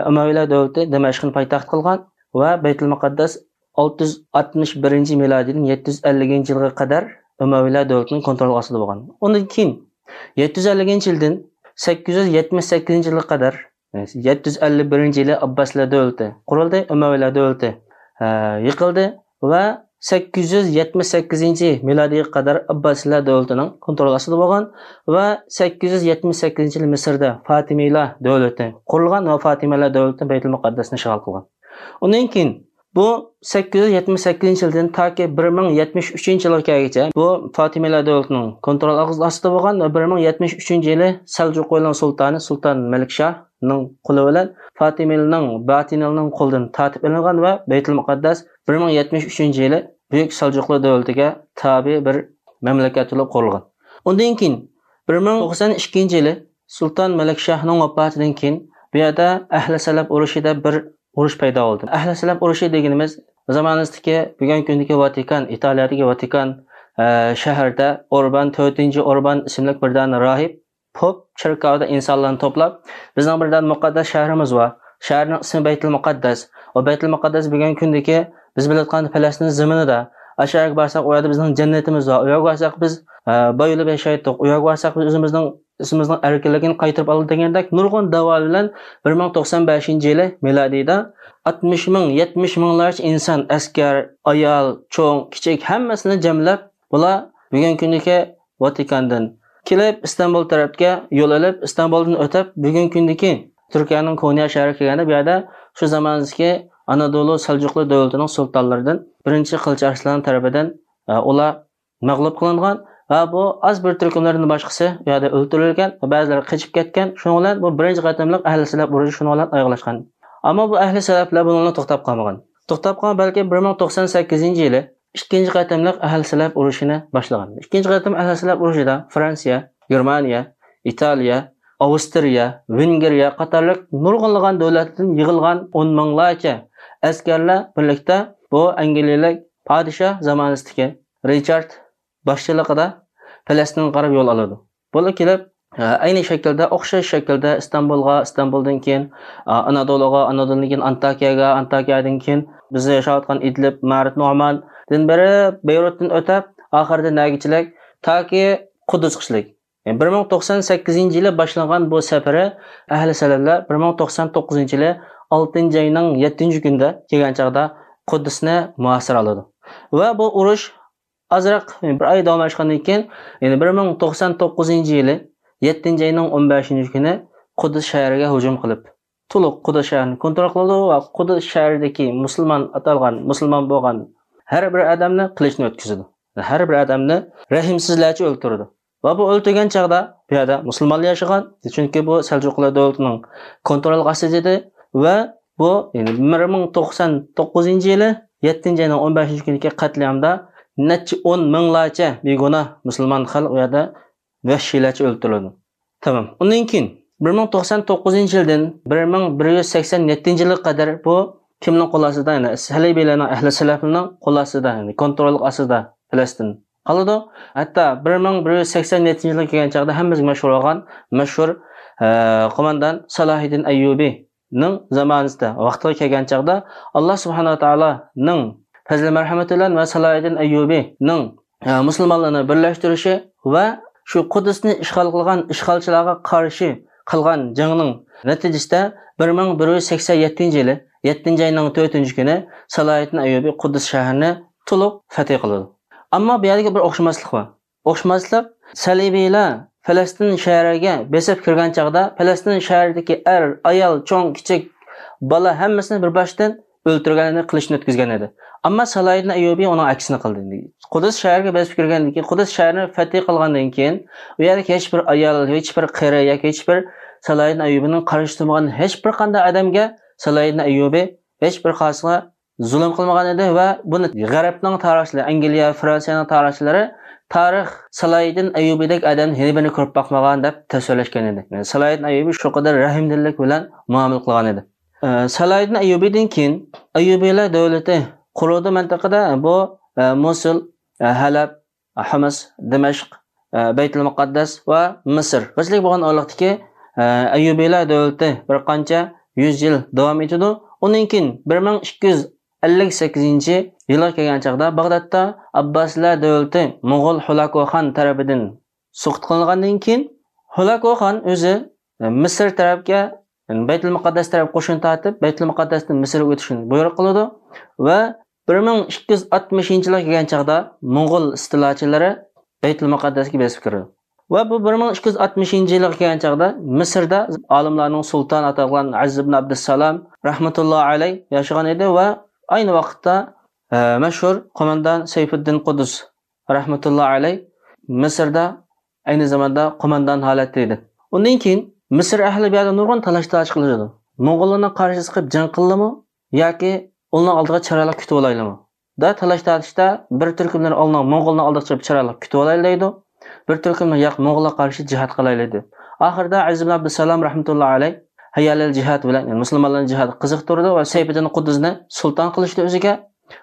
ئۇمەۋىيلەر دۆلىتى دىمەشقنى پايتەخت قىلغان ۋە بەيتۇل مۇقەددەس ئالتە يۈز ئاتمىش بىرىنچى مىلادىيدىن يەتتە يۈز ئەللىكىنچى يىلغا قەدەر ئۇمەۋىيلەر دۆلىتىنىڭ كونترولى ئاستىدا بولغان. ئۇنىڭدىن كېيىن يەتتە يۈز ئەللىكىنچى يىلدىن سەككىز يۈز يەتمىش سەككىزىنچى يىلغا قەدەر، يەتتە يۈز ئەللىك بىرىنچى يىلى ئابباسىيلار دۆلىتى قۇرۇلدى، ئۇمەۋىيلەر دۆلىتى، ئە، يىقىلدى ۋە سەككىز يۈز يەتمىش سەككىزىنچى مىلادىيغا قەدەر ئابباسىيلار دۆلىتىنىڭ كونترولى ئاستىدا بولغان ۋە سەككىز يۈز يەتمىش سەككىزىنچى يىلى مىسىردا فاتىمىيلار دۆلىتى قۇرۇلغان ۋە فاتىمىيلار دۆلىتى بەيتۇل مۇقەددەسنى ئىشغال قىلغان. ئۇنىڭ كېيىن بۇ سەككىز يۈز يەتمىش سەككىزىنچى يىلدىن تاكى بىر مىڭ يەتمىش ئۈچىنچى يىلغا كەلگۈچە بۇ فاتىمىيلار دۆلىتىنىڭ كونترول ئاستىدا بولغان ۋە بىر مىڭ يەتمىش ئۈچىنچى يىلى سەلجۇقلارنىڭ سۇلتانى سۇلتان مەلىكشاھنىڭ قولى بىلەن فاتىمىيلارنىڭ، باتىنىلارنىڭ قولىدىن تارتىپ ئېلىنغان ۋە بەيتۇل مۇقەددەس بىر مىڭ يەتمىش ئۈچىنچى يىلى بۈيۈك سەلجۇقلار دۆلىتىگە تابىئىي بىر مەملىكەت بولۇپ قۇرۇلغان. ئۇندىن كېيىن بىر مىڭ توقسان ئىككىنچى يىلى سۇلتان مەلىكشاھنىڭ ۋاپاتىدىن كېيىن بۇ يەردە ئەھلى سەلەپ ئۇرۇشى دەپ بىر ئۇرۇش پەيدا بولدى. ئەھلى سەلەپ ئۇرۇشى دېگىنىمىز زامانىمىزدىكى، بۈگۈنكى كۈندىكى ۋاتىكان، ئىتالىيەدىكى ۋاتىكان، ئە، شەھىرىدە ئوربان، تۆتىنچى ئوربان ئىسىملىك بىر دانە راھىب پوپ چېركاۋدا ئىنسانلارنى توپلاپ، بىزنىڭ بىر دانە مۇقەددەس شەھىرىمىز بار. شەھەرنىڭ ئىسمى بەيتۇل مۇقەددەس. ئۇ بەيتۇل مۇقەددەس بۈگۈنكى كۈندىكى بىز بىلىۋاتقان پەلەستىن زېمىنىدا. ئاشۇ يەرگە بارساق، ئۇ يەردە بىزنىڭ جەننىتىمىز بار. ئۇ يەرگە بارساق، بىز، ئە، بايىلىپ ياشايتتۇق. ئۇ يەرگە بارساق، بىز ئۆزىمىزنىڭ، ئىسمىمىزنىڭ ئەركىنلىكىنى قايتۇرۇپ ئالىدۇ دېگەندەك نۇرغۇن داۋالار بىلەن بىر مىڭ توقسان بەشىنچى يىلى مىلادىيدا ئاتمىش مىڭ، يەتمىش مىڭلارچە ئىنسان، ئەسكەر، ئايال، چوڭ، كىچىك ھەممىسىنى جەملەپ، بۇلار بۈگۈنكى كۈندىكى ۋاتىكاندىن كېلىپ، ئىستانبۇل تەرەپكە يول ئېلىپ، ئىستانبۇلدىن ئۆتۈپ، بۈگۈنكى كۈندىكى تۈركىيەنىڭ كونيا شەھىرىگە كەلگەندە، بۇ يەردە شۇ زاماندىكى ئانادولۇ سەلجۇقلار دۆلىتىنىڭ سۇلتانلىرىدىن بىرىنچى قىلىچ ئارسلان تەرىپىدىن، ئە، ئۇلار مەغلۇپ قىلىنغان ۋە بۇ ئاز بىر تۈركۈملەردىن باشقىسى بۇ يەردە ئۆلتۈرۈلگەن ۋە بەزىلىرى قېچىپ كەتكەن. شۇنىڭ بىلەن بۇ بىرىنچى قېتىملىق ئەھلى سەلەپ ئۇرۇشى شۇنىڭ بىلەن ئاياغلاشقان. ئەمما بۇ ئەھلى سەلەپلەر بۇنىڭ بىلەن توختاپ قالمىغان. توختاپ قالغان بەلكى بىر مىڭ توقسان سەككىزىنچى يىلى ئىككىنچى قېتىملىق ئەھلى سەلەپ ئۇرۇشىنى باشلىغان. ئىككىنچى قېتىم ئەھلى سەلەپ ئۇرۇشىدا فرانسىيە، گېرمانىيە، ئىتالىيە، ئاۋسترىيە، ۋېنگرىيە قاتارلىق نۇرغۇنلىغان دۆلەتلەردىن يىغىلغان ئون مىڭلارچە ئەسكەرلەر بىرلىكتە بۇ ئەنگلىيەلىك پادىشاھ زامانىسىدىكى رىچارد باشچىلىقىدا پەلەستىنگە قاراپ يول ئالىدۇ. بۇلار كېلىپ، ئە، ئەينى شەكىلدە، ئوخشاش شەكىلدە ئىستانبۇلغا، ئىستانبۇلدىن كېيىن، ئە، ئانادولۇغا، ئانادولدىن كېيىن ئانتاكىيەگە، ئانتاكىيەدىن كېيىن بىزدە ياشاۋاتقان ئىدلىب، مەرىپ نوماندىن بېرىپ، بېيرۇتتىن ئۆتۈپ، ئاخىرىدا نەگىچىلىك؟ تاكى قۇددۇسقىچىلىك. يەنى بىر مىڭ توقسان سەككىزىنچى يىلى باشلانغان بۇ سەپىرى ئەھلى سەلەفلەر بىر مىڭ توقسان توققۇزىنچى يىلى ئالتىنچى ئاينىڭ يەتتىنچى كۈنىدە كەلگەن چاغدا قۇددۇسنى مۇھاسىرە قىلىدۇ. ۋە بۇ ئۇرۇش ئازراق بىر ئاي داۋاملاشقاندىن كېيىن، يەنى بىر مىڭ توقسان توققۇزىنچى يىلى يەتتىنچى ئاينىڭ ئون بەشىنچى كۈنى قۇددۇس شەھىرىگە ھۇجۇم قىلىپ، تولۇق قۇددۇس شەھىرىنى كونترول قىلىدۇ ۋە قۇددۇس شەھىرىدىكى مۇسۇلمان ئاتالغان، مۇسۇلمان بولغان ھەر بىر ئادەمنى قىلىچتىن ئۆتكۈزىدۇ. ھەر بىر ئادەمنى رەھىمسىزلەرچە ئۆلتۈرىدۇ. ۋە بۇ ئۆلتۈرگەن چاغدا بۇ يەردە مۇسۇلمانلار ياشىغان، چۈنكى بۇ سەلجۇقلار دۆلىتىنىڭ كونترولىغا ئاستا ئىدى. ۋە بۇ، يەنى بىر مىڭ توقسان توققۇزىنچى يىلى يەتتىنچى ئاينىڭ ئون بەشىنچى كۈنىدىكى قەتلىئامدا نەچچە ئون مىڭلارچە بىگۇناھ مۇسۇلمان خەلق ئۇ يەردە ۋەھشىيلەرچە ئۆلتۈرۈلىدۇ. تامام. ئۇندىن كېيىن بىر مىڭ توقسان توققۇزىنچى يىلدىن بىر مىڭ بىر يۈز سەكسەن يەتتىنچى يىلغا قەدەر بۇ كىمنىڭ قول ئاستىدا؟ يەنى سەلىبىيلەرنىڭ، ئەھلى سەلەفنىڭ قول ئاستىدا، يەنى كونترول ئاستىدا پەلەستىن قالىدۇ. ھەتتا بىر مىڭ بىر يۈز سەكسەن يەتتىنچى يىلغا كەلگەن چاغدا ھەممىمىزگە مەشھۇر بولغان مەشھۇر، ئە، قوماندان سالاھىدىن ئەييۇبىنىڭ زامانىسىدا، ۋاقتىغا كەلگەن چاغدا، ئاللا سۇبھانەھۇ ۋە تائالانىڭ پەزلى مەرھەمىتى بىلەن ۋە سالاھىدىن ئەييۇبىنىڭ، ئە، مۇسۇلمانلارنى بىرلەشتۈرۈشى ۋە شۇ قۇددۇسنى ئىشغال قىلغان ئىشغالچىلارغا قارشى قىلغان جەڭنىڭ نەتىجىسىدە بىر مىڭ بىر يۈز سەكسەن يەتتىنچى يىلى يەتتىنچى ئاينىڭ تۆتىنچى كۈنى سالاھىدىن ئەييۇبى قۇددۇس شەھىرىنى تولۇق فەتھى قىلىدۇ. ئەمما بۇ يەردىكى بىر ئوخشىماسلىق بار. ئوخشىماسلىق، سەلىبىيلەر پەلەستىن شەھىرىگە بېسىپ كىرگەن چاغدا پەلەستىن شەھىرىدىكى ئەر، ئايال، چوڭ، كىچىك، بالا ھەممىسىنى بىر باشتىن ئۆلتۈرگەن ئىدى، قىلىچتىن ئۆتكۈزگەن ئىدى. ئەمما سالاھىدىن ئەييۇبى ئۇنىڭ ئەكسىنى قىلدى. قۇدس شەھىرىگە بېسىپ كىرگەندىن كېيىن، قۇدس شەھىرىنى فەتھى قىلغاندىن كېيىن، ئۇ يەردىكى ھېچ بىر ئايال، ھېچ بىر قېرى ياكى ھېچ بىر سالاھىدىن ئەييۇبىنىڭ قارشى تۇرمىغان ھېچ بىر قانداق ئادەمگە سالاھىدىن ئەييۇبى ھېچ بىر قاسىغا زۇلۇم قىلمىغان ئىدى ۋە بۇنى غەربنىڭ تارىخچىلىرى، ئەنگلىيە، فرانسىيەنىڭ تارىخچىلىرى تارىخ سالاھىدىن ئەييۇبىدەك ئادەمنى يەنە بىرنى كۆرۈپ باقمىغان دەپ تەسۋىرلەشكەن ئىدى. يەنى سالاھىدىن ئەييۇبى شۇ قەدەر رەھىمدىللىك بىلەن مۇئامىلە قىلغان ئىدى. ئە، سالاھىدىن ئەييۇبىدىن كېيىن ئەييۇبىيلار دۆلىتى قۇرۇلدى مەنتىقىدە. بۇ، ئە، موسۇل، ئە، ھەلەب، ھىمس، دىمەشق، ئە، بەيتۇل مۇقەددەس ۋە مىسىر. بىرچىلىك بولغان ئارىلىقتىكى، ئە، ئەييۇبىيلار دۆلىتى بىر قانچە يۈز يىل داۋام ئېتىدۇ. ئۇنىڭ كېيىن بىر مىڭ ئىككى يۈز ئەللىك سەككىزىنچى يىلغا كەلگەن چاغدا باغدادتا ئابباسىيلار دۆلىتى موڭغۇل ھولاكوخان تەرىپىدىن سۇقۇت قىلىنغاندىن كېيىن، ھولاكوخان ئۆزى، ئە، مىسىر تەرەپكە، يەنى بەيتۇل مۇقەددەس تەرەپ قوشۇن تارتىپ، بەيتۇل مۇقەددەستىن مىسىرغا ئۆتۈشنى بۇيرۇق قىلىدۇ ۋە بىر مىڭ ئىككى يۈز ئاتمىشىنچى يىلغا كەلگەن چاغدا موڭغۇل ئىستىلاچىلىرى بەيتۇل مۇقەددەسكە بېسىپ كىرىدۇ. ۋە بۇ بىر مىڭ ئىككى يۈز ئاتمىشىنچى يىلغا كەلگەن چاغدا مىسىردا ئالىملارنىڭ سۇلتانى ئاتالغان ئەزىز ئىبن ئابدۇسسالام رەھمەتۇللا ئەلەي ياشىغان ئىدى ۋە ئاينى ۋاقىتتا، ئە، مەشھۇر قوماندان سەيپىددىن قۇدۇس رەھمەتۇللا ئەلەي مىسىردا ئەينى زاماندا قوماندان ھالەتتە ئىدى. ئۇندىن كېيىن مىسىر ئەھلى بۇ يەردە نۇرغۇن تالاش-تارتىش قىلىشىدۇ. موڭغۇللارنىڭ قارشىسىغا چىقىپ جەڭ قىلىمۇ ياكى ئۇلارنىڭ ئالدىغا چىرايلىق كۈتۈۋالايلىمۇ؟ دا تالاش-تارتىشتا بىر تۈركۈملەر ئالدىغا، موڭغۇلنىڭ ئالدىغا چىقىپ چىرايلىق كۈتۈۋالايلى دەيدۇ. بىر تۈركۈملەر ياق، موڭغۇللارغا قارشى جىھاد قىلايلى دەيدۇ. ئاخىرىدا ئەزىز ئىبن ئابدۇسسالام رەھمەتۇللا ئەلەي ھەييا ئەلەل جىھاد بىلەن، يەنى مۇسۇلمانلارنى جىھادقا قىزىقتۇرىدۇ ۋە سەيپىدىن قۇددۇزنى سۇلتان قىلىشتۇرىدۇ ئۆزىگە.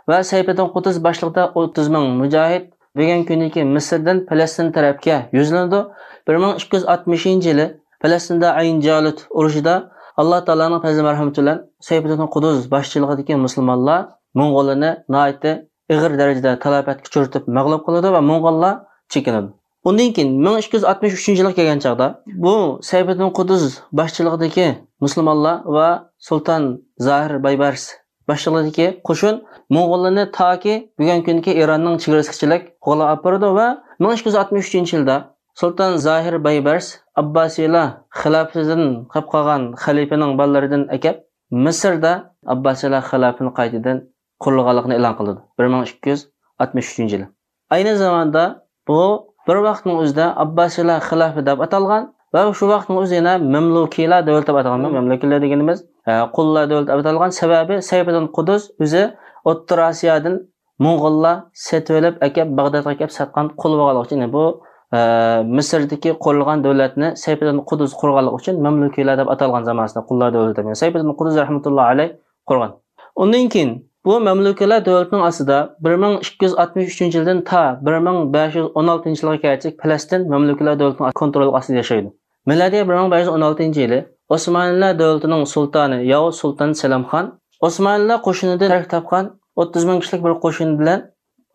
ۋە سەيپىدىن قۇددۇز باشلىقىدا ئوتتۇز مىڭ مۇجاھىد بۈگۈنكى كۈندىكى مىسىردىن پەلەستىن تەرەپكە يۈزلىنىدۇ. بىر مىڭ ئىككى يۈز ئاتمىشىنچى يىلى پەلەستىندە ئەين جالۇت ئۇرۇشىدا ئاللا تائالانىڭ پەزلى مەرھەمىتى بىلەن سەيپىدىن قۇددۇز باشچىلىقىدىكى مۇسۇلمانلار موڭغۇللارنى ناھايىتى ئېغىر دەرىجىدە تالاپەتكە ئۇچرىتىپ مەغلۇپ قىلىدۇ ۋە موڭغۇللار چېكىنىدۇ. ئۇندىن كېيىن مىڭ ئىككى يۈز ئاتمىش ئۈچىنچى يىلغا كەلگەن چاغدا بۇ سەيپىدىن قۇددۇز باشچىلىقىدىكى مۇسۇلمانلار ۋە سۇلتان زاھىر بايبەرس باشچىلىقىدىكى قوشۇن موڭغۇللارنى تاكى بۈگۈنكى كۈندىكى ئىراننىڭ چېگرىسىغىچىلىك قوغلاپ ئاپىرىدۇ ۋە مىڭ ئىككى يۈز ئاتمىش ئۈچىنچى يىلدا سۇلتان زاھىر بايبەرس ئابباسىيلار خىلاپىتىدىن قېلىپ قالغان خەلىپىنىڭ بالىلىرىدىن ئەكەپ، مىسىردا ئابباسىيلار خىلاپىتىنى قايتىدىن قۇرۇلغانلىقىنى ئېلان قىلىدۇ، بىر مىڭ ئىككى يۈز ئاتمىش ئۈچىنچى يىلى. ئەينى زاماندا بۇ بىر ۋاقىتنىڭ ئۆزىدە ئابباسىيلار خىلاپىتى دەپ ئاتالغان ۋە شۇ ۋاقىتنىڭ ئۆزى يەنە مەملۇكىيلار دۆلىتى دەپ ئاتالغان. مەملۇكىيلار دېگىنىمىز، ئە، قۇللار دۆلىتى دەپ ئاتالغان. سەۋەبى سەيپىدىن قۇددۇز ئۆزى ئوتتۇرا ئاسىيادىن موڭغۇللار سېتىۋېلىپ ئەكەپ، باغدادقا ئەكەپ ساتقان قۇل بولغانلىقى ئۈچۈن، يەنى بۇ، ئە، مىسىردىكى قۇرۇلغان دۆلەتنى سەيپىدىن قۇددۇز قۇرغانلىقى ئۈچۈن مەملۇكىيلار دەپ ئاتالغان زامانىسىدا قۇللار دۆلىتى. يەنى سەيپىدىن قۇددۇز رەھمەتۇللا ئەلەي قۇرغان. ئۇندىن كېيىن بۇ مەملۇكىلەر دۆلىتىنىڭ ئاستىدا بىر مىڭ ئىككى يۈز ئاتمىش ئۈچىنچى يىلدىن تا بىر مىڭ بەش يۈز ئون ئالتىنچى يىلغا كەلگەچ پەلەستىن مەملۇكىلەر دۆلىتىنىڭ كونترولى ئاستىدا ياشايدۇ. مىلادىي بىر مىڭ بەش يۈز ئون ئالتىنچى يىلى ئوسمانىلەر دۆلىتىنىڭ سۇلتانى ياۋۇز سۇلتان سەلەمخان ئوسمانىلەر قوشۇنىدىن تەركىب تاپقان ئوتتۇز مىڭ كىشىلىك بىر قوشۇن بىلەن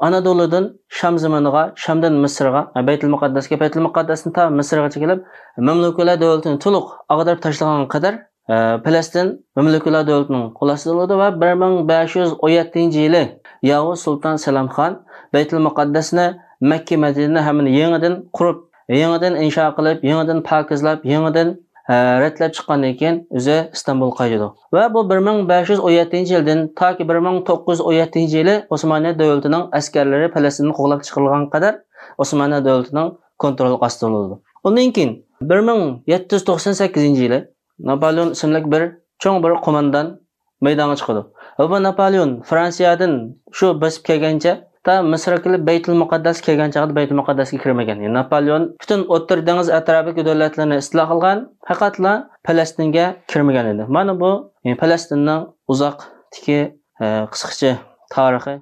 ئانادولۇدىن شام زېمىنىغا، شامدىن مىسىرغا، بەيتۇل مۇقەددەسكە، بەيتۇل مۇقەددەستىن تا مىسىرغىچە كېلىپ، مەملۇكىلەر دۆلىتىنى تولۇق ئاغدۇرۇپ تاشلىغانغا قەدەر، ئە، پەلەستىن مەملۇكىلەر دۆلىتىنىڭ قول ئاستىدا بولىدۇ ۋە بىر مىڭ بەش يۈز ئون يەتتىنچى يىلى ياۋۇز سۇلتان سەلەمخان بەيتۇل مۇقەددەسنى، مەككە، مەدىنىنى ھەممىنى يېڭىدىن قۇرۇپ، يېڭىدىن ئىنشا قىلىپ، يېڭىدىن پاكىزلاپ، يېڭىدىن، ئە، رەتلەپ چىققاندىن كېيىن ئۆزى ئىستانبۇلغا قايتىدۇ. ۋە بۇ بىر مىڭ بەش يۈز ئون يەتتىنچى يىلدىن تاكى بىر مىڭ توققۇز يۈز ئون يەتتىنچى يىلى ئوسمانىيە دۆلىتىنىڭ ئەسكەرلىرى پەلەستىندىن قوغلاپ چىقىرىلغانغا قەدەر ئوسمانىيە دۆلىتىنىڭ كونترولى ئاستىدا بولىدۇ. ئۇندىن كېيىن بىر مىڭ يەتتە يۈز توقسان سەككىزىنچى يىلى ناپالېئون ئىسىملىك بىر چوڭ بىر قوماندان مەيدانغا چىقىدۇ. ۋە بۇ ناپالېئون فرانسىيەدىن شۇ بېسىپ كەلگەنچە، تا مىسىرغا كېلىپ بەيتۇل مۇقەددەس كەلگەن چاغدا بەيتۇل مۇقەددەسكە كىرمىگەن. يەنى ناپالېئون پۈتۈن ئوتتۇرا دېڭىز ئەتراپىدىكى دۆلەتلەرنى ئىستىلا قىلغان، پەقەتلا پەلەستىنگە كىرمىگەن ئىدى. مانا بۇ، يەنى پەلەستىننىڭ ئۇزاقتىكى، ئە، قىسقىچە تارىخى.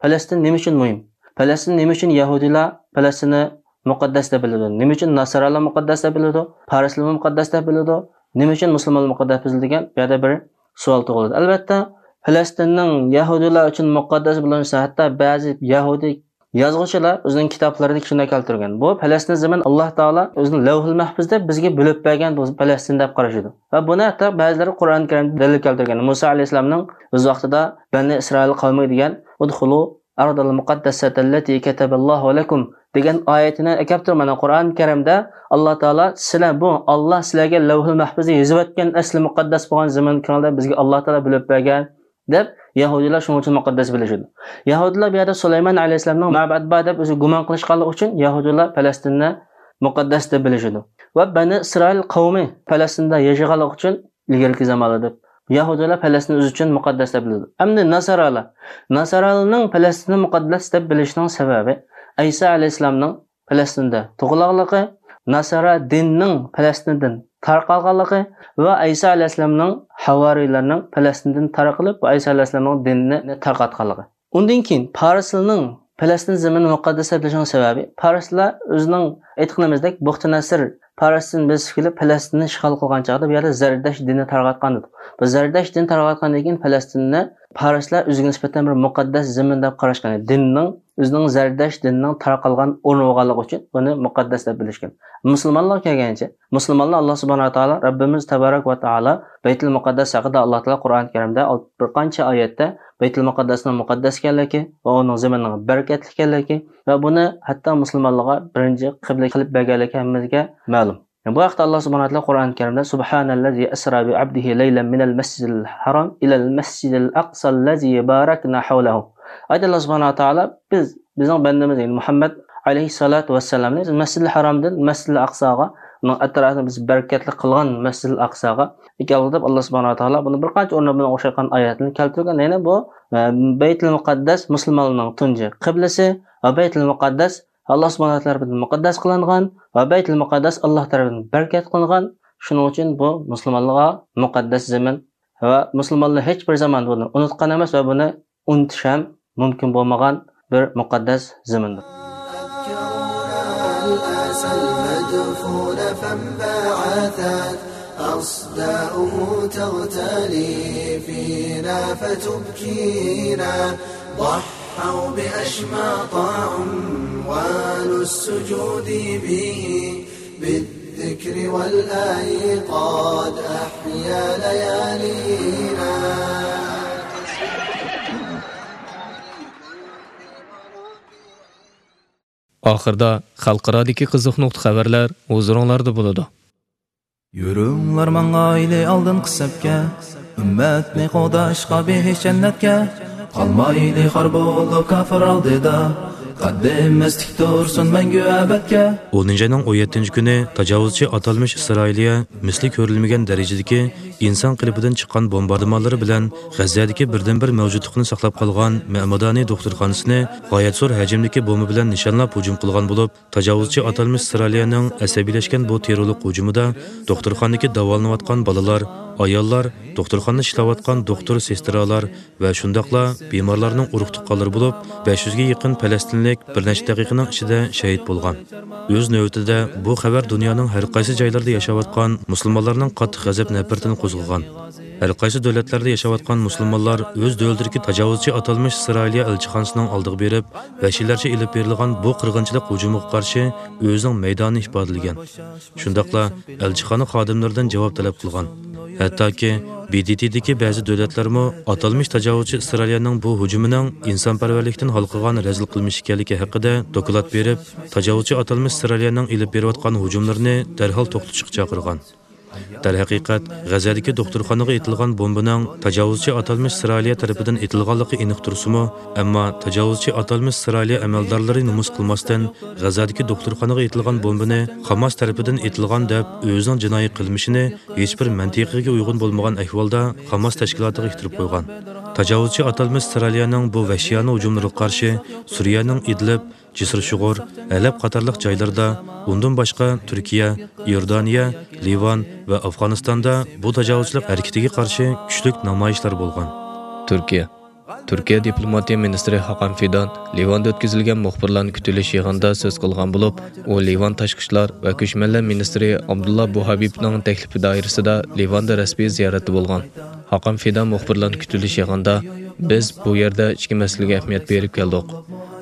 پەلەستىن نېمە ئۈچۈن مۇھىم؟ پەلەستىن نېمە ئۈچۈن يەھۇدىيلار پەلەستىننى مۇقەددەس دەپ بىلىدۇ؟ نېمە ئۈچۈن ناسارالار مۇقەددەس دەپ بىلىدۇ؟ پارسلارمۇ مۇقەددەس دەپ بىلىدۇ؟ نېمە ئۈچۈن مۇسۇلمانلار مۇقەددەس دەپ بىلىدۇ دېگەن بۇ يەردە بىر سوئال تۇغۇلىدۇ. ئەلۋەتتە، پەلەستىننىڭ يەھۇدىيلار ئۈچۈن مۇقەددەس بولۇشى، ھەتتا بەزى يەھۇدىي يازغۇچىلار ئۆزىنىڭ كىتابلىرىدا شۇنداق كەلتۈرگەن. بۇ پەلەستىن زېمىن ئاللا تائالا ئۆزىنىڭ لەۋھۇل مەھپۇزدا بىزگە بۆلۈپ بەرگەن بۇ پەلەستىن دەپ قارىشىدۇ. ۋە بۇنى ھەتتا بەزىلەر قۇرئان كەرىمدە دەلىل كەلتۈرگەن. مۇسا ئەلەيھىسسالامنىڭ ئۆز ۋاقتىدا بەنى ئىسرائىل قەۋمىگە دېگەن، «ئۇدخۇلۇ ئەردەل مۇقەددەسەتەللەتى كەتەبەللاھۇ لەكۇم» دېگەن ئايىتىنى ئەكەپتۇر. مانا قۇرئان كەرىمدە ئاللا تائالا، «سىلەر بۇ، ئاللا سىلەرگە لەۋھۇل مەھپۇزدا يېزىۋەتكەن ئەسلى مۇقەددەس بولغان زېمىنكىڭلار بىزگە ئاللا تائالا بۆلۈپ بەرگەن» دەپ يەھۇدىيلار شۇنىڭ ئۈچۈن مۇقەددەس بىلىشىدۇ. يەھۇدىيلار بۇ يەردە سۇلايمان ئەلەيھىسسالامنىڭ مەبەد بار دەپ ئۆزى گۇمان قىلىشقانلىقى ئۈچۈن يەھۇدىيلار پەلەستىننى مۇقەددەس دەپ بىلىشىدۇ. ۋە بەنى ئىسرائىل قەۋمى پەلەستىندە ياشىغانلىقى ئۈچۈن ئىلگىرىكى زامانلاردا يەھۇدىيلار پەلەستىننى ئۆزى ئۈچۈن مۇقەددەس دەپ بىلىدۇ. ئەمدى ناسارالار، ناسارالارنىڭ پەلەستىننى مۇقەددەس دەپ بىلىشىنىڭ سەۋەبى ئەيسا ئەلەيھىسسالامنىڭ پەلەستىندە تۇغۇلغانلىقى، ناسارا دىنىنىڭ پەلەستىندىن تارقالغانلىقى ۋە ئەيسا ئەلەيھىسسالامنىڭ ھاۋارىيلارنىڭ پەلەستىندىن تارقىلىپ، ئەيسا ئەلەيھىسسالامنىڭ دىنىنى تارقاتقانلىقى. ئۇندىن كېيىن پارسلارنىڭ پەلەستىن زېمىنىنى مۇقەددەس دەپ بىلىشىنىڭ سەۋەبى، پارسلار ئۆزىنىڭ ئېيتقىنىمىزدەك بۇختىنەسىر پارسىستىن بېسىپ كېلىپ پەلەستىننى ئىشغال قىلغان چاغدا بۇ يەردە زەردەشت دىنى تارقاتقان ئىدى. بۇ زەردەشت دىنى تارقاتقاندىن كېيىن پەلەستىننى پارسلار ئۆزىگە نىسبەتەن بىر مۇقەددەس زېمىن دەپ قاراشقان ئىدى. دىننىڭ، ئۆزىنىڭ زەردەشت دىنىنىڭ تارقالغان ئورنى بولغانلىقى ئۈچۈن بۇنى مۇقەددەس دەپ بىلىشكەن. مۇسۇلمانلارغا كەلگەنچە، مۇسۇلمانلار ئاللا سۇبھانەھۇ ۋە تائالا، رەببىمىز تەبارەك ۋە تائالا بەيتۇل مۇقەددەس ھەققىدە ئاللا تائالا قۇرئان كەرىمدە بىر قانچە ئايەتتە بەيتۇل مۇقەددەسنىڭ مۇقەددەس ئىكەنلىكى ۋە ئۇنىڭ زېمىنىنىڭ بەرىكەتلىك ئىكەنلىكى ۋە بۇنى ھەتتا مۇسۇلمانلارغا بىرىنچى قىبلە قىلىپ بەرگەنلىكى ھەممىمىزگە مەلۇم. بۇ ھەقتە ئاللا سۇبھانەھۇ ۋە تائالا قۇرئان كەرىمدە، سۇبھانەللەزى ئەسرا بىئەبدىھى لەيلەن مىنەل مەسجىدىل ھەرام ئىلەل مەسجىدىل ئەقسەللەزى بارەكنا ھەۋلەھۇ. ئايەتتە ئاللا سۇبھانەھۇ ۋە تائالا، بىز، بىزنىڭ بەندىمىز، يەنى مۇھەممەد ئەلەيھىسسالاتۇ ۋەسسالامنى مەسجىدىل ھەرامدىن مەسجىدىل ئەقساغا، ئۇنىڭ ئەتراپىنى بىز بەرىكەتلىك قىلغان مەسجىدىل ئەقساغا ئەكەلدى دەپ ئاللا سۇبھانەھۇ ۋە تائالا بۇنى بىر قانچە ئورۇندا بۇنىڭغا ئوخشايدىغان ئايەتلەرنى كەلتۈرگەن. يەنى بۇ، ئە، بەيتۇل مۇقەددەس مۇسۇلمانلارنىڭ تۇنجى قىبلىسى ۋە بەيتۇل مۇقەددەس ئاللا سۇبھانەھۇ ۋە تائالا تەرىپىدىن مۇقەددەس قىلىنغان ۋە بەيتۇل مۇقەددەس ئاللا تەرىپىدىن بەرىكەت قىلىنغان. شۇنىڭ ئۈچۈن بۇ مۇسۇلمانلارغا مۇقەددەس زېمىن ۋە مۇسۇلمانلار ھېچ بىر زامان بۇنى ئۇنتقان ئەمەس ۋە بۇنى ئۇنتۇش ھەم مۇمكىن بولمىغان بىر مۇقەددەس زېمىندۇر. أسداؤه تغتلي فينا فتبكينا. ضحوا بأشماط عنوان السجود به. بالذكر والأيقاظ أحيا ليالينا. ئاخىردا خەلقئارادىكى قىزىق نۇقتا خەۋەرلەر ھۇزۇرۇڭلاردا بولىدۇ. يۈرۈڭلار ماڭايلى ئالدىنقى سەپكە، ئۈممەتنى قوغداشقا بېھىش جەننەتكە. قالمايلى خار بولۇپ كاپىر ئالدىدا، قەددىمىز تىك تۇرسۇن مەڭگۈ ئەبەدكە. ئونىنچى ئاينىڭ ئون يەتتىنچى كۈنى تاجاۋۇزچى ئاتالمىش ئىسرائىلىيە مىسلى كۆرۈلمىگەن دەرىجىدىكى ئىنسان قېلىپىدىن چىققان بومباردىمانلىرى بىلەن غەززەدىكى بىردىنبىر مەۋجۇتلۇقىنى ساقلاپ قالغان مەمەدانى دوختۇرخانىسىنى غايەت زور ھەجىمدىكى بومبا بىلەن نىشانلاپ ھۇجۇم قىلغان بولۇپ، تاجاۋۇزچى ئاتالمىش ئىسرائىلىيەنىڭ ئەسەبىيلەشكەن بۇ تېررورلۇق ھۇجۇمىدا دوختۇرخانىدىكى داۋالىنىۋاتقان بالىلار، ئاياللار، دوختۇرخانىدا ئىشلەۋاتقان دوختۇر، سېسترالار ۋە شۇنداقلا بىمارلارنىڭ ئۇرۇق-تۇغقانلىرى بولۇپ، بەش يۈزگە يېقىن پەلەستىنلىك بىر نەچچە دەقىقىنىڭ ئىچىدە شېھىت بولغان. ئۆز نۆۋىتىدە، بۇ خەۋەر دۇنيانىڭ ھەر قايسى جايلىرىدا ياشاۋاتقان مۇسۇلمانلارنىڭ قاتتىق غەزەپ-نەپرىتىنى قوزغىغان. ھەر قايسى دۆلەتلەردە ياشاۋاتقان مۇسۇلمانلار ئۆز دۆلىتىدىكى تاجاۋۇزچى ئاتالمىش ئىسرائىلىيە ئەلچىخانىسىنىڭ ئالدىغا بېرىپ، ۋەھشىيلەرچە ئېلىپ بېرىلغان بۇ قىرغىنچىلىق ھۇجۇمىغا قارشى ئۆزىنىڭ مەيدانىنى ئىپادىلىگەن. شۇنداقلا ئەلچىخانا خادىملىرىدىن جاۋاب تەلەپ قىلغان. ھەتتاكى ب د ت دىكى بەزى دۆلەتلەرمۇ ئاتالمىش تاجاۋۇزچى ئىسرائىلىيەنىڭ بۇ ھۇجۇمىنىڭ ئىنسانپەرۋەرلىكتىن ھالقىغان رەزىل قىلمىش ئىكەنلىكى ھەققىدە دوكلات بېرىپ، تاجاۋۇزچى ئاتالمىش ئىسرائىلىيەنىڭ ئېلىپ بېرىۋاتقان ھۇجۇملىرىنى دەرھال توختىتىشقا چاقىرغان. دەرھەقىقەت، غەززەدىكى دوختۇرخانىغا ئېتىلغان بومبىنىڭ تاجاۋۇزچى ئاتالمىش ئىسرائىلىيە تەرىپىدىن ئېتىلغانلىقى ئېنىق تۇرسىمۇ، ئەمما تاجاۋۇزچى ئاتالمىش ئىسرائىلىيە ئەمەلدارلىرى نومۇس قىلماستىن، غەززەدىكى دوختۇرخانىغا ئېتىلغان بومبىنى خاماس تەرىپىدىن ئېتىلغان دەپ ئۆزىنىڭ جىنايى قىلمىشىنى ھېچبىر مەنتىقىگە ئۇيغۇن بولمىغان ئەھۋالدا خاماس تەشكىلاتىغا ئىتتىرىپ قويغان. تاجاۋۇزچى ئاتالمىش ئىسرائىلىيەنىڭ بۇ ۋەھشىيانە ھۇجۇملىرىغا قارشى سۈرىيەنىڭ ئىدلىب، جىسىر شۇغۇر، ھەلەب قاتارلىق جايلىرىدا، ئۇندىن باشقا تۈركىيە، ئىئوردانىيە، لىۋان ۋە ئافغانىستاندا بۇ تاجاۋۇزچىلىق ھەرىكىتىگە قارشى كۈچلۈك نامايىشلار بولغان. تۈركىيە. تۈركىيە دىپلوماتىيە مىنىستىرى ھاكان فىدان لىۋاندا ئۆتكۈزۈلگەن مۇخبىرلارنى كۈتۈۋېلىش يىغىنىدا سۆز قىلغان بولۇپ، ئۇ لىۋان تاشقى ئىشلار ۋە كۆچمەنلەر مىنىستىرى ئابدۇللا بۇھابىبنىڭ تەكلىپى دائىرىسىدا لىۋاندا رەسمىي زىيارەتتە بولغان. ھاكان فىدان مۇخبىرلارنى كۈتۈۋېلىش يىغىنىدا، بىز بۇ يەردە ئىككى مەسىلىگە ئەھمىيەت بېرىپ كەلدۇق.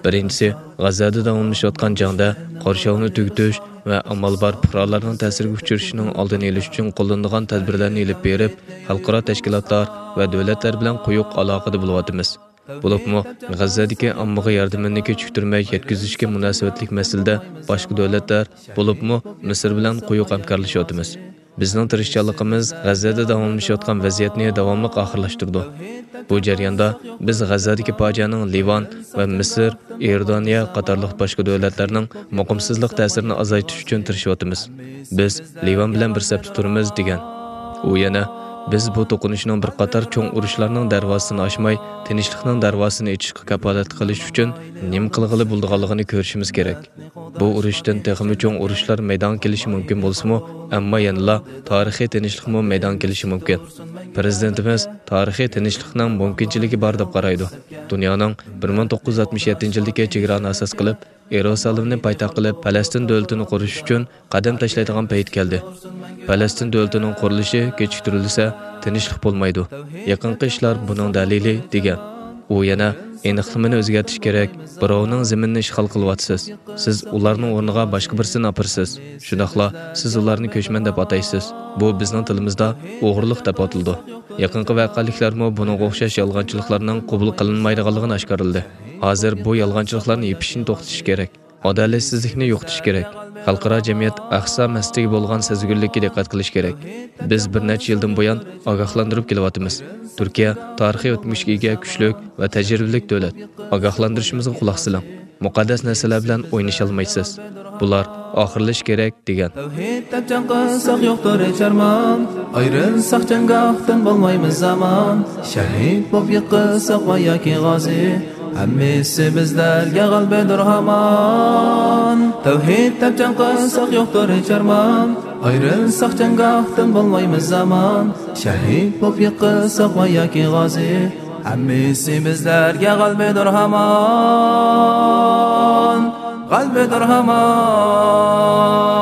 بىرىنچىسى، غەززەدە داۋاملىشىۋاتقان جەڭدە قورشاۋنى تۈگىتىش ۋە ئامال بار پۇقرالارنىڭ تەسىرگە ئۇچرىشىنىڭ ئالدىنى ئېلىش ئۈچۈن قوللىنىدىغان تەدبىرلەرنى ئېلىپ بېرىپ، خەلقئارا تەشكىلاتلار ۋە دۆلەتلەر بىلەن قويۇق ئالاقىدە بولۇۋاتىمىز. بولۇپمۇ غەززەدىكى ئاممىغا ياردىمىنى كېچىكتۈرمەي يەتكۈزۈشكە مۇناسىۋەتلىك مەسىلىدە باشقا دۆلەتلەر، بولۇپمۇ مىسىر بىلەن قويۇق ھەمكارلىشىۋاتىمىز. بىزنىڭ تىرىشچانلىقىمىز غەززەدە داۋاملىشىۋاتقان ۋەزىيەتنى داۋاملىق ئاخىرلاشتۇرىدۇ. بۇ جەرياندا بىز غەززەدىكى پاجىئەنىڭ لىۋان ۋە مىسىر، ئىئوردانىيە قاتارلىق باشقا دۆلەتلەرنىڭ مۇقىمسىزلىق تەسىرىنى ئازايتىش ئۈچۈن تىرىشىۋاتىمىز. بىز لىۋان بىلەن بىر سەپتە تۇرىمىز، دېگەن. ئۇ يەنە، بىز بۇ توقۇنۇشنىڭ بىر قاتار چوڭ ئۇرۇشلارنىڭ دەرۋازىسىنى ئاچماي، تىنچلىقنىڭ دەرۋازىسىنى ئېچىشقا كاپالەتلىك قىلىش ئۈچۈن نېمە قىلغىلى بولىدىغانلىقىنى كۆرۈشىمىز كېرەك. بۇ ئۇرۇشتىن تېخىمۇ چوڭ ئۇرۇشلار مەيدانغا كېلىشى مۇمكىن بولسىمۇ، ئەمما يەنىلا تارىخىي تىنچلىقمۇ مەيدانغا كېلىشى مۇمكىن. پىرېزىدېنتىمىز تارىخىي تىنچلىقنىڭ مۇمكىنچىلىكى بار دەپ قارايدۇ. دۇنيانىڭ بىر مىڭ توققۇز يۈز ئاتمىش يەتتىنچى يىلدىكى چېگرانى ئاساس قىلىپ، ئىيېرۇسالىمنى پايتەخت قىلىپ، پەلەستىن دۆلىتىنى قۇرۇش ئۈچۈن قەدەم تاشلايدىغان پەيت كەلدى. پەلەستىن دۆلىتىنىڭ قۇرۇلۇشى كېچىكتۈرۈلسە، تىنچلىق بولمايدۇ. يېقىنقى ئىشلار بۇنىڭ دەلىلى، دېگەن. ئۇ يەنە، ئېنىقلىمىنى ئۆزگەرتىش كېرەك، بىراۋنىڭ زېمىنىنى ئىشغال قىلىۋاتىسىز. سىز ئۇلارنىڭ ئورنىغا باشقا بىرسىنى ئاپىرىسىز. شۇنداقلا سىز ئۇلارنى كۆچمەن دەپ ئاتايسىز. بۇ بىزنىڭ تىلىمىزدا ئوغرىلىق دەپ ئاتىلىدۇ. يېقىنقى ۋەقەلىكلەرمۇ بۇنىڭغا ئوخشاش يالغانچىلىقلارنىڭ قوبۇل قىلىنمايدىغانلىقىنى ئاشكارىلىدى. ھازىر بۇ يالغانچىلىقلارنى يېپىشنى توختىتىش كېرەك. ئادالەتسىزلىكنى يوقىتىش كېرەك. خەلقئارا جەمئىيەت ئەقسا مەسىلىگە بولغان سەزگۈرلۈككە دىققەت قىلىش كېرەك. بىز بىر نەچچە يىلدىن بۇيان ئاگاھلاندۇرۇپ كېلىۋاتىمىز. تۈركىيە تارىخىي ئۆتمۈشكە ئىگە كۈچلۈك ۋە تەجرىبىلىك دۆلەت. ئاگاھلاندۇرۇشىمىزغا قۇلاق سېلىڭ. مۇقەددەس نەرسىلەر بىلەن ئوينىشالمايسىز. بۇلار ئاخىرلىشىشى كېرەك، دېگەن. تەۋھىد دەپ جەڭ قىلساق يوقتۇر ھېچ ئارمان، ئايرىلساق جەڭگاھتىن بولمايمىز ئامان، شەھىد بولۇپ يىقىلساق ۋە ياكى غازى، ھەممىسى بىزلەرگە غەلىبىدۇر ھامان. تەۋھىد دەپ جەڭ قىلساق يوقتۇر ھېچ ئارمان، ئايرىلساق جەڭگاھتىن بولمايمىز ئامان، شەھىد بولۇپ يىقىلساق ۋە ياكى غازى، ھەممىسى بىزلەرگە غەلىبىدۇر ھامان، غەلىبىدۇر ھامان.